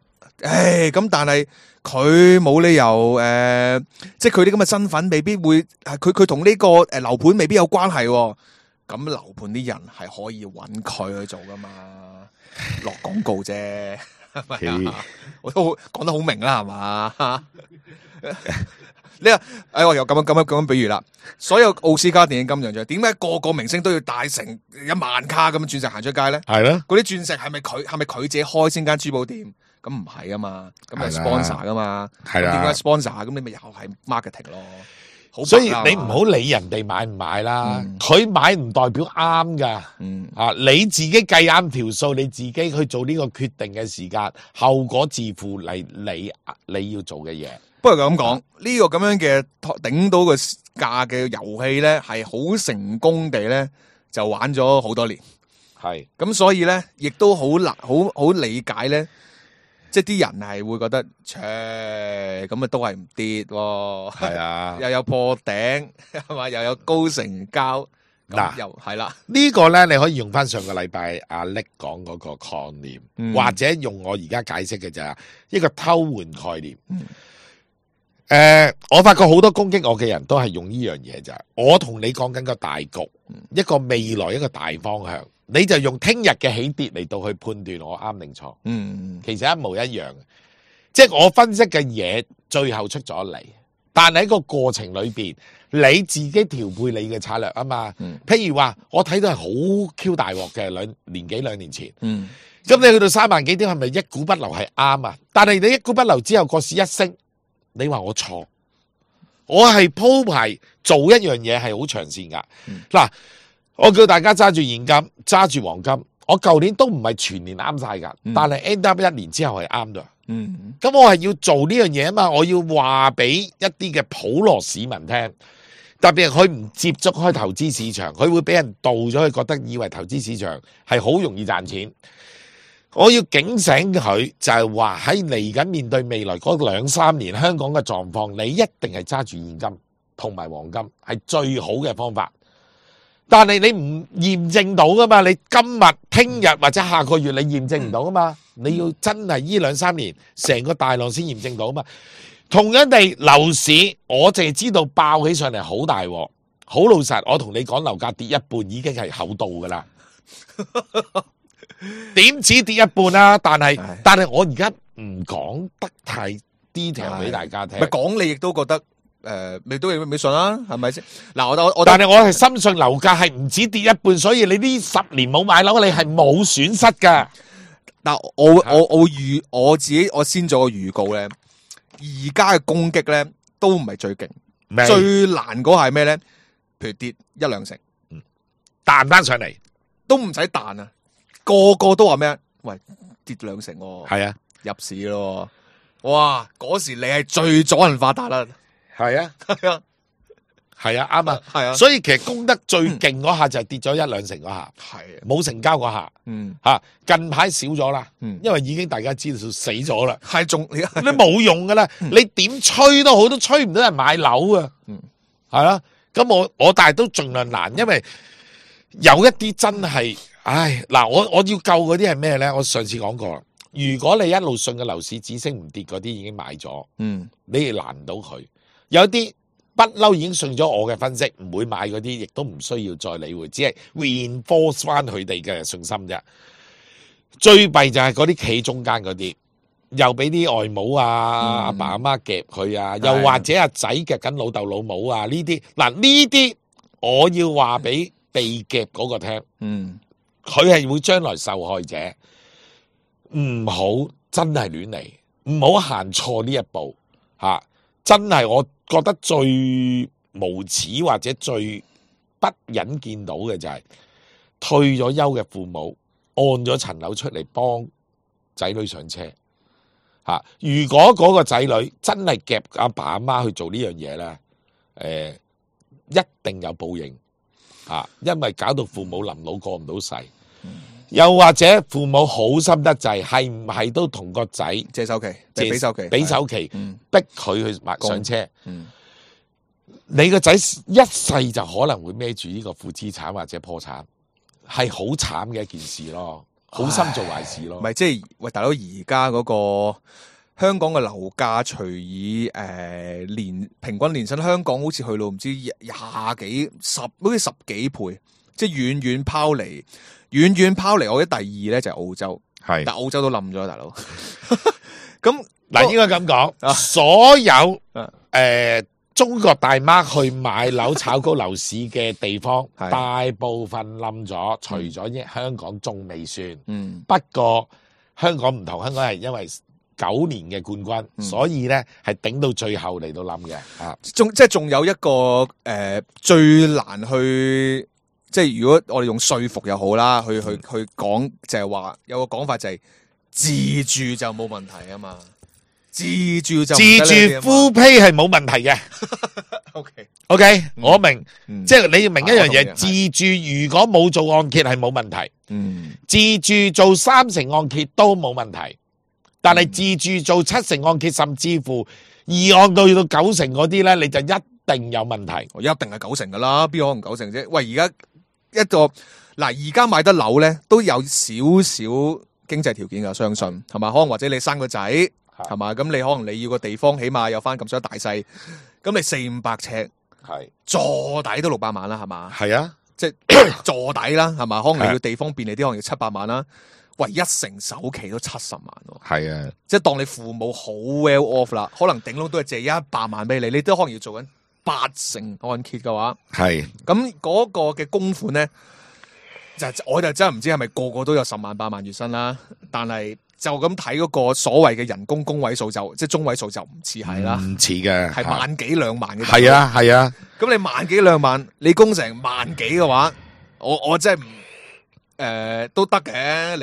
誒，咁但係佢冇理由誒、呃，即係佢啲咁嘅身份未必會，佢佢同呢個誒樓盤未必有關係喎。咁樓盤啲人係可以揾佢去做噶嘛，落廣告啫，係咪啊？我都好講得好明啦，係嘛？你話，哎，我又咁樣咁樣咁樣比喻啦。所有奧斯卡電影金像獎，點解個個明星都要帶成一萬卡咁樣鑽石行出街咧？係咯，嗰啲鑽石係咪佢係咪佢自己開先間珠寶店？咁唔係啊嘛，咁係 sponsor 噶嘛。係啦，點解 sponsor？咁你咪又係 marketing 咯。所以你唔好理人哋買唔買啦，佢、嗯、買唔代表啱噶。嗯啊，你自己計啱條數，你自己去做呢個決定嘅時間，後果自負嚟你你要做嘅嘢。不過咁講，呢、嗯、個咁樣嘅頂到個價嘅遊戲咧，係好成功地咧就玩咗好多年。係咁，所以咧亦都好難好好理解咧，即係啲人係會覺得，切咁啊都係唔跌喎。係啊，又有破頂係嘛，又有高成交。嗱，又係啦，呢個咧你可以用翻上個禮拜阿力講嗰個概念，嗯、或者用我而家解釋嘅就係一個偷換概念。嗯誒、呃，我發覺好多攻擊我嘅人都係用呢樣嘢咋，我同你講緊個大局，一個未來一個大方向，你就用聽日嘅起跌嚟到去判斷我啱定錯。嗯，其實一模一樣，即係我分析嘅嘢最後出咗嚟，但係喺個過程裏邊，你自己調配你嘅策略啊嘛。嗯、譬如話我睇到係好 Q 大鑊嘅兩年幾兩年前，嗯，咁你去到三萬幾點係咪一股不留係啱啊？但係你一股不留之後個市一升。你話我錯，我係鋪排做一樣嘢係好長線噶。嗱、嗯，我叫大家揸住現金，揸住黃金。我舊年都唔係全年啱晒噶，嗯、但係 end up 一年之後係啱咗。嗯，咁我係要做呢樣嘢啊嘛，我要話俾一啲嘅普羅市民聽，特別係佢唔接觸開投資市場，佢會俾人導咗，佢覺得以為投資市場係好容易賺錢。我要警醒佢，就係話喺嚟緊面對未來嗰兩三年香港嘅狀況，你一定係揸住現金同埋黃金係最好嘅方法。但係你唔驗證到噶嘛？你今日、聽日或者下個月你驗證唔到噶嘛？你要真係呢兩三年成個大浪先驗證到嘛？同樣地，樓市我淨係知道爆起上嚟好大鑊，好老實，我同你講樓價跌一半已經係厚道噶啦。點止跌一半啦、啊？但係但係我而家唔講得太 detail 俾大家聽。咪講你亦都覺得誒、呃，你都未信啦，係咪先？嗱，我我我，但係我係深信樓價係唔止跌一半，所以你呢十年冇買樓，你係冇損失噶。嗱，我我我預我自己，我先做個預告咧。而家嘅攻擊咧都唔係最勁，最難嗰係咩咧？譬如跌一兩成，彈翻上嚟都唔使彈啊！個個都話咩？喂，跌兩成喎，係啊，入市咯！哇，嗰時你係最阻人發達啦！係啊，係啊，係啊，啱啊，係啊，所以其實攻得最勁嗰下就係跌咗一兩成嗰下，係冇成交嗰下，嗯吓近排少咗啦，嗯，因為已經大家知道死咗啦，係仲你冇用噶啦，你點吹都好，都吹唔到人買樓啊，嗯，係啦，咁我我但係都盡量難，因為有一啲真係。唉，嗱，我我要救嗰啲係咩咧？我上次講過啦，如果你一路信嘅樓市只升唔跌嗰啲已經買咗，嗯，你哋難唔到佢。有啲不嬲已經信咗我嘅分析，唔會買嗰啲，亦都唔需要再理會，只係 reinforce 翻佢哋嘅信心啫。最弊就係嗰啲企中間嗰啲，又俾啲外母啊、阿、嗯、爸阿媽夾佢啊，又或者阿仔夾緊老豆老母啊，呢啲嗱呢啲，我要話俾被夾嗰個聽，嗯，佢係會將來受害者，唔好真係亂嚟，唔好行錯呢一步吓、啊，真係我覺得最無恥或者最不忍見到嘅就係、是、退咗休嘅父母。按咗層樓出嚟幫仔女上車吓、啊，如果嗰個仔女真係夾阿爸阿媽去做呢樣嘢咧，誒、呃，一定有報應吓、啊，因為搞到父母臨老過唔到世，嗯、又或者父母好心得滯，係唔係都同個仔借首期，借俾首期，俾首期，嗯、逼佢去買上車，嗯、你個仔一世就可能會孭住呢個負資產或者破產。係好慘嘅一件事咯，好心做壞事咯。唔係即係喂，大佬而家嗰個香港嘅樓價，除以誒、呃、年平均年薪，香港好似去到唔知廿幾十，好似十幾倍，即係遠遠拋離，遠遠拋離。我覺得第二咧就係澳洲，係，但澳洲都冧咗，大佬。咁嗱，應該咁講，啊、所有誒。啊呃中國大媽去買樓炒高樓市嘅地方，大部分冧咗，除咗香港仲未算。嗯，不過香港唔同，香港係因為九年嘅冠軍，嗯、所以咧係頂到最後嚟到冧嘅。啊，仲即係仲有一個誒、呃、最難去，即係如果我哋用說服又好啦，去去去講就係話有個講法就係自住就冇問題啊嘛。自住就自住 full pay 係冇問題嘅。OK OK，我明，嗯、即係你要明一樣嘢，啊、自住如果冇做按揭係冇問題，嗯，自住做三成按揭都冇問題，但係自住做七成按揭，甚至乎二按到去到九成嗰啲咧，你就一定有問題。一定係九成噶啦，邊可能九成啫？喂，而家一個嗱，而家買得樓咧都有少少經濟條件噶，相信係嘛？可能或者你生個仔。係嘛？咁你可能你要個地方，起碼有翻咁上下大細。咁你四五百尺，係坐底都六百萬啦，係嘛？係啊，即係坐底啦，係嘛？可能你要地方便利啲，可能要七百萬啦。喂，一成首期都七十萬喎。係啊，即係當你父母好 well off 啦，可能頂籠都係借一百萬俾你，你都可能要做緊八成按揭嘅話，係咁嗰個嘅供款咧，就我就真係唔知係咪個個都有十萬八萬月薪啦，但係。就咁睇嗰個所謂嘅人工工位數就即係中位數就唔似係啦，唔似嘅係萬幾兩萬嘅。係啊係啊，咁你萬幾兩萬，你供成萬幾嘅話，我我真係唔誒都得嘅，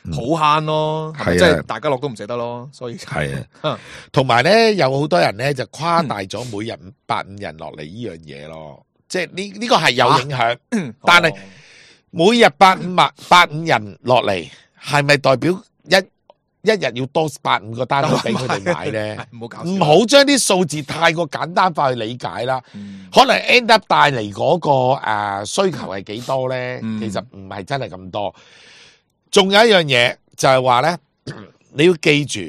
你好慳咯，係咪？即係大家樂都唔捨得咯，所以係啊。同埋咧，有好多人咧就誇大咗每日百五人落嚟呢樣嘢咯，即係呢呢個係有影響，但係每日百五萬百五人落嚟，係咪代表？一一日要多百五個單位俾佢哋買咧，唔好搞，唔好將啲數字太過簡單化去理解啦。嗯、可能 end up 帶嚟嗰、那個誒、呃、需求係幾多咧？嗯、其實唔係真係咁多。仲有一樣嘢就係話咧，你要記住，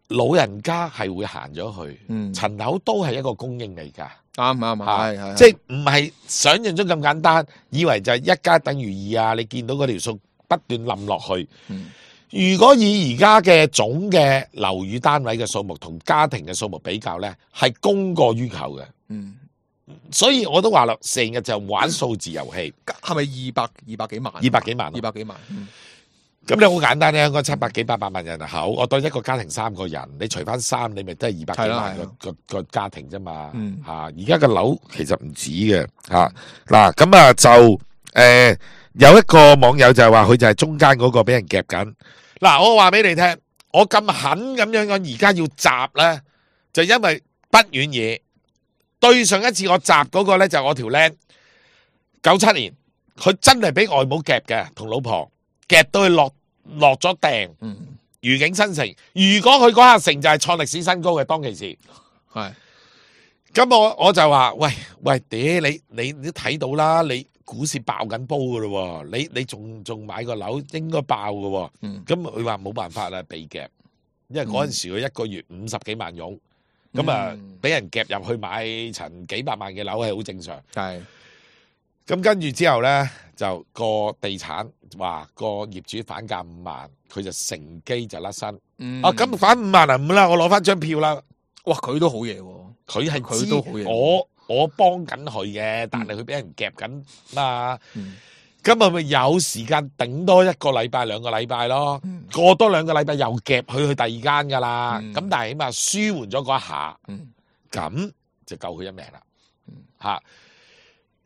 老人家係會行咗去，嗯、層樓都係一個供應嚟噶。啱啱係係，即係唔係想象中咁簡單，以為就係一加等於二啊！你見到嗰條數不斷冧落去。嗯如果以而家嘅總嘅樓宇單位嘅數目同家庭嘅數目比較咧，係供過於求嘅。嗯，所以我都話啦，成日就玩數字遊戲，係咪二百二百幾萬？二百幾萬，二百幾萬。咁你好簡單咧，香港七百幾八百萬人口，我當一個家庭三個人，你除翻三，你咪都係二百幾萬個個個家庭啫嘛。嗯，吓而家嘅樓其實唔止嘅吓。嗱咁啊就誒、呃、有一個網友就係話佢就係中間嗰個俾人夾緊。嗱，我話俾你聽，我咁狠咁樣講，而家要集咧，就因為不遠嘢。對上一次我集嗰個咧，就我條僆，九七年，佢真係俾外母夾嘅，同老婆夾到佢落落咗訂，愉景新城。如果佢嗰下成就係創歷史新高嘅，當其時係。咁我我就話，喂喂，嗲你你都睇到啦，你股市爆緊煲噶咯，你你仲仲買個樓應該爆噶，咁佢話冇辦法啦，被夾，因為嗰陣時佢一個月五十幾萬佣，咁啊俾人夾入去買層幾百萬嘅樓係好正常。係，咁跟住之後咧，就個地產話個業主反價五萬，佢就乘機就甩身。嗯啊，咁反五萬啊，唔啦，我攞翻張票啦。哇，佢都好嘢喎，佢係佢都好嘢。我我幫緊佢嘅，但係佢俾人夾緊嘛。嗯咁咪咪有時間頂多一個禮拜兩個禮拜咯，嗯過多兩個禮拜又夾佢去第二間噶啦。咁、嗯但係起碼舒緩咗嗰一下，嗯咁就救佢一命啦。嗯嚇！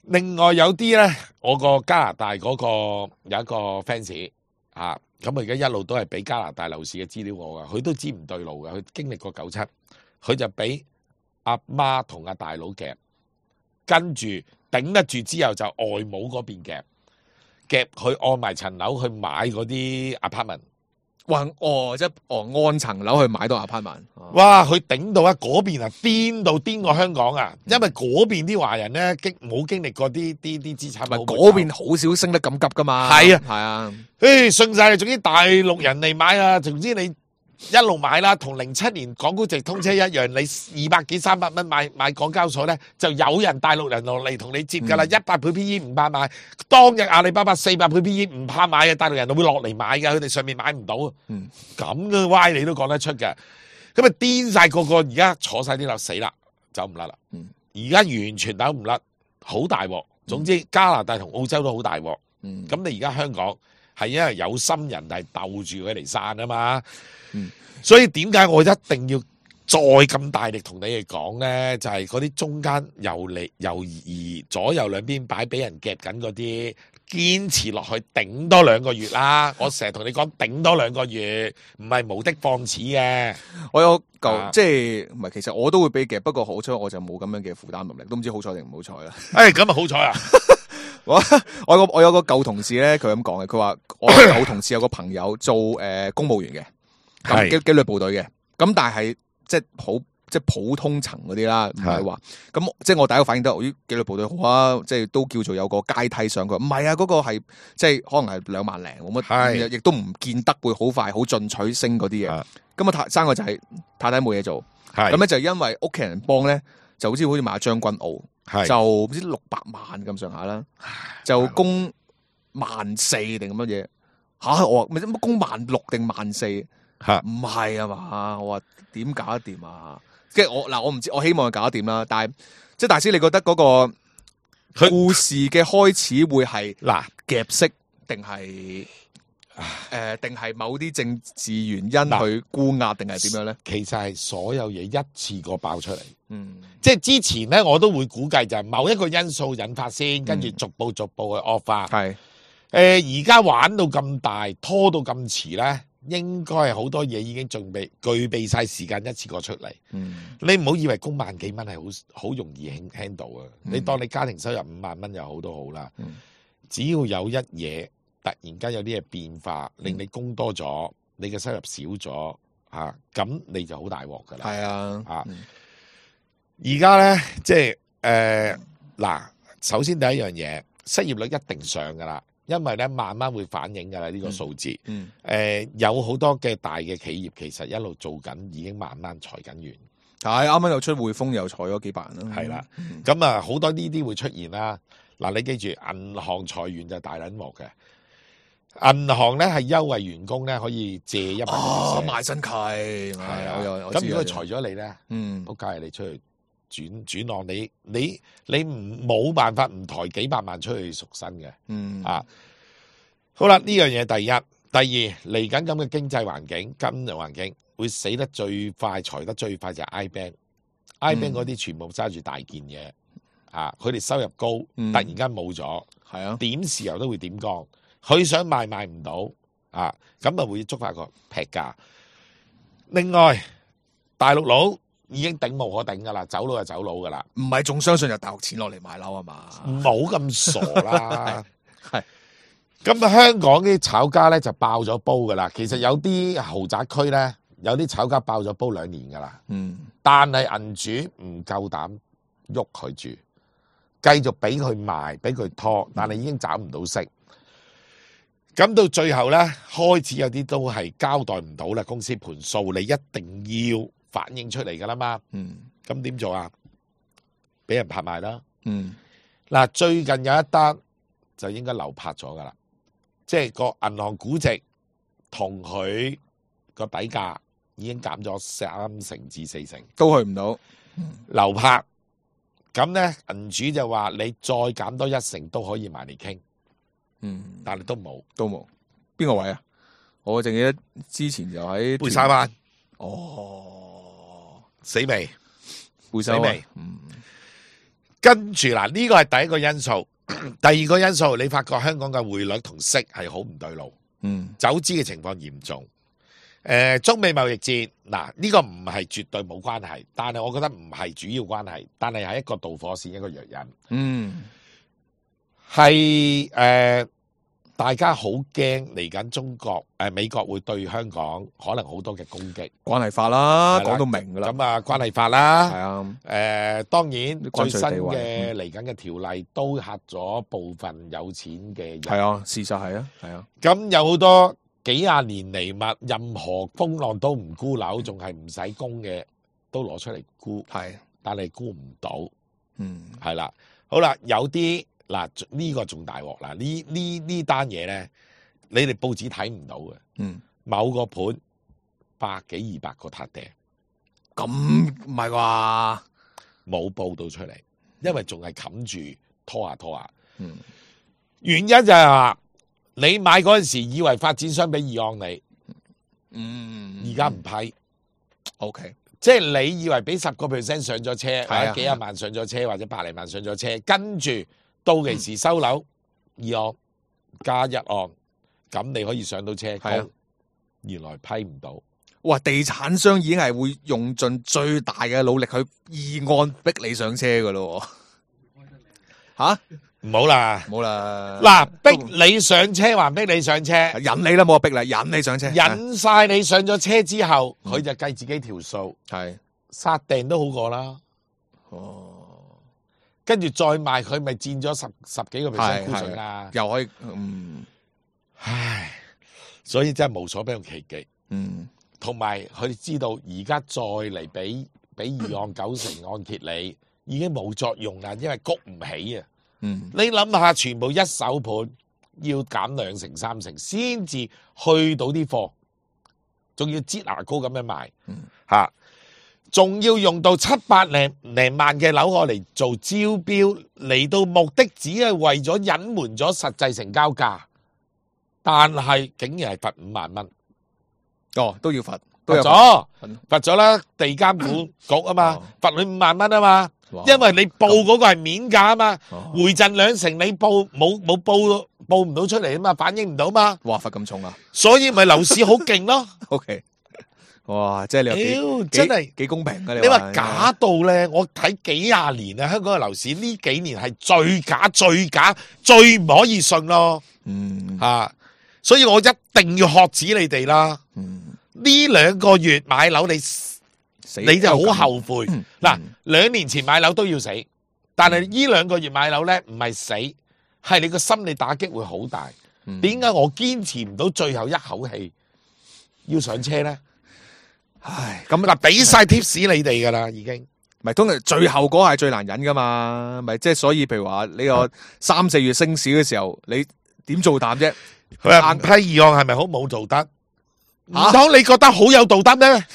另外有啲咧，我個加拿大嗰個有一個 fans 嚇，咁我而家一路都係俾加拿大樓市嘅資料我噶，佢都知唔對路噶，佢經歷過九七，佢就俾阿媽同阿大佬夾，跟住頂得住之後就外母嗰邊夾。夾佢按埋層樓去買嗰啲 apartment，哇哦，即係哦按層樓去買到 apartment，哇！佢頂到啊嗰邊啊癲到癲過香港啊，因為嗰邊啲華人咧經冇經歷過啲啲啲資產，唔係嗰邊好少升得咁急噶嘛，係啊係啊，誒信晒你，總之大陸人嚟買啊，總之你一路買啦，同零七年港股直通車一樣，你二百幾三百蚊買買港交所咧，就有人大陸人落嚟同你接噶啦，一百倍 P E 唔怕買。當日阿里巴巴四百倍 P E 唔怕買嘅，大陸人都會落嚟買嘅，佢哋上面買唔到。嗯，咁嘅歪你都講得出嘅，咁啊癲晒個個，而家坐晒啲樓死啦，走唔甩啦。嗯，而家完全走唔甩，好大鑊。總之加拿大同澳洲都好大鑊。嗯，咁你而家香港係因為有心人係鬥住佢嚟散啊嘛。嗯，所以點解我一定要再咁大力同你哋講咧？就係嗰啲中間遊嚟遊移左右兩邊擺俾人夾緊嗰啲，堅持落去頂多兩個月啦。我成日同你講頂多兩個月，唔係無的放矢嘅。我有嚿、啊即係唔係，其實我都會俾夾，不過好彩我就冇咁樣嘅負擔能力，都唔知好彩定唔好彩啦。誒，咁啊好彩啊！我我有個我有個舊同事咧，佢咁講嘅，佢話我有舊同事有個朋友做誒、呃、公務員嘅，咁係紀紀律部隊嘅，咁但係即係普即係普通層嗰啲啦，唔係話咁即係我第一個反應都係，咦紀律部隊好啊，即係都叫做有個階梯上。佢話唔係啊，嗰、個係即係可能係兩萬零冇係乜，亦都唔見得會好快好進取升嗰啲嘅。啊咁啊太生個仔太太冇嘢做，係咁咧就因為屋企人幫咧，就好似好似買將軍澳。係就唔知六百萬咁上下啦，就供萬四定咁乜嘢吓？我話咪乜供萬六定萬四？嚇唔係啊嘛？我話點搞得掂啊？即係我嗱，我唔知，我希望佢搞得掂啦。但係即係大師，你覺得嗰個故事嘅開始會係嗱夾息定係誒定係某啲政治原因嗱去沽壓定係點樣咧？其實係所有嘢一次過爆出嚟。嗯即係之前咧，我都會估計就係某一個因素引發先，跟住逐步逐步去惡化。係誒而家玩到咁大，拖到咁遲咧，應該係好多嘢已經準備具備晒時間一次過出嚟。嗯你唔好以為供萬幾蚊係好好容易 handle 啊！嗯你當你家庭收入五萬蚊又好都好啦，嗯只要有一嘢突然間有啲嘢變化，令你供多咗，你嘅收入少咗嚇，咁、你就好大鑊㗎啦。係啊啊嗯而家咧，即係誒嗱，首先第一樣嘢，失業率一定上噶啦，因為咧慢慢會反映噶啦呢個數字。誒、嗯有好多嘅大嘅企業其實一路做緊，已經慢慢裁緊完。係啱啱又出匯豐又裁咗幾百人啦。係啦，咁啊好多呢啲會出現啦。嗱，你記住，銀行裁員就大撚鑊嘅。銀行咧係優惠員工咧可以借一百哦， percent 賣身契係係啊我有我知咁如果佢有裁咗你咧，嗯仆街係你出去轉轉按你你你唔冇辦法唔抬幾百萬出去贖身嘅。嗯啊，好啦，呢樣嘢第一，第二嚟緊咁嘅經濟環境、金融環境會死得最快、裁得最快就係 I bank，I bank 嗰啲全部揸住大件嘢，啊，佢哋收入高，嗯突然間冇咗，係啊，點豉油都會點光，佢想賣賣唔到，啊，咁啊會觸發個劈價。另外，大陸佬已經頂無可頂噶啦，走佬就走佬噶啦。唔係仲相信有大陸錢落嚟買樓啊嘛？唔好咁傻啦。係咁啊，香港啲炒家咧就爆咗煲噶啦。其實有啲豪宅區咧，有啲炒家爆咗煲兩年噶啦。嗯但係銀主唔夠膽喐佢住，繼續俾佢賣，俾佢拖，但係已經找唔到息。咁到最後咧，開始有啲都係交代唔到啦，公司盤數你一定要反映出嚟噶啦嘛。嗯，咁點做啊？俾人拍賣啦。嗯，嗱，最近有一單就應該流拍咗噶啦，即係個銀行估值同佢個底價已經減咗三成至四成，都去唔到。流拍。咁咧，銀主就話你再減多一成都可以埋嚟傾，嗯，但係都冇。都冇。邊個位啊？我淨記得之前就喺貝沙灣，哦，死未？貝沙灣死未。嗯，跟住嗱，呢個係第一個因素。第二個因素，你發覺香港嘅匯率同息係好唔對路，嗯，走資嘅情況嚴重。誒、呃，中美貿易戰嗱，呢、這個唔係絕對冇關係，但係我覺得唔係主要關係，但係係一個導火線，一個藥引。嗯，係誒、呃，大家好驚嚟緊中國誒、呃、美國會對香港可能好多嘅攻擊，關係法啦，係啦講到明噶啦。咁啊關係法啦。係啊，誒、呃，當然最新關稅地位嘅嚟緊嘅條例都嚇咗部分有錢嘅人。係啊，事實係啊，係啊，咁有好多幾廿年嚟物，任何風浪都唔沽樓，仲係唔使供嘅，都攞出嚟沽，係，但係沽唔到，嗯，係啦。好啦，有啲嗱呢個仲大鑊啦，呢呢呢單嘢咧，你哋報紙睇唔到嘅，嗯，某個盤百幾二百個撻訂，咁唔係啩？冇報到出嚟，因為仲係冚住拖下拖下。嗯，原因就係話你買嗰陣時以為發展商俾議案你，嗯，而家唔批。 OK，即係你以為俾十個 percent 上咗車，或係啊者幾廿萬上咗車，或者百零萬上咗車，跟住到期時收樓二案加一案，咁你可以上到車係啊供，原來批唔到。哇！地產商已經係會用盡最大嘅努力去議案逼你上車噶咯，吓唔好啦，冇啦，嗱，逼你上車還逼你上車，引你啦，冇話逼啦，引你上車，引晒你上咗車之後，嗯佢就計自己條數，係殺訂都好過啦。哦，跟住再賣佢，咪佔咗十十幾個 percent 係沽水啦。又可以嗯唉，所以真係無所不用其極。嗯同埋佢哋知道而家再嚟俾俾二按九成按揭你，已經冇作用啦，因為谷唔起啊！嗯你諗下，全部一手盤要減兩成三成先至去到啲貨，仲要擠牙膏咁樣賣，嚇、仲要用到七百零零萬嘅樓我嚟做招標，嚟到目的只係為咗隱瞞咗實際成交價，但係竟然係罰五萬蚊。哦都要罰，都有罰咗，罰罰咗啦，地監管局啊嘛哦，罰你五萬蚊啊嘛，哇因為你報嗰個係面價啊嘛，哦回贈兩成你報冇冇報報唔到出嚟啊嘛，反映唔到嘛，哇罰咁重啊所以咪樓市好勁咯。 ，OK，哇，即係你屌又幾真係幾幾公平噶，你話假到咧，我睇幾廿年啊，香港嘅樓市呢幾年係最假、最假、最唔可以信咯，嗯啊，所以我一定要喝止你哋啦。嗯呢兩個月買樓你。死你就好後悔嗯嗱，嗯兩年前買樓都要死，但係呢兩個月買樓咧唔係死，係你個心理打擊會好大。嗯點解我堅持唔到最後一口氣要上車咧？唉，咁嗱，俾晒 tips 你哋噶啦，已經咪通常最後嗰下係最難忍噶嘛，咪即係所以譬如話呢個三四月升市嘅時候，你點做膽啫？佢話唔批議案係咪好冇道德？唔嚇通你覺得好有道德咩？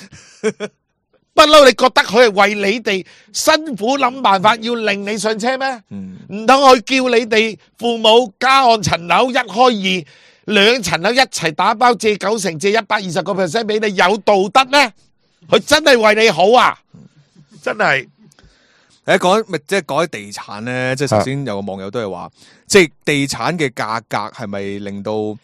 不嬲，你覺得佢係為你哋辛苦諗辦法要令你上車咩？嗯唔通佢叫你哋父母加按層樓一開二兩層樓一齊打包借九成借一百二十個 percent 俾你有道德咩？佢真係為你好啊！真係誒講咪即係講起地產咧，即係頭先有個網友都係話，即係地產嘅價格係咪令到？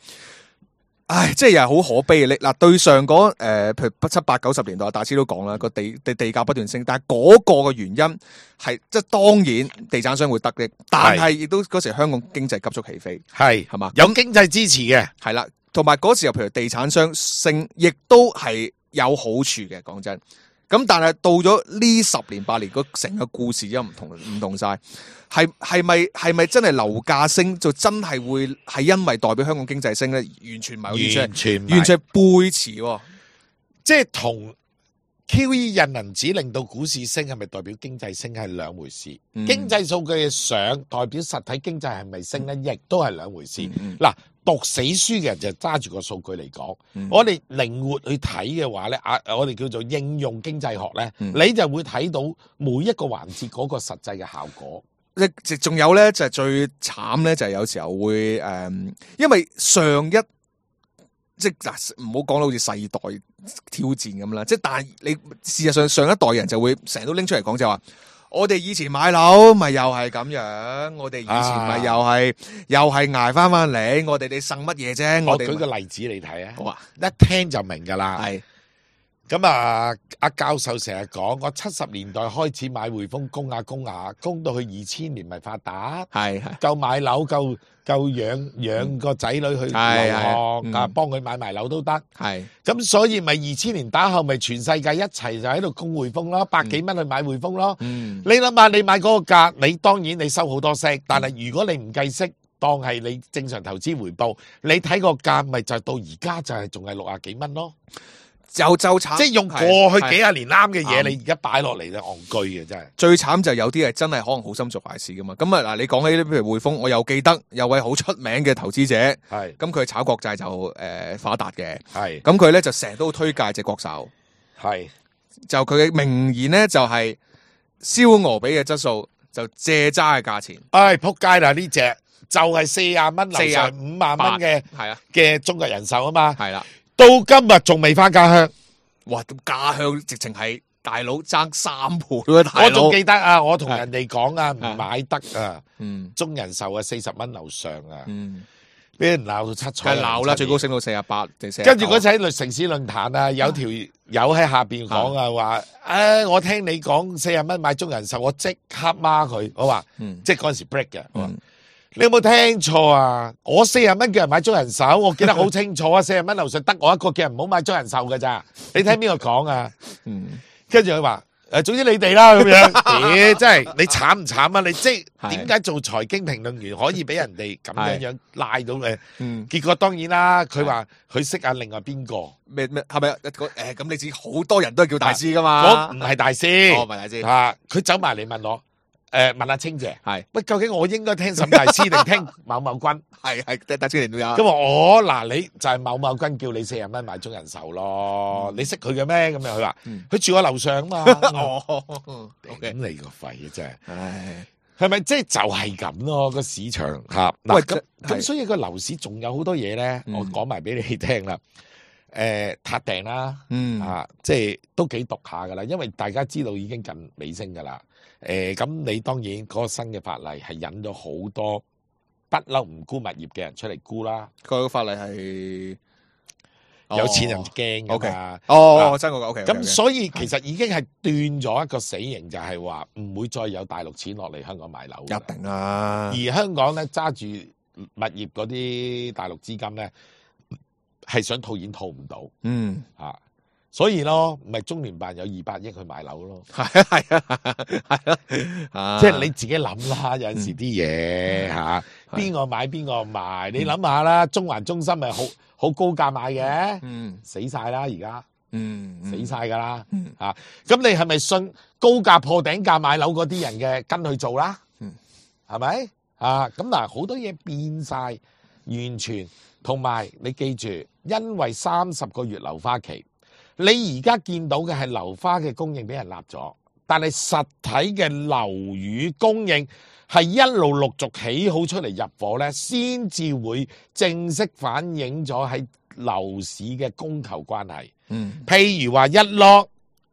唉，即係又係好可悲嘅。你嗱對上嗰誒、呃，譬如七八九十年代，大師都講啦，個地地地價不斷升，但係嗰個嘅原因係即係當然地產商會得益，但係亦都嗰時香港經濟急速起飛，係係嘛？有經濟支持嘅，係啦，同埋嗰時候譬如地產商升，亦都係有好處嘅。講真，咁但係到咗呢十年八年，個成個故事又唔同唔同晒，係係咪係咪真係樓價升就真係會係因為代表香港經濟升咧？完全唔係，完全唔係完全係背馳喎。即係同 Q E 印銀紙令到股市升，係咪代表經濟升係兩回事？嗯經濟數據嘅上代表實體經濟係咪升咧，亦都係兩回事。嗯嗱、讀死書嘅人就揸住個數據嚟講，嗯我哋靈活去睇嘅話咧，啊，我哋叫做應用經濟學咧，嗯你就會睇到每一個環節嗰個實際嘅效果。即仲有咧，就係最慘咧，就係有時候會誒、嗯，因為上一即係嗱，唔好講到好似世代挑戰咁啦。即係但係你事實上上一代人就會成日都拎出嚟講，就話我哋以前買樓咪又係咁樣，我哋以前咪又係、啊、又係捱翻翻嚟，我哋你剩乜嘢啫？我我哋舉個例子你睇啊，好啊，一聽就明㗎啦。係咁啊，阿教授成日講，我七十年代開始買匯豐供下供下，供到去二千年咪發達，係係夠買樓，夠夠養養個仔女去留係學，係啊幫佢買埋樓都得。係咁所以咪二千年打後咪全世界一齊就喺度供匯豐咯，百幾蚊去買匯豐咯。嗯你諗下，你買嗰個價，你當然你收好多息，但係如果你唔計息，當係你正常投資回報，你睇個價咪就到而家就係仲係六啊幾蚊咯。就就慘，即係用過去幾廿年啱嘅嘢，係你而家擺落嚟就戇居嘅真係。最慘就有啲係真係可能好心做壞事噶嘛。咁啊嗱，你講起呢，譬如匯豐，我又記得有位好出名嘅投資者，係咁佢炒國債就誒、呃、發達嘅，係咁佢咧就成日都推介隻國壽，係就佢嘅名言咧就係燒鵝比嘅質素，就借揸嘅價錢，唉仆街啦！呢只就係四廿蚊樓上五萬蚊嘅係啊，嘅中國人壽啊嘛，係啦，到今日仲未翻家鄉。哇！咁家鄉直情係大佬爭三倍喎，大佬我仲記得啊，我同人哋講啊，唔買得啊，嗯中人壽啊四十蚊樓上啊，嗯，俾人鬧到七彩。梗係鬧啦，最高升到四十八定四。跟住嗰次喺城市論壇啊，有條友喺下邊講啊，話誒，我聽你講四十蚊買中人壽，我即刻孖佢。我話，嗯即係嗰陣時 break 嘅。我話嗯你有冇聽錯啊？我四十蚊叫人買中人壽，我記得好清楚啊！四十蚊樓上得我一個叫人唔好買中人壽㗎咋？你聽邊個講啊？嗯，跟住佢話誒，總之你哋啦咁樣。咦，真係你慘唔慘啊？你即係點解做財經評論員可以俾人哋咁樣樣拉到嘅？嗯，結果當然啦，佢話佢識下另外邊個，咩咩係咪一個誒？咁你知好多人都係叫大師噶我嘛？唔係大師，哦，唔係大師，啊，佢走埋嚟問我。誒，問阿清姐，係喂，究竟我應該聽沈大師定聽某某君？係係大師年都有。咁話我嗱，你就係某某君叫你四十蚊買中人壽咯，你識佢嘅咩？咁樣佢話，佢住我樓上啊嘛。哦咁你個肺啊真係，唉，係咪即係就係咁咯？個市場嚇嗱喂咁係咁，所以個樓市仲有好多嘢咧，嗯我講埋俾你聽啦。誒，撻訂啦，嗯啊，即係都幾毒下噶啦，因為大家知道已經近尾聲噶啦。誒，咁你當然嗰個新嘅法例係引咗好多不嬲唔沽物業嘅人出嚟沽啦，佢個法例係有錢人驚噶 OK 嘛。哦，真個 OK。咁所以其實已經係斷咗一個死刑，就係話唔會再有大陸錢落嚟香港買樓㗎啦。一定啊，而香港咧揸住物業嗰啲大陸資金咧，係想套現套唔到嗯，啊，所以咯，咪中聯辦有二百億去買樓咯。係啊係啊係啊，即係你自己諗啦，有陣時啲嘢嚇，邊個買邊個賣，你諗下啦。中環中心咪好好高價買嘅，嗯死晒啦而家，嗯死晒㗎啦嗯嚇。咁你係咪信高價破頂價買樓嗰啲人嘅跟去做啦？嗯，係咪啊？咁嗱，好多嘢變晒，完全同埋你記住，因為三十個月樓花期，你而家見到嘅係樓花嘅供應俾人立咗，但係實體嘅樓宇供應係一路陸續起好出嚟入伙咧，先至會正式反映咗喺樓市嘅供求關係。嗯譬如話一落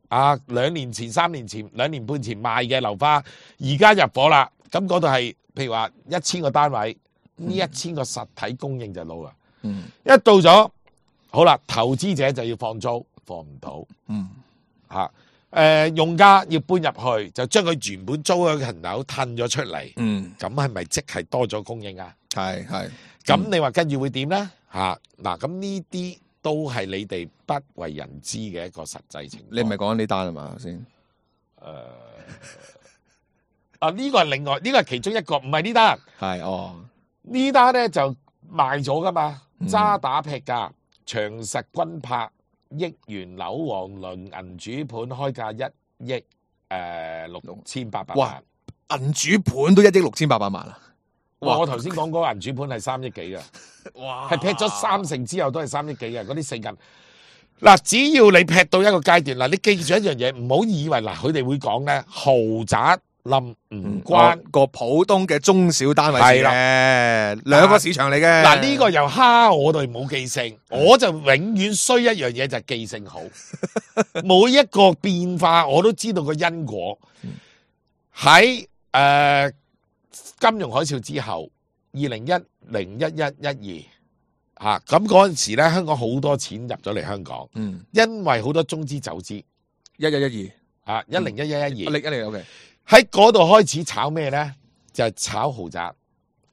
啊，兩年前、三年前、兩年半前賣嘅樓花，而家入伙啦，咁嗰度係譬如話一千個單位，呢一千個實體供應就到啦。嗯一到咗，好啦，投資者就要放租，放唔到嗯嚇。誒、用家要搬入去，就將佢原本租嘅層樓褪咗出嚟，嗯，咁係咪即係多咗供應啊？係係咁你話跟住會點咧？嚇嗱，咁呢啲都係你哋不為人知嘅一個實際情況。你唔係講緊呢單啊嘛先？誒、呃、啊！呢、這個係另外，呢、這個係其中一個，唔係呢單。係哦，呢單咧就賣咗噶嘛，嗯渣打劈價，長實君拍億元樓王輪銀主盤開價一億誒六千八百萬。銀主盤都一億六千八百萬啊！哇！我頭先講嗰個銀主盤係三億幾嘅，哇，係劈咗三成之後都係三億幾嘅嗰啲四銀。嗱，只要你劈到一個階段，嗱，你記住一樣嘢，唔好以為嗱，佢哋會講咧豪宅冧唔關個普通嘅中小單位係啦，兩個市場嚟嘅。嗱，呢個又蝦我哋冇記性，我就永遠衰一樣嘢就係記性好，每一個變化我都知道個因果。喺誒、呃、金融海嘯之後，二零一零一一一二嚇，咁嗰陣時咧，香港好多錢入咗嚟香港，嗯，因為好多中資走資，一一一啊一零一一一二，二，一零一零 OK，喺嗰度開始炒咩咧？就係、炒豪宅，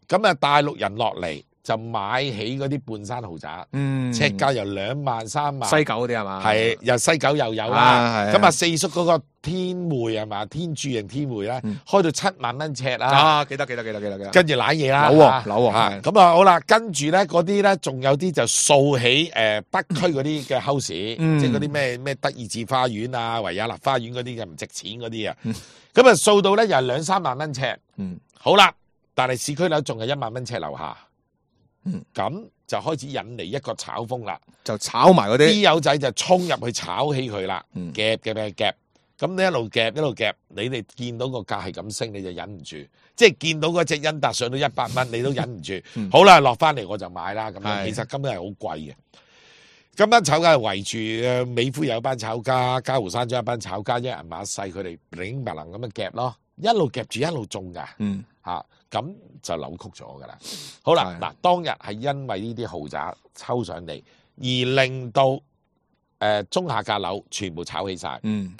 咁啊大陸人落嚟就買起嗰啲半山豪宅，嗯，尺價由兩萬三萬，西九嗰啲係嘛？係由西九又有啦，啊係咁啊四叔嗰個天匯係嘛？天柱型天匯咧，嗯開到七萬蚊尺啦，啊，記得記得記得記得記得，跟住攋嘢啦，樓喎嚇樓喎嚇係咁啊好啦，跟住咧嗰啲咧仲有啲就掃起誒北區嗰啲嘅 house，嗯即係嗰啲咩咩德意志花園啊、維也納花園嗰啲嘅唔值錢嗰啲啊嗯，咁啊掃到咧又係兩三萬蚊尺，嗯好啦，但係市區樓仲係一萬蚊尺樓下，嗯咁就開始引嚟一個炒風啦。就炒埋嗰啲，啲友仔就衝入去炒起佢啦，嗯夾夾夾夾，咁你一路夾一路夾，你哋見到個價係咁升，你就忍唔住，即係見到嗰隻恩達上到一百蚊，你都忍唔住。嗯好啦，落翻嚟我就買啦，咁樣係其實根本係好貴嘅。咁班炒家係圍住誒美孚有一班炒家，嘉湖山莊一班炒家，一人馬細，佢哋零白能咁樣夾咯，一路夾住一路中㗎。嗯嚇，咁、就扭曲咗噶啦。好啦，係嗱，當日係因為呢啲豪宅抽上嚟，而令到誒、呃、中下價樓全部炒起晒。嗯，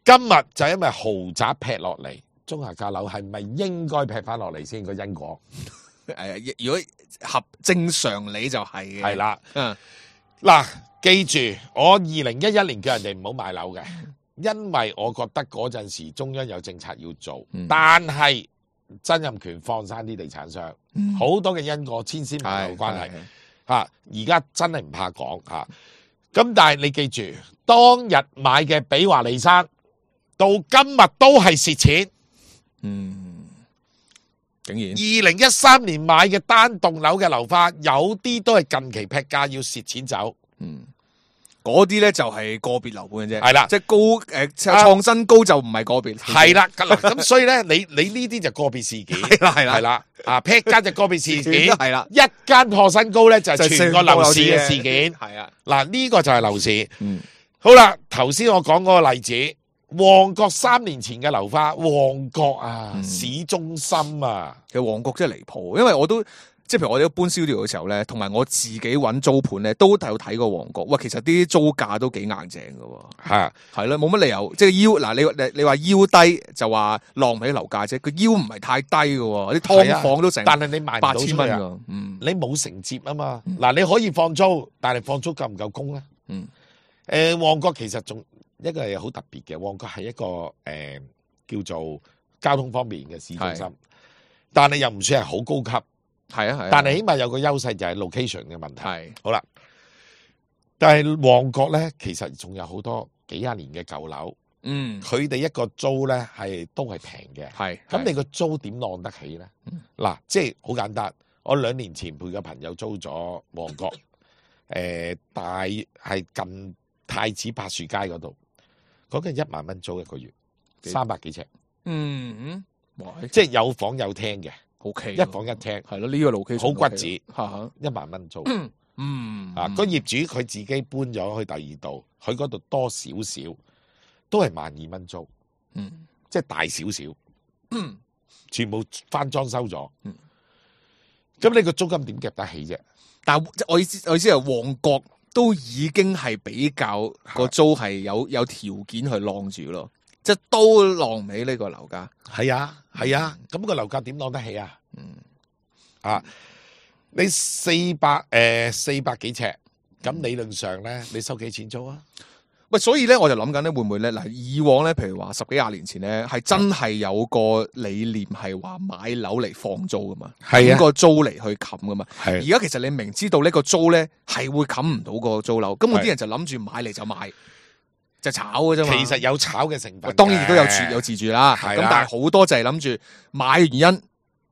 今日就因為豪宅劈落嚟，中下價樓係咪應該劈翻落嚟先個因果？誒，如果合正常理就係嘅，係啦，嗯嗱，記住我二零一一年叫人哋唔好買樓嘅，因為我覺得嗰陣時中央有政策要做，嗯但係曾蔭權放生啲地產商，好、嗯多嘅因果千絲萬縷關係。係吓，而家真係唔怕講吓。咁但係你記住，當日買嘅比華利山，到今日都係蝕錢。嗯，竟然二零一三年買嘅單棟樓嘅樓花，有啲都係近期劈價要蝕錢走。嗯。嗰啲咧就係個別樓盤嘅啫，係啦即係高誒創新高就唔係個別，係啦，嗱咁所以咧，你你呢啲就個別事件，係啦係啦係啦，啊劈價就個別事件，係啦，一間破新高咧就係就全個樓市嘅事件。係啊，嗱呢個就係樓市。嗯，好啦，頭先我講嗰個例子，旺角三年前嘅樓花，旺角啊，嗯市中心啊，其實旺角真係離譜，因為我都即係譬如我哋搬 studio 嘅時候咧，同埋我自己揾租盤咧，都有睇過旺角。哇，其實啲租價都幾硬淨㗎喎，嚇係咯，冇乜理由，即係腰嗱，你你你話腰低就話浪唔起樓價啫，佢腰唔係太低㗎喎，啲劏房都成但係你賣唔八到出去啊，千蚊㗎，嗯你冇承接啊嘛。嗱，你可以放租，但係放租夠唔夠供咧？嗯，誒，旺角其實仲一個係好特別嘅，旺角係一個誒叫做交通方面嘅市中心係，但係又唔算係好高級。係啊係啊，但係起碼有個優勢就係 location 嘅問題。係好啦，但係旺角咧，其實仲有好多幾廿年嘅舊樓，嗯佢哋一個租咧係都係平嘅。係，咁你個租點浪得起咧？嗱、即係好簡單。我兩年前陪個朋友租咗旺角，誒、大係近太子柏樹街嗰度，講緊一萬蚊租一個月，幾三百幾尺，嗯嗯，哇，即係有房有廳嘅， O K，一房一廳，係咯，呢個 location 好骨子，嚇嚇，一萬蚊租。嗯啊，個業主佢自己搬咗去第二度，佢嗰度多少少都係萬二蚊租，嗯即係大少少，全部翻裝修咗。嗯咁你個租金點夾得起啫？但係即係我意思，我意思係旺角都已經係比較個租係有有條件去晾住咯，即係都晾唔起呢個樓價。係啊，係啊，咁、個樓價點晾得起啊？嗯啊，你四百誒四百幾尺，咁理論上咧，你收幾錢租啊？喂，所以咧我就諗緊咧，會唔會咧嗱？以往咧，譬如話十幾廿年前咧，係真係有個理念係話買樓嚟放租噶嘛，係啊個租嚟去冚噶嘛。係而家其實你明知道呢個租咧係會冚唔到個租樓，咁我啲人就諗住買嚟就買，就炒嘅啫嘛。其實有炒嘅成分嘅，當然亦都有住有自住啦。咁係啦但係好多就係諗住買嘅原因。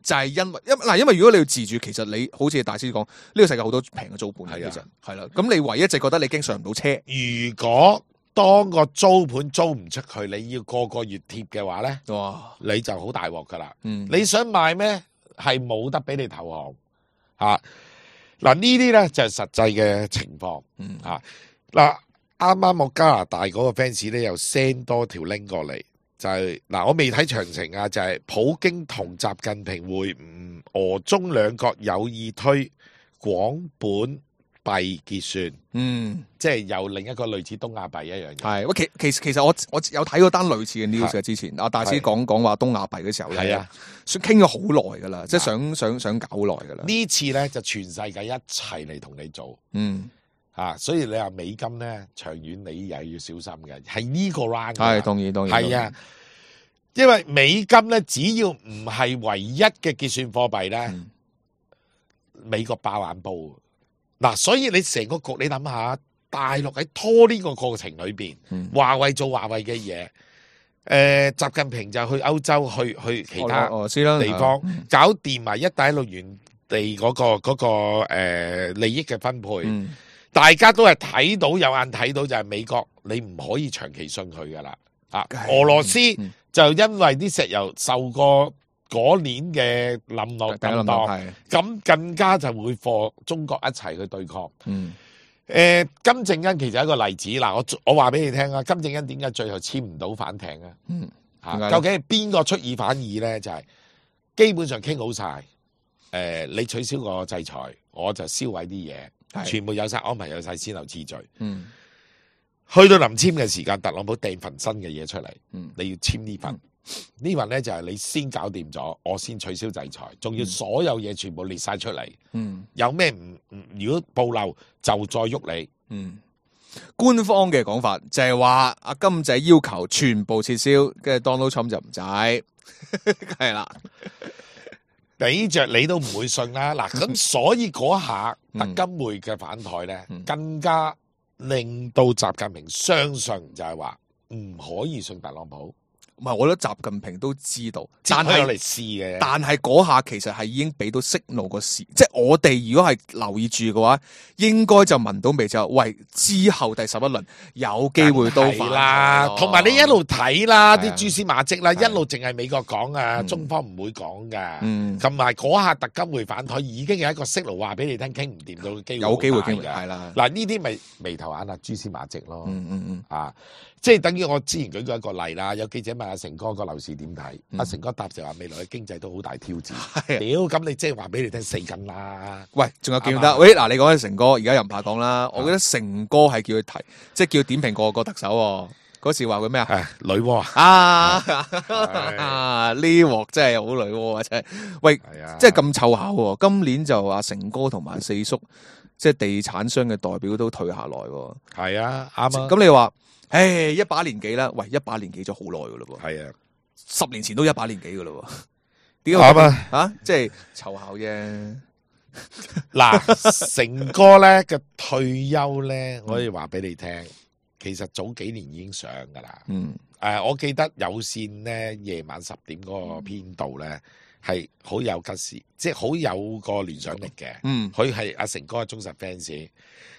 就係因為因嗱，因為如果你要自住，其實你好似大師講，呢、這個世界好多平嘅租盤嘅，係啊其實係啦。咁你唯一就覺得你經上唔到車，如果當個租盤租唔出去，你要個個月貼嘅話咧，哇！你就好大鑊噶啦。嗯，你想賣咩？係冇得俾你投降嚇。嗱、啊、呢啲咧就係、是、實際嘅情況。嗯嚇嗱，啱啱我加拿大嗰個 fans 咧又 send 多條 link 過嚟。就係、是、嗱，我未睇詳情啊！就係、是、普京同習近平會晤，俄中兩國有意推廣本幣結算，嗯，即係有另一個類似東亞幣一樣嘢。係喂，其其其實我我有睇過單類似嘅 news 嘅，之前阿大師講講話東亞幣嘅時候咧，係啊，想傾咗好耐噶啦，即係想想想搞好耐噶啦。呢次咧就全世界一齊嚟同你做，嗯，啊，所以你話美金咧長遠你又要小心嘅，係呢個 round 係當然當然係啊。因為美金咧，只要唔係唯一嘅結算貨幣咧，嗯、美國爆眼煲。嗱，所以你成個局，你諗下，大陸喺拖呢個過程裏邊，嗯、華為做華為嘅嘢，誒、呃，習近平就去歐洲，去去其他地方，嗯、搞掂埋一帶一路原地嗰、那個嗰、那個誒、呃、利益嘅分配，嗯、大家都係睇到有眼睇到就係美國，你唔可以長期信佢噶啦。啊，俄羅斯。嗯就因為啲石油受過嗰年嘅冧落咁多，咁更加就會貨中國一齊去對抗。嗯，誒、呃，金正恩其實係一個例子。嗱，我我話俾你聽啊，金正恩點解最後簽唔到反艇啊？嗯，嚇，究竟係邊個出爾反爾咧？就係、是、基本上傾好晒。誒、呃，你取消個制裁，我就銷毀啲嘢，全部有晒安排，有晒先後次序。嗯。去到臨簽嘅時間，特朗普掟份新嘅嘢出嚟，嗯、你要簽呢份，嗯、呢份咧就係、是、你先搞掂咗，我先取消制裁，仲要嗯、所有嘢全部列晒出嚟。嗯，有咩唔唔？如果暴漏就再喐你。嗯，官方嘅講法就係話阿金仔要求全部撤銷，跟住 Donald Trump 就唔制，係啦，俾着你都唔會信啦。嗱，咁所以嗰下特金會嘅反台咧，嗯、更加。令到習近平相信就係話唔可以信特朗普，唔係，我覺得習近平都知道，但係嚟試嘅。但係嗰下其實係已經俾到息怒個事，即係我哋如果係留意住嘅話，應該就聞到味就喂之後第十一輪有機會都反啦。同埋你一路睇啦，啲蛛絲馬跡啦，係一路淨係美國講啊，嗯、中方唔會講噶。嗯，同埋嗰下特金會反台已經有一個息路話俾你聽，傾唔掂到嘅機會有機會傾嘅係啦。嗱呢啲咪眉頭眼啊，蛛絲馬跡咯。嗯嗯嗯，啊。即係等於我之前舉過一個例啦，有記者問阿成哥個樓市點睇，阿、嗯、成哥答就話未來嘅經濟都好大挑戰。屌，咁你即係話俾你聽死緊啦。喂，仲有記唔得？喂，嗱，你講起成哥，而家又唔怕講啦。我覺得成哥係叫佢提，即係叫佢點評個個特首。嗰時話佢咩啊？女媧啊！呢鑊真係好女媧啊！真係。喂，即係咁湊巧。今年就阿成哥同埋四叔，即係地產商嘅代表都退下來。係啊，啱啊。咁你話？唉，一把年紀啦，喂，一把年紀咗好耐噶咯喎，係啊，十年前都一把年紀噶咯喎，點解啊？啊，即係湊巧啫。嗱，成哥咧嘅退休咧，我可以話俾你聽，其實早幾年已經上噶啦。嗯，誒、呃，我記得有線咧夜晚十點嗰個編導咧係好有吉事，即係好有個聯想力嘅。嗯，佢係阿成哥嘅忠實 fans，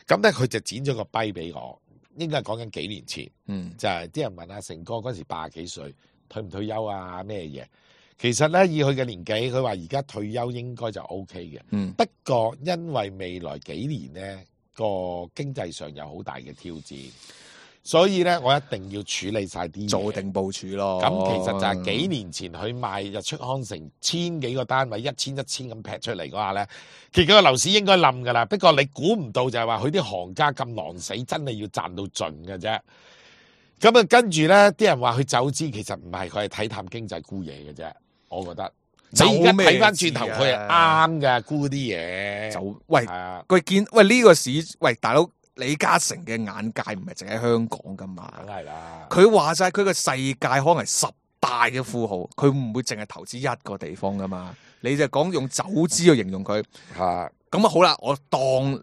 咁咧佢就剪咗個跛俾我。應該係講緊幾年前，嗯，就係、是、啲人問阿成哥嗰時八十幾歲，退唔退休啊？咩嘢？其實咧以佢嘅年紀，佢話而家退休應該就 O K 嘅。嗯，不過因為未來幾年咧個經濟上有好大嘅挑戰，所以咧我一定要處理晒啲做定部署咯。咁其實就係幾年前佢賣日出康城千幾個單位，一千一千咁劈出嚟嗰下咧，其實個樓市應該冧噶啦。不過你估唔到就係話佢啲行家咁狼死，真係要賺到盡嘅啫。咁啊跟住咧，啲人話佢走資，其實唔係，佢係睇淡經濟沽嘢嘅啫。我覺得你而家睇翻轉頭，佢係啱嘅沽啲嘢。就喂，係啊，佢見喂呢個市，喂大佬。李嘉誠嘅眼界唔係淨喺香港噶嘛，梗係啦。佢話晒佢個世界可能係十大嘅富豪，佢唔會淨係投資一個地方噶嘛。你就講用走資去形容佢，嚇咁啊好啦，我當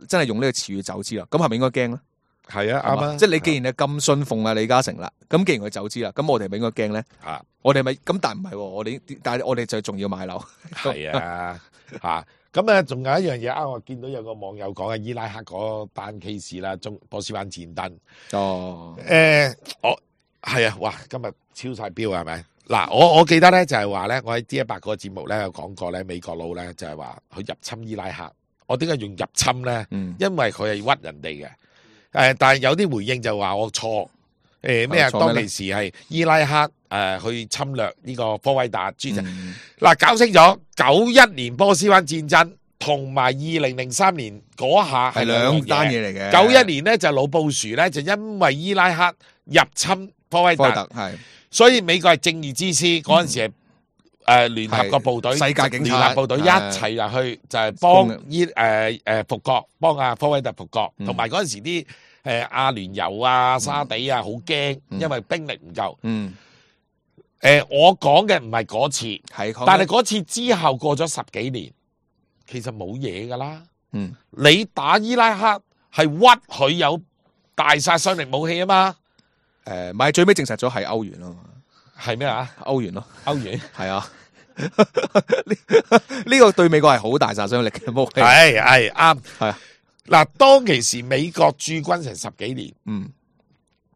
真係用呢個詞語走資啦，咁係咪應該驚咧？係啊，啱啊。即係你既然係咁信奉啊李嘉誠啦，咁既然佢走資啦，咁我哋係咪應該驚咧？嚇我哋咪咁，但係唔係喎，我哋但係我哋就仲要買樓。係啊嚇。咁啊，仲有一樣嘢啊！我見到有個網友講嘅伊拉克嗰單 case 啦，中波斯灣戰爭。哦，誒，我係啊，哇！今日超晒標係咪？嗱，我我記得咧就係話咧，我喺 D 一百個節目咧有講過咧，美國佬咧就係話佢入侵伊拉克。我點解用入侵咧？嗯，因為佢係屈人哋嘅。誒，但係有啲回應就話我錯。誒咩啊？當其時係伊拉克誒去侵略呢個科威特諸陣。嗱，搞清楚九一年波斯灣戰爭同埋二零零三年嗰下係兩單嘢嚟嘅。九一年咧就老布殊咧就因為伊拉克入侵科威特，係，所以美國係正義之師嗰陣時係誒聯合國部隊、世界警察聯合部隊一齊入去就係幫伊誒誒復國，幫阿科威特復國，同埋嗰陣時啲。誒阿聯酋啊、沙地啊，好驚，因為兵力唔夠。嗯，誒、呃，我講嘅唔係嗰次，係，但係嗰次之後過咗十幾年，其實冇嘢噶啦。嗯，你打伊拉克係屈佢有大殺傷力武器啊嘛。誒、呃，咪最尾證實咗係歐元咯，係咩啊？歐元咯，歐元係啊。呢個對美國係好大殺傷力嘅武器。係係啱，係啊。嗱，當其時美國駐軍成十幾年，嗯，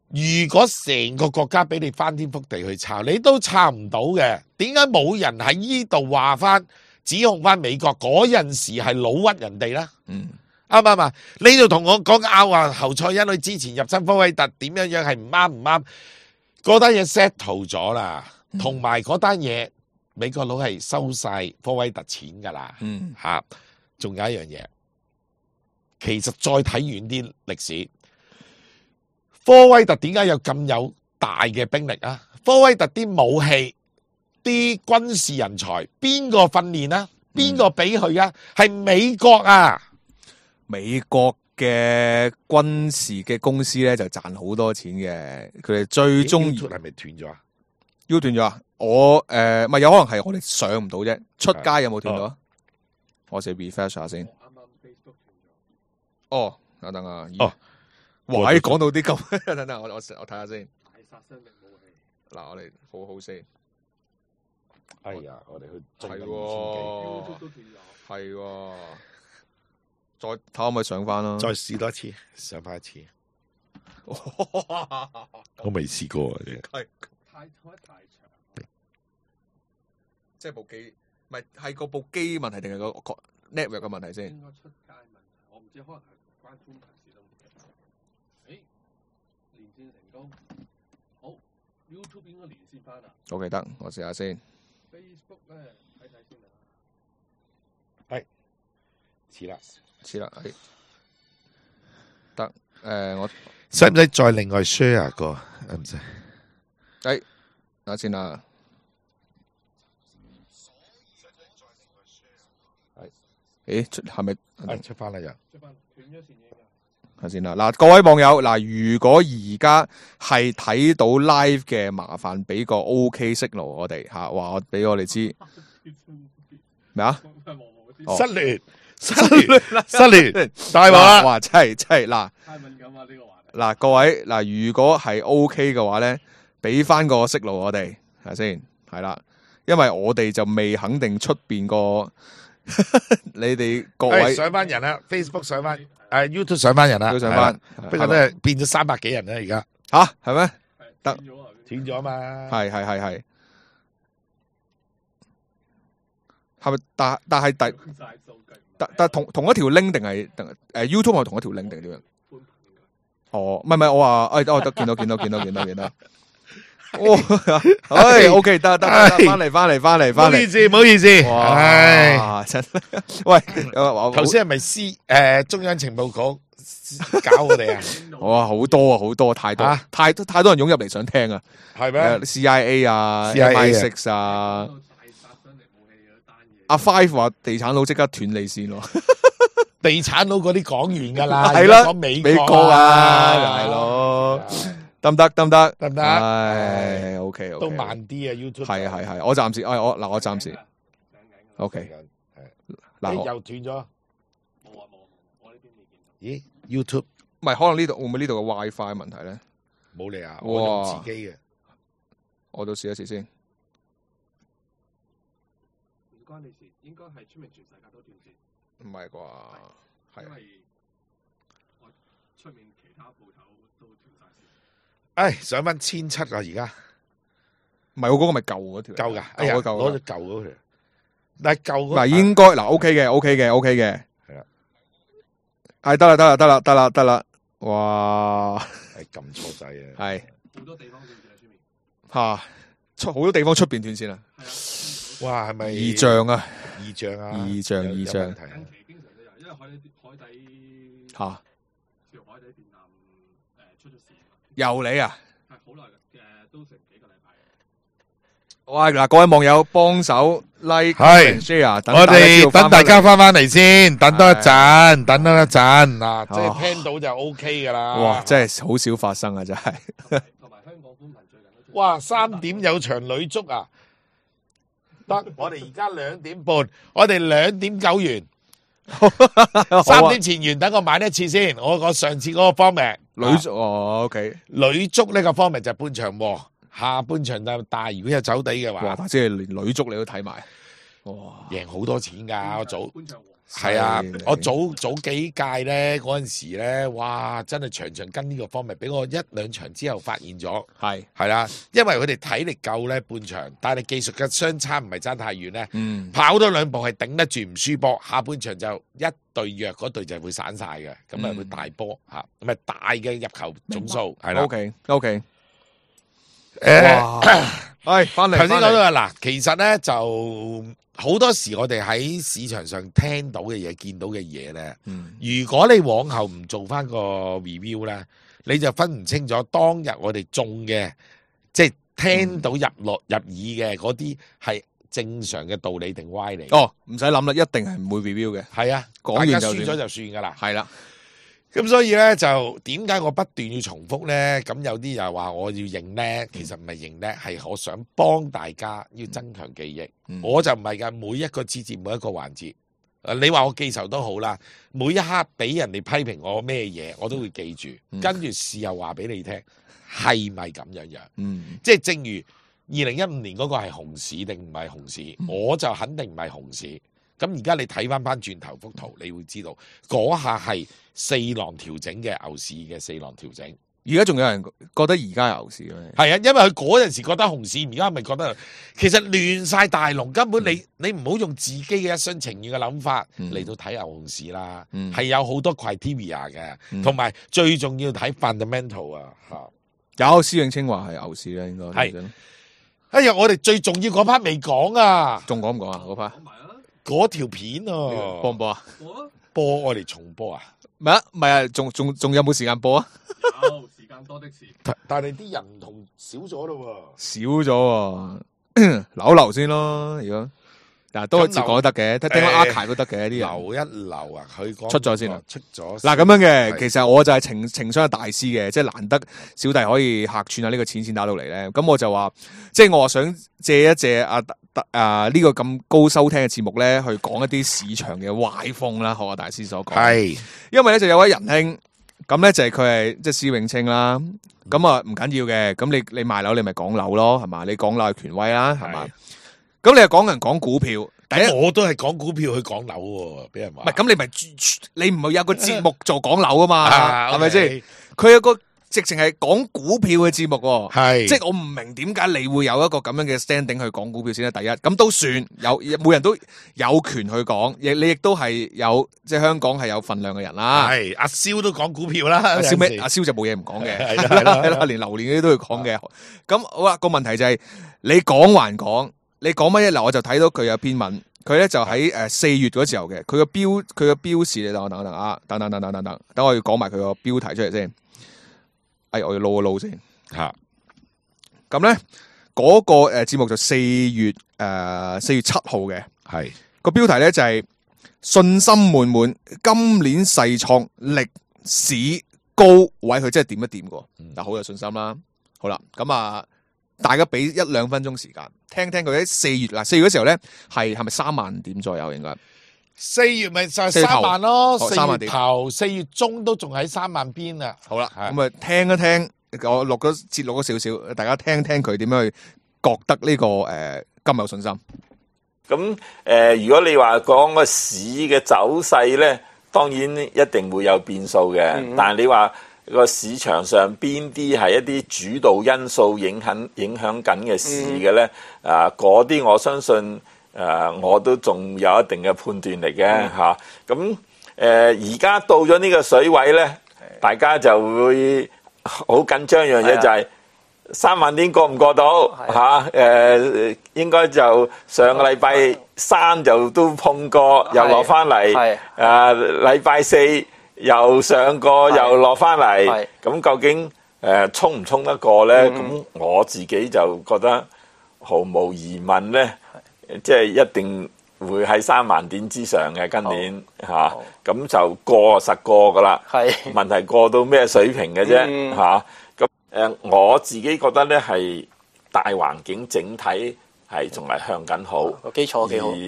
如果成個國家俾你翻天覆地去抄，你都抄唔到嘅。點解冇人喺呢度話翻指控翻美國嗰陣時係老屈人哋咧？嗯，啱唔啱啊？呢度同我講拗話侯賽因佢之前入侵科威特點樣樣係唔啱唔啱？嗰單嘢 settle 咗啦，同埋嗰單嘢美國佬係收晒科威特錢噶啦。嗯，吓，仲有一樣嘢。其實再睇遠啲歷史，科威特點解有咁有大嘅兵力啊？科威特啲武器、啲軍事人才，邊個訓練啊？邊個俾佢啊？係美國啊！美國嘅軍事嘅公司咧就賺好多錢嘅，佢哋最中意係咪斷咗啊？U 斷咗啊？我誒，咪有可能係我哋上唔到啫。出街有冇斷到啊？我試 refresh 下先。哦，等等啊！哦，哇！講到啲咁，等等我我我睇下先。大殺傷力武器。嗱，我哋好好先。哎呀，我哋去係，YouTube 喎，都斷咗。係喎，再睇可唔可以上翻啦？再試多一次，上翻一次。我未試過啊！係太開太長。即係部機，唔係係個部機問題定係個 network 嘅問題先？應該出街問題，我唔知可能係關寬頻事都唔記得。誒，連線成功，好 YouTube 應該連線翻啦。我記得，我試下先。Facebook 咧睇睇先啦。係，似啦，似啦，係得誒，我使唔使再另外 share 個？唔使。誒，等下先啦。誒，出係咪？係出翻啦又。出翻斷咗線影㗎。睇先啦，嗱，各位網友，嗱，如果而家係睇到 live 嘅，麻煩俾個 OK signal 我哋吓，話我俾我哋知咩啊？失聯，失聯，失聯，大鑊啦！哇，真係真係嗱，太敏感啊呢個話題。嗱，各位嗱，如果係 OK 嘅話咧，俾翻個 signal 我哋係咪先？係啦，因為我哋就未肯定出邊個。你哋各位上翻人啦 ，Facebook 上翻，誒 YouTube 上翻人啦，都上翻，不過都係變咗三百幾人啦，而家吓係咩？得斷咗啊嘛，係係係係，係咪？但但係第但但同同一條 link 定係誒 YouTube 係同一條 link 定點樣？哦，唔係唔係，我話誒，我得見到見到見到見到見到。哦，唉，OK，得得得，翻嚟翻嚟翻嚟翻嚟，唔好意思，唔好意思，哇，真，喂，頭先係咪 C 誒中央情報局搞我哋啊？哇，好多啊，好多，太多，太多太多人湧入嚟想聽啊，係咩 ？C I A 啊 ，M I six 啊，阿 Five 話地產佬即刻斷你線咯，地產佬嗰啲講完噶啦，係啦而家講美美國啊，係咯，得唔得？得唔得？得唔得？唉，OK OK，都慢啲啊 YouTube。係係係，我暫時，哎我嗱我暫時 OK，嗱誒我又斷咗。冇啊冇啊，我呢邊未見到。咦 YouTube 唔係可能呢度會唔會呢度嘅 WiFi 問題咧？冇嚟啊，哇我用自己嘅。我都試一試先。唔關你事，應該係出面全世界都斷線，唔係啩？係因為我出面其他鋪頭都斷晒線。唉，上翻千七啊，而家唔係我嗰個咪舊嗰條嚟？夠㗎。哎呀，舊嗰嚿攞咗舊嗰條。但係舊嗰嗱，應該嗱 OK 嘅，OK 嘅，OK 嘅。係啦。係得啦，得啦，得啦，得啦，得啦。哇！係撳錯掣啊。係好多地方斷線喺出面。嚇出好多地方出邊斷線啊！係啊，哇，係咪異象啊！異象啊？異象有異象有問題啊近期經常都有，因為海底海底嚇條海底電纜誒出咗事，由你啊！係好耐嘅，都成幾個禮拜。喂，嗱，各位網友幫手 like 係 share，等我大家知道哋等大家返翻翻嚟先，等多一陣，等多一陣嗱，即哦係聽到就 O K 噶啦。嚟哇，真係好少發生啊！真係同埋香港寬頻最近都出哇，三點有場女足啊！得，我哋而家兩點半，我哋兩點九完，三點前完，等我買一次先。我我上次嗰個 format 女足哦，OK，女足呢個 format 就半場和，下半場就大。如果有走地嘅哇！話，大姐連女足你都睇埋，哇！贏好多錢㗎。我早半場和係啊犀利，我早早幾屆咧嗰陣時咧，哇！真係場場跟呢個 format，俾我一兩場之後發現咗。係係啦，因為佢哋體力夠咧半場，但係技術嘅相差唔係爭太遠咧，嗯跑多兩步係頂得住唔輸波，下半場就一隊弱嗰隊就會散晒嘅，咁啊嗯會大波嚇，咁啊大嘅入球總數係啦。 ，OK OK，誒哇！係翻嚟，頭先講返嚟到啦，嗱，其實咧就好多時我哋喺市場上聽到嘅嘢、見到嘅嘢咧，嗯如果你往後唔做翻個 review 咧，你就分唔清楚當日我哋中嘅，即係聽到入落入耳嘅嗰啲係正常嘅道理定歪理。哦，唔使諗啦，一定係唔會 review 嘅，係啊，講完就算大家輸咗就算噶啦。係啦，咁所以咧就點解我不斷要重複咧？咁有啲又話我要認咧，其實唔係認咧，係我想幫大家要增強記憶。嗯我就唔係㗎，每一個節節每一個環節，誒你話我記仇都好啦，每一刻俾人哋批評我咩嘢，我都會記住，嗯跟住事後話俾你聽，係咪咁樣樣？嗯即係正如二零一五年嗰個係熊市定唔係熊市，嗯我就肯定唔係熊市。咁而家你睇翻翻轉頭幅圖，你會知道嗰下係四浪調整嘅牛市嘅四浪調整。而家仲有人覺得而家係牛市嘅，係啊，因為佢嗰陣時覺得熊市，而家咪覺得其實亂晒大龍，根本你你唔好用自己嘅一廂情願嘅諗法嗯嚟到睇牛熊市啦，嗯係有好多 criteria 嘅，嗯同埋最重要睇 fundamental 啊嚇。有施永青話係牛市咧，應該係哎呀，我哋最重要嗰 part 未講啊，仲講唔講啊？嗰 part 講埋啦，嗰條片播唔啊，播啊？播啊，播我哋重播啊，唔係啊，唔係啊，仲仲仲有冇時間播啊？有時間多的是。但但係啲人唔同少咗咯少咗喎，留一留先咯。如果嗱都自講得嘅，聽聽翻誒 archive 都得嘅啲喎，人。留一留啊，佢講出咗先啊，出咗嗱咁樣嘅，係其實我就係情情商嘅大師嘅，即係難得小弟可以客串下呢個錢錢打到嚟咧。咁我就話，即係我話想借一借啊啊呢個咁高收聽嘅節目咧，去講一啲市場嘅壞風啦，學阿大師所講。係因為咧就有位仁兄，咁咧就係佢係即係施永青啦。咁啊唔緊要嘅，咁你你賣樓你咪講樓咯，係嘛？你講樓係權威啦，係嘛？咁你又講人講股票，第一咁我都係講股票去講樓喎，俾人話唔係咁你咪你唔係有個節目做講樓啊嘛，啊係咪先？ OK 佢有個直情係講股票嘅節目喎，係即係我唔明點解你會有一個咁樣嘅 standing 去講股票先啦。第一，咁都算有，每人都有權去講，亦你亦都係有即係香港係有份量嘅人啦。係阿蕭都講股票啦，阿蕭咩？有陣時阿蕭就冇嘢唔講嘅，係啦係啦係啦，連榴蓮嗰啲都要講嘅。咁好啦，個問題就係你講還講，你講乜嘢？嗱，我就睇到佢有篇文，佢咧就喺誒四月嗰時候嘅，佢個標佢個標示，你等我等等啊，等等等等等等，等我要講埋佢個標題出嚟先。哎，我要撈一撈先嚇，咁咧嗰個誒節目就四月誒四月七號嘅，係個標題咧就係信心滿滿，今年誓創歷史高位，佢真係點一點過，但好有信心啦。好啦，咁啊，大家俾一兩分鐘時間，聽聽佢喺四月嗱，四月嗰時候咧係係咪三萬點左右應該？四月咪就係三萬咯，四月三萬點頭、四月中都仲喺三萬邊啊。好啦，咁啊聽一聽，我錄咗節錄咗少少，大家聽聽佢點樣去覺得呢、這個誒咁、呃、有信心。咁誒、呃，如果你話講個市嘅走勢咧，當然一定會有變數嘅。嗯、但係你話個市場上邊啲係一啲主導因素影響影響緊嘅市嘅咧？嗯、啊，嗰啲我相信誒、呃，我都仲有一定嘅判斷嚟嘅嚇。咁誒、嗯，而家、呃、到咗呢個水位咧，大家就會好緊張一樣嘢就係、是。三萬點過唔過到嚇？誒、啊、應該就上個禮拜三就都碰過，又落翻嚟。誒禮拜四又上過，又落翻嚟。咁究竟誒衝唔衝得過咧？咁、嗯、我自己就覺得毫無疑問咧，即係一定會喺三萬點之上嘅今年嚇。咁、啊、就過實過噶啦。問題過到咩水平嘅啫嚇？嗯啊誒我自己覺得咧係大環境整體係仲係向緊好，個基礎幾好，而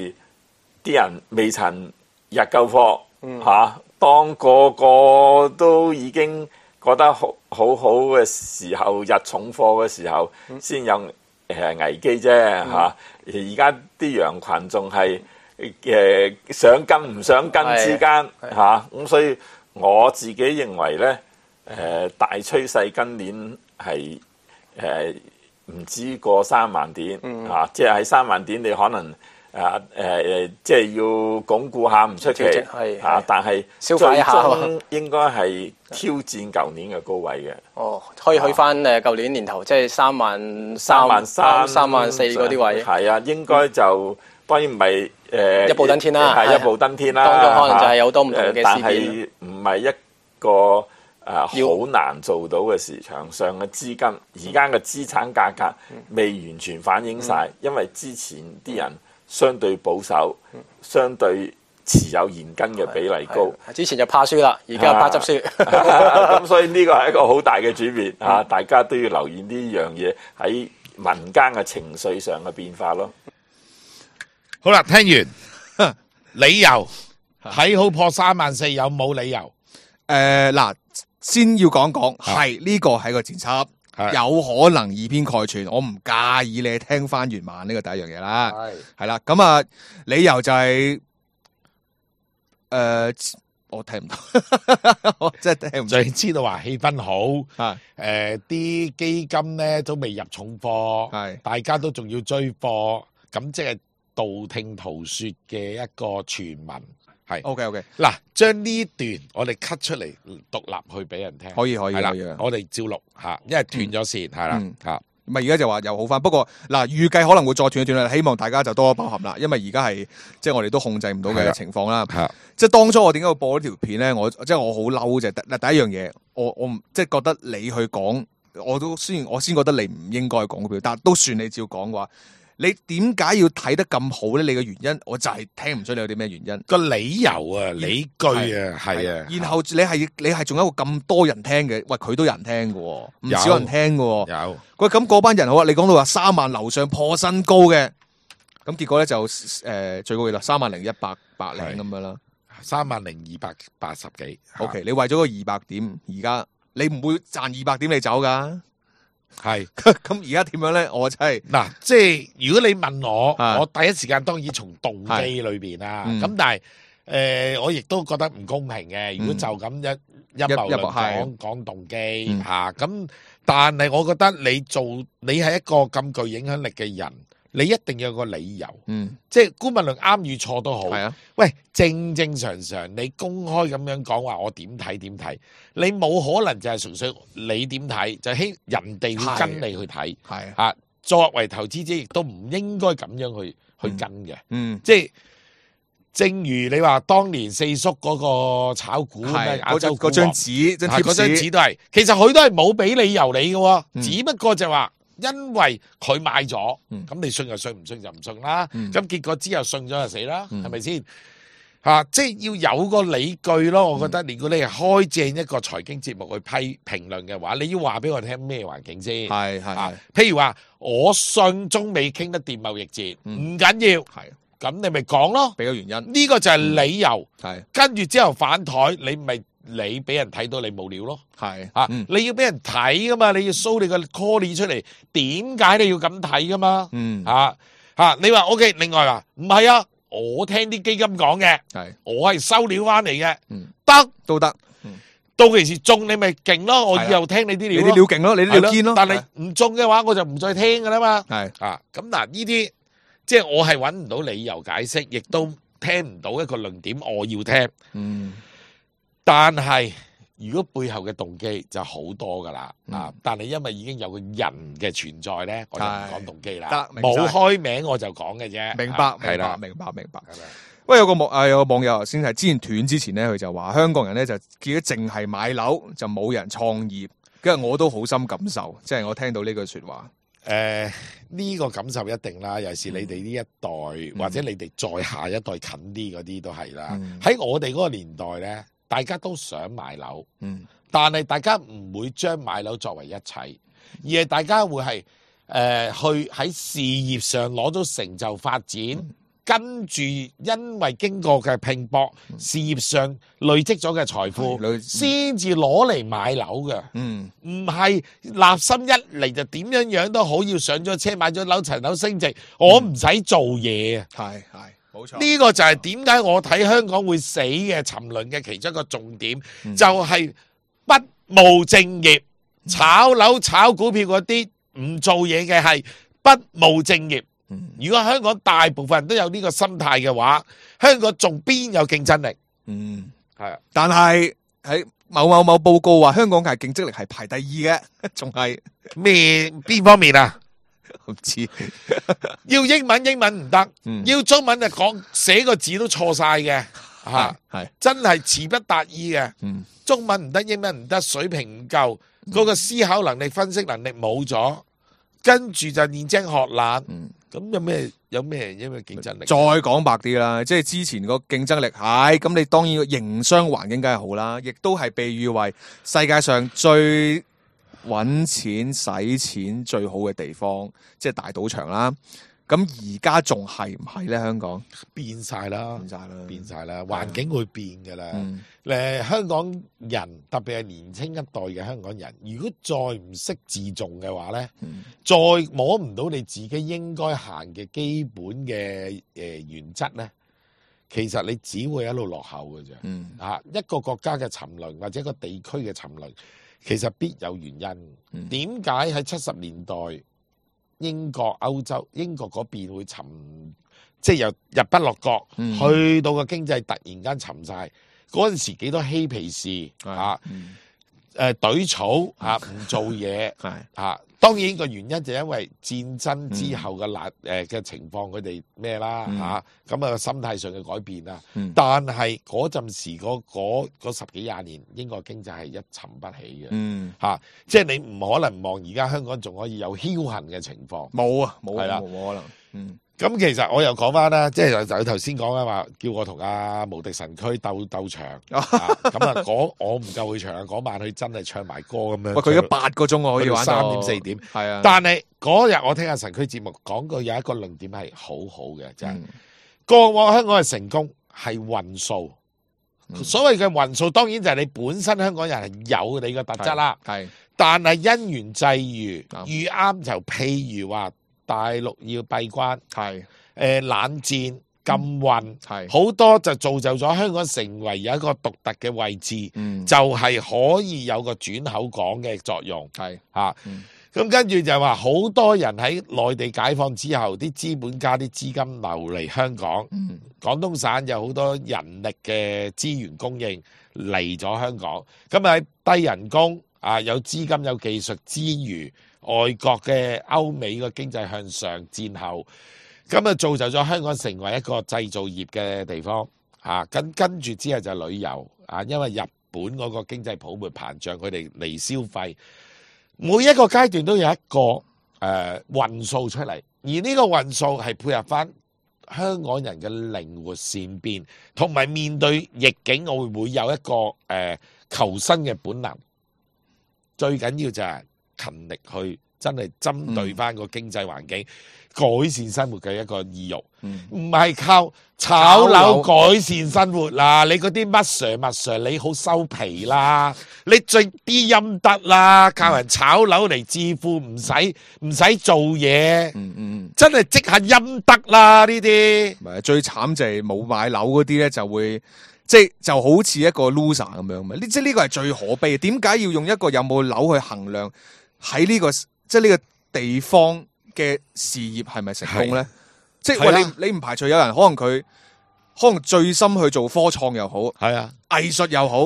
啲人未曾日夠貨嚇，當個個都已經覺得好好好嘅時候，日重貨嘅時候，先有誒危機啫嚇。而家啲羊群仲係誒想跟唔想跟之間嚇，咁所以我自己認為咧。誒、呃、大趨勢今年係誒唔知過三萬點、嗯、啊！即係喺三萬點，你可能啊誒、呃、即係要鞏固下唔出奇啊！但係最終應該係挑戰舊年嘅高位嘅。哦，可以去翻誒舊年年頭，即係三萬三萬三、三萬四嗰啲位。係啊，應該就、嗯、當然唔係誒一步登天啦，係一步登天啦。當中可能就係有好多唔同嘅事件。但係唔係一個。誒好、啊、難做到嘅市場上嘅資金，而家嘅資產價格未完全反映晒，嗯、因為之前啲人相對保守，嗯、相對持有現金嘅比例高。之前就怕輸啦，而家怕執輸。咁所以呢個係一個好大嘅轉變啊！大家都要留意呢樣嘢喺民間嘅情緒上嘅變化咯。好啦，聽完理由睇好破三萬四有冇理由？誒嗱、呃。先要講講，係呢個係個前輯，有可能以偏概全，我唔介意你聽翻原版呢個第一樣嘢啦，係係啦，咁啊理由就係、是、誒、呃、我聽唔到，我真係聽唔到，就知道話氣氛好，係誒啲基金咧都未入重貨，係大家都仲要追貨，咁即係道聽途說嘅一個傳聞。係 ，OK OK，嗱，將呢段我哋 cut 出嚟獨立去俾人聽，可以可以，係啦，我哋照錄吓，因為斷咗線，係啦吓，咪而家就話又好翻，不過嗱，預計可能會再斷一斷啦，希望大家就多多包涵啦，因為而家係即係我哋都控制唔到嘅情況啦，係，即係當初我點解會播呢條片咧？我即係我好嬲就嗱，第一樣嘢，我我唔即係覺得你去講，我都雖然我先覺得你唔應該講股票，但係都算你照講嘅話。你點解要睇得咁好咧？你嘅原因，我就係聽唔出你有啲咩原因。個理由啊，理據啊，係啊。然後你係你係仲有一個咁多人聽嘅，喂，佢都有人聽嘅，唔少人聽嘅。有。喂，咁嗰班人好啊，你講到話三萬樓上破新高嘅，咁結果咧就誒、呃、最高幾多？三萬零一百百零咁樣啦。三萬零二百八十幾。O K，你為咗個二百點，而家你唔會賺二百點你走噶。係咁而家點樣咧？我真係嗱，即係如果你問我，我第一時間當然從動機裏邊啦。咁但係誒，我亦都覺得唔公平嘅。如果就咁一一謀論講講動機吓，咁但係我覺得你做你係一個咁具影響力嘅人，你一定要有個理由。嗯，即係姑勿論啱與錯都好。係啊，喂，正正常常你公開咁樣講話，我點睇點睇，你冇可能就係純粹你點睇，就希人哋會跟你去睇。係啊，作為投資者亦都唔應該咁樣去去跟嘅。嗯，即係正如你話當年四叔嗰個炒股咩亞洲股，嗰張紙，嗰張紙都係，其實佢都係冇俾理由你嘅，只不過就話。因為佢買咗，咁你信就信，唔信就唔信啦。咁結果之後信咗就死啦，係咪先？啊，即係要有個理據咯。我覺得，如果你係開正一個財經節目去批評論嘅話，你要話俾我聽咩環境先？係係啊，譬如話我信中美傾得掂貿易戰，唔、嗯、緊要，係咁你咪講咯，俾個原因。呢、這個就係理由。係、嗯、跟住之後反台，你咪你俾人睇到你冇料咯。係啊、嗯，你要俾人睇噶嘛，你要 show 你個 call 出嚟，點解你要咁睇噶嘛？嗯啊啊，你話 OK， 另外話唔係啊。我聽啲基金講嘅，係我係收料翻嚟嘅，嗯，得都得，嗯，到其時中你咪勁咯，我以後聽你啲料，你啲料勁咯，你啲料堅咯，但係唔中嘅話，我就唔再聽噶啦嘛，係啊，咁嗱呢啲即係我係揾唔到理由解釋，亦都聽唔到一個論點，我要聽，嗯，但係如果背後嘅動機就好多噶啦，嗯、啊！但係因為已經有個人嘅存在咧，我就唔講動機啦。得，冇開名我就講嘅啫。明白，係啦，明白，明白。喂，有個網啊，有個網友先係之前斷之前咧，佢就話香港人咧就見到淨係買樓就冇人創業，跟住我都好深感受，即係我聽到呢句說話。誒、呃，呢、這個感受一定啦，尤其是你哋呢一代、嗯、或者你哋再下一代近啲嗰啲都係啦。喺、嗯、我哋嗰個年代咧。大家都想買樓，嗯，但係大家唔會將買樓作為一切，而係大家會係誒、呃、去喺事業上攞到成就發展，嗯、跟住因為經過嘅拼搏，嗯、事業上累積咗嘅財富，先至攞嚟買樓嘅，嗯，唔係立心一嚟就點樣樣都好，要上咗車買咗樓層樓升值，我唔使做嘢啊，係、嗯、係。呢、這個就係點解我睇香港會死嘅沉淪嘅其中一個重點，嗯、就係、是、不務正業，嗯、炒樓炒股票嗰啲唔做嘢嘅係不務正業、嗯。如果香港大部分人都有呢個心態嘅話，香港仲邊有競爭力？嗯，係啊。但係喺某某某報告話，香港嘅競爭力係排第二嘅，仲係咩邊方面啊？唔知要英文英文唔得、嗯，要中文就講寫個字都錯晒嘅，吓係真係詞不達意嘅、嗯。中文唔得，英文唔得，水平唔夠，嗰、嗯那個思考能力、分析能力冇咗，跟住就練精學懶。咁、嗯、有咩有咩因為競爭力？再講白啲啦，即係之前個競爭力係咁，你當然個營商環境梗係好啦，亦都係被譽為世界上最搵錢使錢最好嘅地方，即係大賭場啦。咁而家仲係唔係咧？香港變晒啦，變晒啦，變晒啦，環境會變噶啦。誒、嗯，香港人特別係年青一代嘅香港人，如果再唔識自重嘅話咧、嗯，再摸唔到你自己應該行嘅基本嘅誒原則咧，其實你只會一路落後嘅啫。嗯，啊，一個國家嘅沉淪或者一個地區嘅沉淪。其實必有原因。點解喺七十年代英國、歐洲、英國嗰邊會沉，即係由日不落國、嗯，去到個經濟突然間沉晒。嗰陣時幾多嬉皮士啊？誒，懟草啊，唔做嘢啊。當然個原因就因為戰爭之後嘅難誒嘅情況，佢哋咩啦嚇，咁啊心態上嘅改變啦、嗯。但係嗰陣時嗰嗰十幾廿年，英國經濟係一沉不起嘅嚇、嗯啊，即係你唔可能望而家香港仲可以有僥倖嘅情況。冇啊，冇係啦，冇可能。嗯。咁其實我又講翻啦，即係就頭先講啊話，叫我同阿無敵神區鬥鬥場，咁啊嗰我唔夠佢長啊，嗰晚佢真係唱埋歌咁樣。喂，佢而家八個鐘我可以玩到三點四點，係啊。啊但係嗰日我聽阿神區節目講過有一個論點係好好嘅，就係、是、嗯、過往香港嘅成功係運數、嗯，所謂嘅運數當然就係你本身香港人係有你嘅特質啦，係。但係因緣際遇遇啱就譬如話。大陸要閉關，係誒、呃、冷戰禁運，係好多就造就咗香港成為有一個獨特嘅位置，嗯、就係、是、可以有個轉口港嘅作用，係嚇。咁、嗯、跟住就話好多人喺內地解放之後，啲資本家啲資金流嚟香港，嗯、廣東省有好多人力嘅資源供應嚟咗香港，咁喺低人工啊，有資金有技術之餘。外國嘅歐美個經濟向上戰後，咁啊造就咗香港成為一個製造業嘅地方啊。跟跟住之後就旅遊啊，因為日本嗰個經濟泡沫膨脹，佢哋嚟消費，每一個階段都有一個誒運數出嚟，而呢個運數係配合翻香港人嘅靈活善變，同埋面對逆境，我會唔會有一個誒、呃、求生嘅本能。最緊要就係勤力去真係針對翻個經濟環境。嗯改善生活嘅一個意欲，唔係、嗯、靠炒樓改善生活啦。你嗰啲乜 Sir 乜 Sir，你好收皮啦。你最啲陰德啦，靠人炒樓嚟致富，唔使唔使做嘢，嗯嗯，真係積下陰德啦呢啲。唔係最慘就係冇買樓嗰啲咧，就會即係就好似一個 loser 咁樣嘛。呢即係呢個係最可悲嘅。點解要用一個有冇樓去衡量喺呢、這個即係呢個地方嘅事業係咪成功咧？即係喂，你你唔排除有人可能佢可能最深去做科創又好，係啊，藝術又好，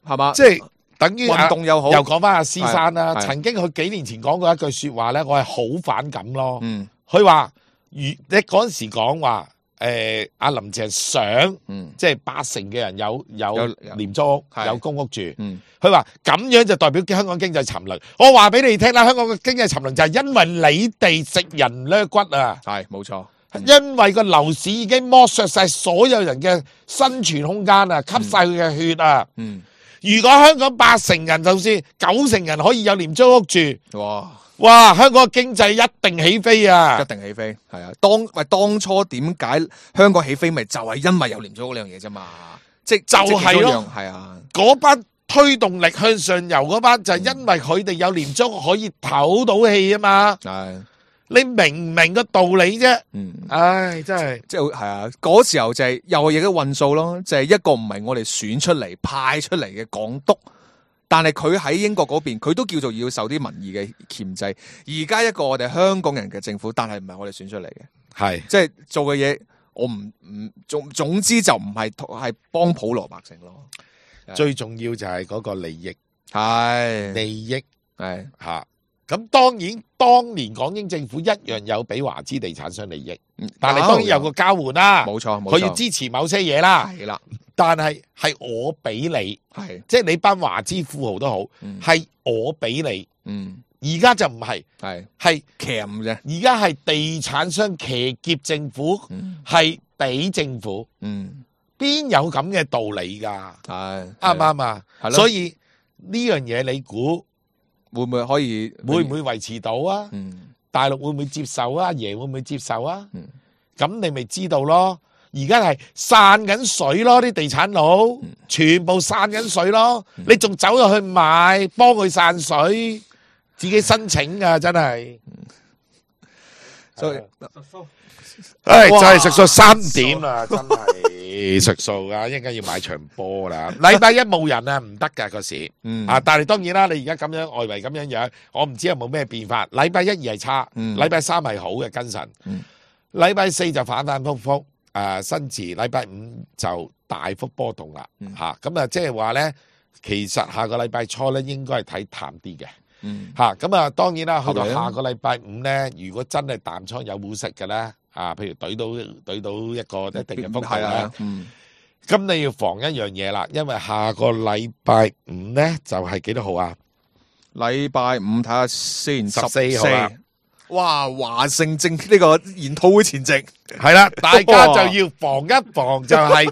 係嘛？即係等於運動又好。又講翻阿施生啦，曾經佢幾年前講過一句說話咧，我係好反感咯。嗯，佢話如你嗰陣時講話，誒阿林鄭想，嗯，即係八成嘅人有有廉租屋，有公屋住。嗯。佢話咁樣就代表香港經濟沉淪。我話俾你聽啦，香港嘅經濟沉淪就係因為你哋食人掠骨啊！係冇錯，因為個樓市已經剝削晒所有人嘅生存空間啊，吸晒佢嘅血啊！嗯，如果香港八成人，就算九成人可以有廉租屋住，哇哇，香港嘅經濟一定起飛啊！一定起飛，係啊！當喂當初點解香港起飛咪就係因為有廉租屋呢樣嘢啫嘛？即就係咯，係啊，嗰班推動力向上游嗰班就係因為佢哋有廉租可以唞到氣啊嘛，係你明唔明個道理啫？嗯，唉，真係即係係啊，嗰時候就係又係亦都運數咯，就係一個唔係我哋選出嚟派出嚟嘅港督，但係佢喺英國嗰邊，佢都叫做要受啲民意嘅鉗制。而家一個我哋香港人嘅政府，但係唔係我哋選出嚟嘅，係即係做嘅嘢，我唔唔總總之就唔係係幫普羅百姓咯。最重要就係嗰個利益，係利益係吓。咁當然，當年港英政府一樣有俾華資地產商利益，但係當然有個交換啦，冇錯，佢要支持某些嘢啦，係啦。但係係我俾你，係即係你班華資富豪都好，係我俾你。嗯，而家就唔係，係係騎啫。而家係地產商騎劫政府，係俾政府。嗯。邊有咁嘅道理噶？係啱唔啱啊？所以呢樣嘢你估會唔會可以會唔會維持到啊？嗯，大陸會唔會接受啊？阿爺會唔會接受啊？嗯，咁你咪知道咯。而家係散緊水咯，啲地產佬、嗯、全部散緊水咯。嗯、你仲走入去買，幫佢散水，自己申請啊！真係。所以，唉，就係食數三點啦，真係食數啊！一陣間要買場波啦。禮拜一冇人啊，唔得噶個市。嗯啊，但係當然啦，你而家咁樣外圍咁樣樣，我唔知有冇咩變化。禮拜一二係差，禮拜三係好嘅跟神，禮拜四就反反复复。誒，新字禮拜五就大幅波動啦。吓咁啊，即係話咧，其實下個禮拜初咧應該係睇淡啲嘅。嗯，吓咁啊，當然啦，去到下個禮拜五咧，如果真係淡倉有冇食嘅咧，啊，譬如懟到懟到一個一定嘅幅度咧，嗯，咁你要防一樣嘢啦，因為下個禮拜五咧就係幾多號啊？禮拜五睇下先，十四號啊！哇，華盛正呢個研討會前夕係啦，大家就要防一防，就係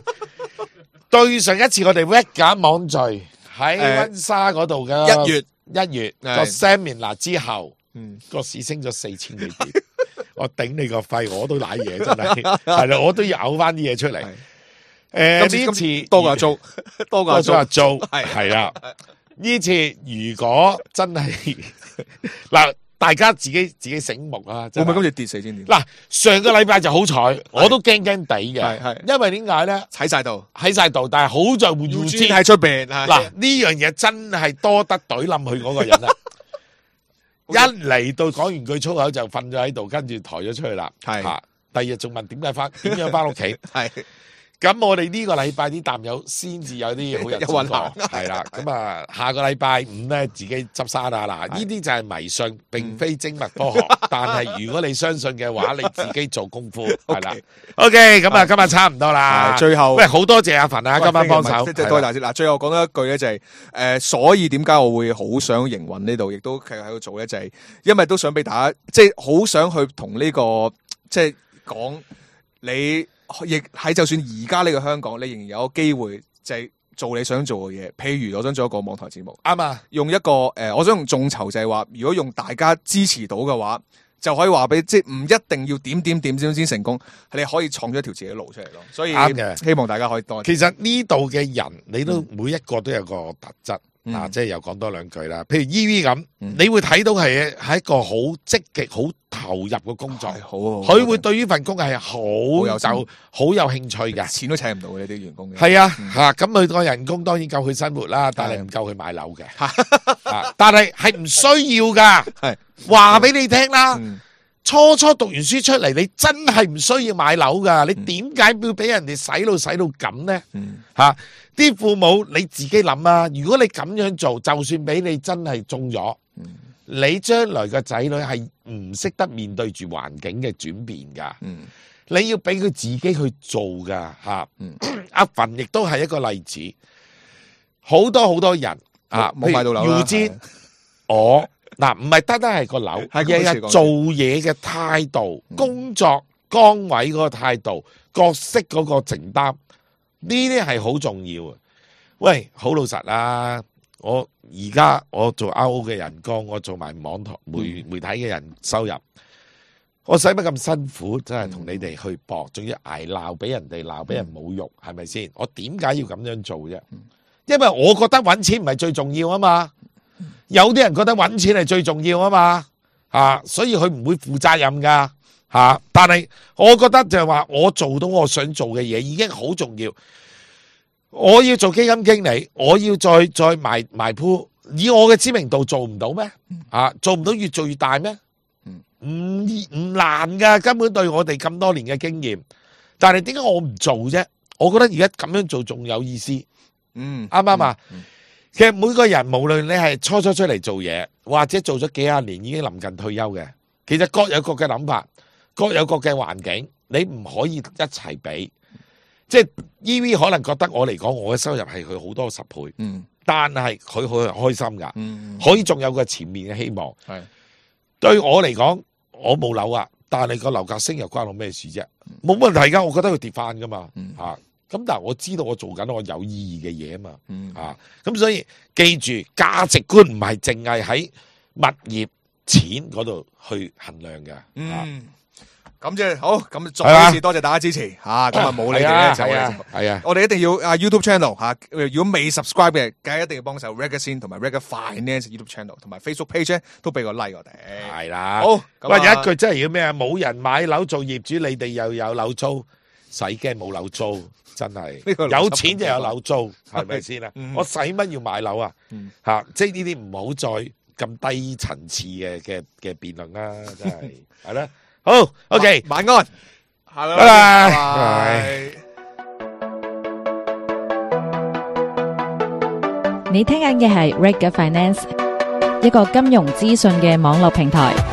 對上一次我哋 Red 假網聚喺溫莎嗰度嘅一月。一月個 seminar 之後，嗯，個市升咗四千幾點，我頂你個肺，我都瀨嘢真係，係啦，我都要嘔翻啲嘢出嚟。誒，呢次多個租，多個租租係係啦。呢次如果真係嗱，大家自己自己醒目啊！會唔會今次跌四千點？嗱，上個禮拜就好彩，我都驚驚地嘅，係係，因為點解咧？喺晒度，喺晒度，但係好在換護專喺出邊。嗱，呢樣嘢真係多得懟冧佢嗰個人啊！一嚟到講完句粗口就瞓咗喺度，跟住抬咗出去啦。係，第二日仲問點解翻，點樣翻屋企？係。咁我哋呢個禮拜啲淡友先至有啲好日子過，係啦。咁啊，下個禮拜五咧，自己執生啊！嗱，呢啲就係迷信，並非精密科學。但係如果你相信嘅話，你自己做功夫係啦。OK，咁啊，今日差唔多啦。最後，喂，好多謝阿凡啊，今晚幫手。多謝大師。嗱，最後講多一句咧，就係誒，所以點解我會好想營運呢度，亦都繼續喺度做咧，就係因為都想俾大家，即係好想去同呢個即係講。你亦喺就算而家呢個香港，你仍然有個機會就係做你想做嘅嘢。譬如我想做一個網台節目，啱啊！用一個誒、呃，我想用眾籌就係話，如果用大家支持到嘅話，就可以話俾即係唔一定要點點點先先成功，你可以創咗一條自己嘅路出嚟咯。所以啱嘅，希望大家可以多。其實呢度嘅人，你都、嗯、每一個都有個特質。嗯、啊，即係又講多兩句啦。譬如 E V 咁，嗯、你會睇到係係一個好積極、好投入嘅工作。好，佢會對於份工係好有就好有興趣嘅。錢都請唔到嘅呢啲員工嘅。係啊，嚇咁佢個人工當然夠佢生活啦，但係唔夠佢買樓嘅。啊，但係係唔需要㗎。係話俾你聽啦。嗯初初讀完書出嚟，你真係唔需要買樓噶。你點解要俾人哋洗腦洗到咁呢？吓，啲父母你自己諗啊。如果你咁樣做，就算俾你真係中咗，你將來個仔女係唔識得面對住環境嘅轉變噶。你要俾佢自己去做噶吓。阿馮亦都係一個例子，好多好多人啊，冇買到樓啦。我。嗱，唔係單單係個樓，而係做嘢嘅態度、嗯、工作崗位嗰個態度、角色嗰個承擔，呢啲係好重要啊！喂，好老實啦，我而家我做 R O 嘅人工，我做埋網台媒媒體嘅人收入，我使乜咁辛苦？真係同你哋去搏，仲要挨鬧，俾人哋鬧，俾人侮辱，係咪先？我點解要咁樣做啫？因為我覺得搵錢唔係最重要啊嘛。有啲人覺得搵錢係最重要啊嘛，啊，所以佢唔會負責任噶，吓、啊。但係我覺得就係話，我做到我想做嘅嘢已經好重要。我要做基金經理，我要再再埋埋鋪，以我嘅知名度做唔到咩？啊，做唔到越做越大咩？唔唔難噶，根本對我哋咁多年嘅經驗。但係點解我唔做啫？我覺得而家咁樣做仲有意思。嗯，啱唔啱啊？嗯嗯其實每個人無論你係初初出嚟做嘢，或者做咗幾廿年已經臨近退休嘅，其實各有各嘅諗法，各有各嘅環境，你唔可以一齊比。即係 E V 可能覺得我嚟講，我嘅收入係佢好多十倍，嗯，但係佢好開心噶，嗯，可以仲有個前面嘅希望。係對我嚟講，我冇樓啊，但係個樓價升又關我咩事啫？冇問題噶，我覺得佢跌翻噶嘛，嗯啊咁但係我知道我做緊我有意義嘅嘢啊嘛，嗯、啊咁所以記住價值觀唔係淨係喺物業錢嗰度去衡量嘅。嗯，咁即係好，咁再一次多謝大家支持吓，咁啊冇你哋咧就係啊，我哋一定要啊 YouTube channel 吓，如果未 subscribe 嘅，梗係一定要幫手 Reggae Scene 同埋 Reggae Finance YouTube channel 同埋 Facebook page 咧都俾個 like 我哋。係啦，好，喂有一句真係要咩啊？冇人買樓做業主，你哋又有樓租，使驚冇樓租。真係有錢就有樓租，係咪先啊？我使乜要買樓啊？吓、嗯，即係呢啲唔好再咁低層次嘅嘅嘅辯論啦，真係係啦。好 ，OK， 晚安，拜拜。你聽緊嘅係 Reggae Finance，一個金融資訊嘅網絡平台。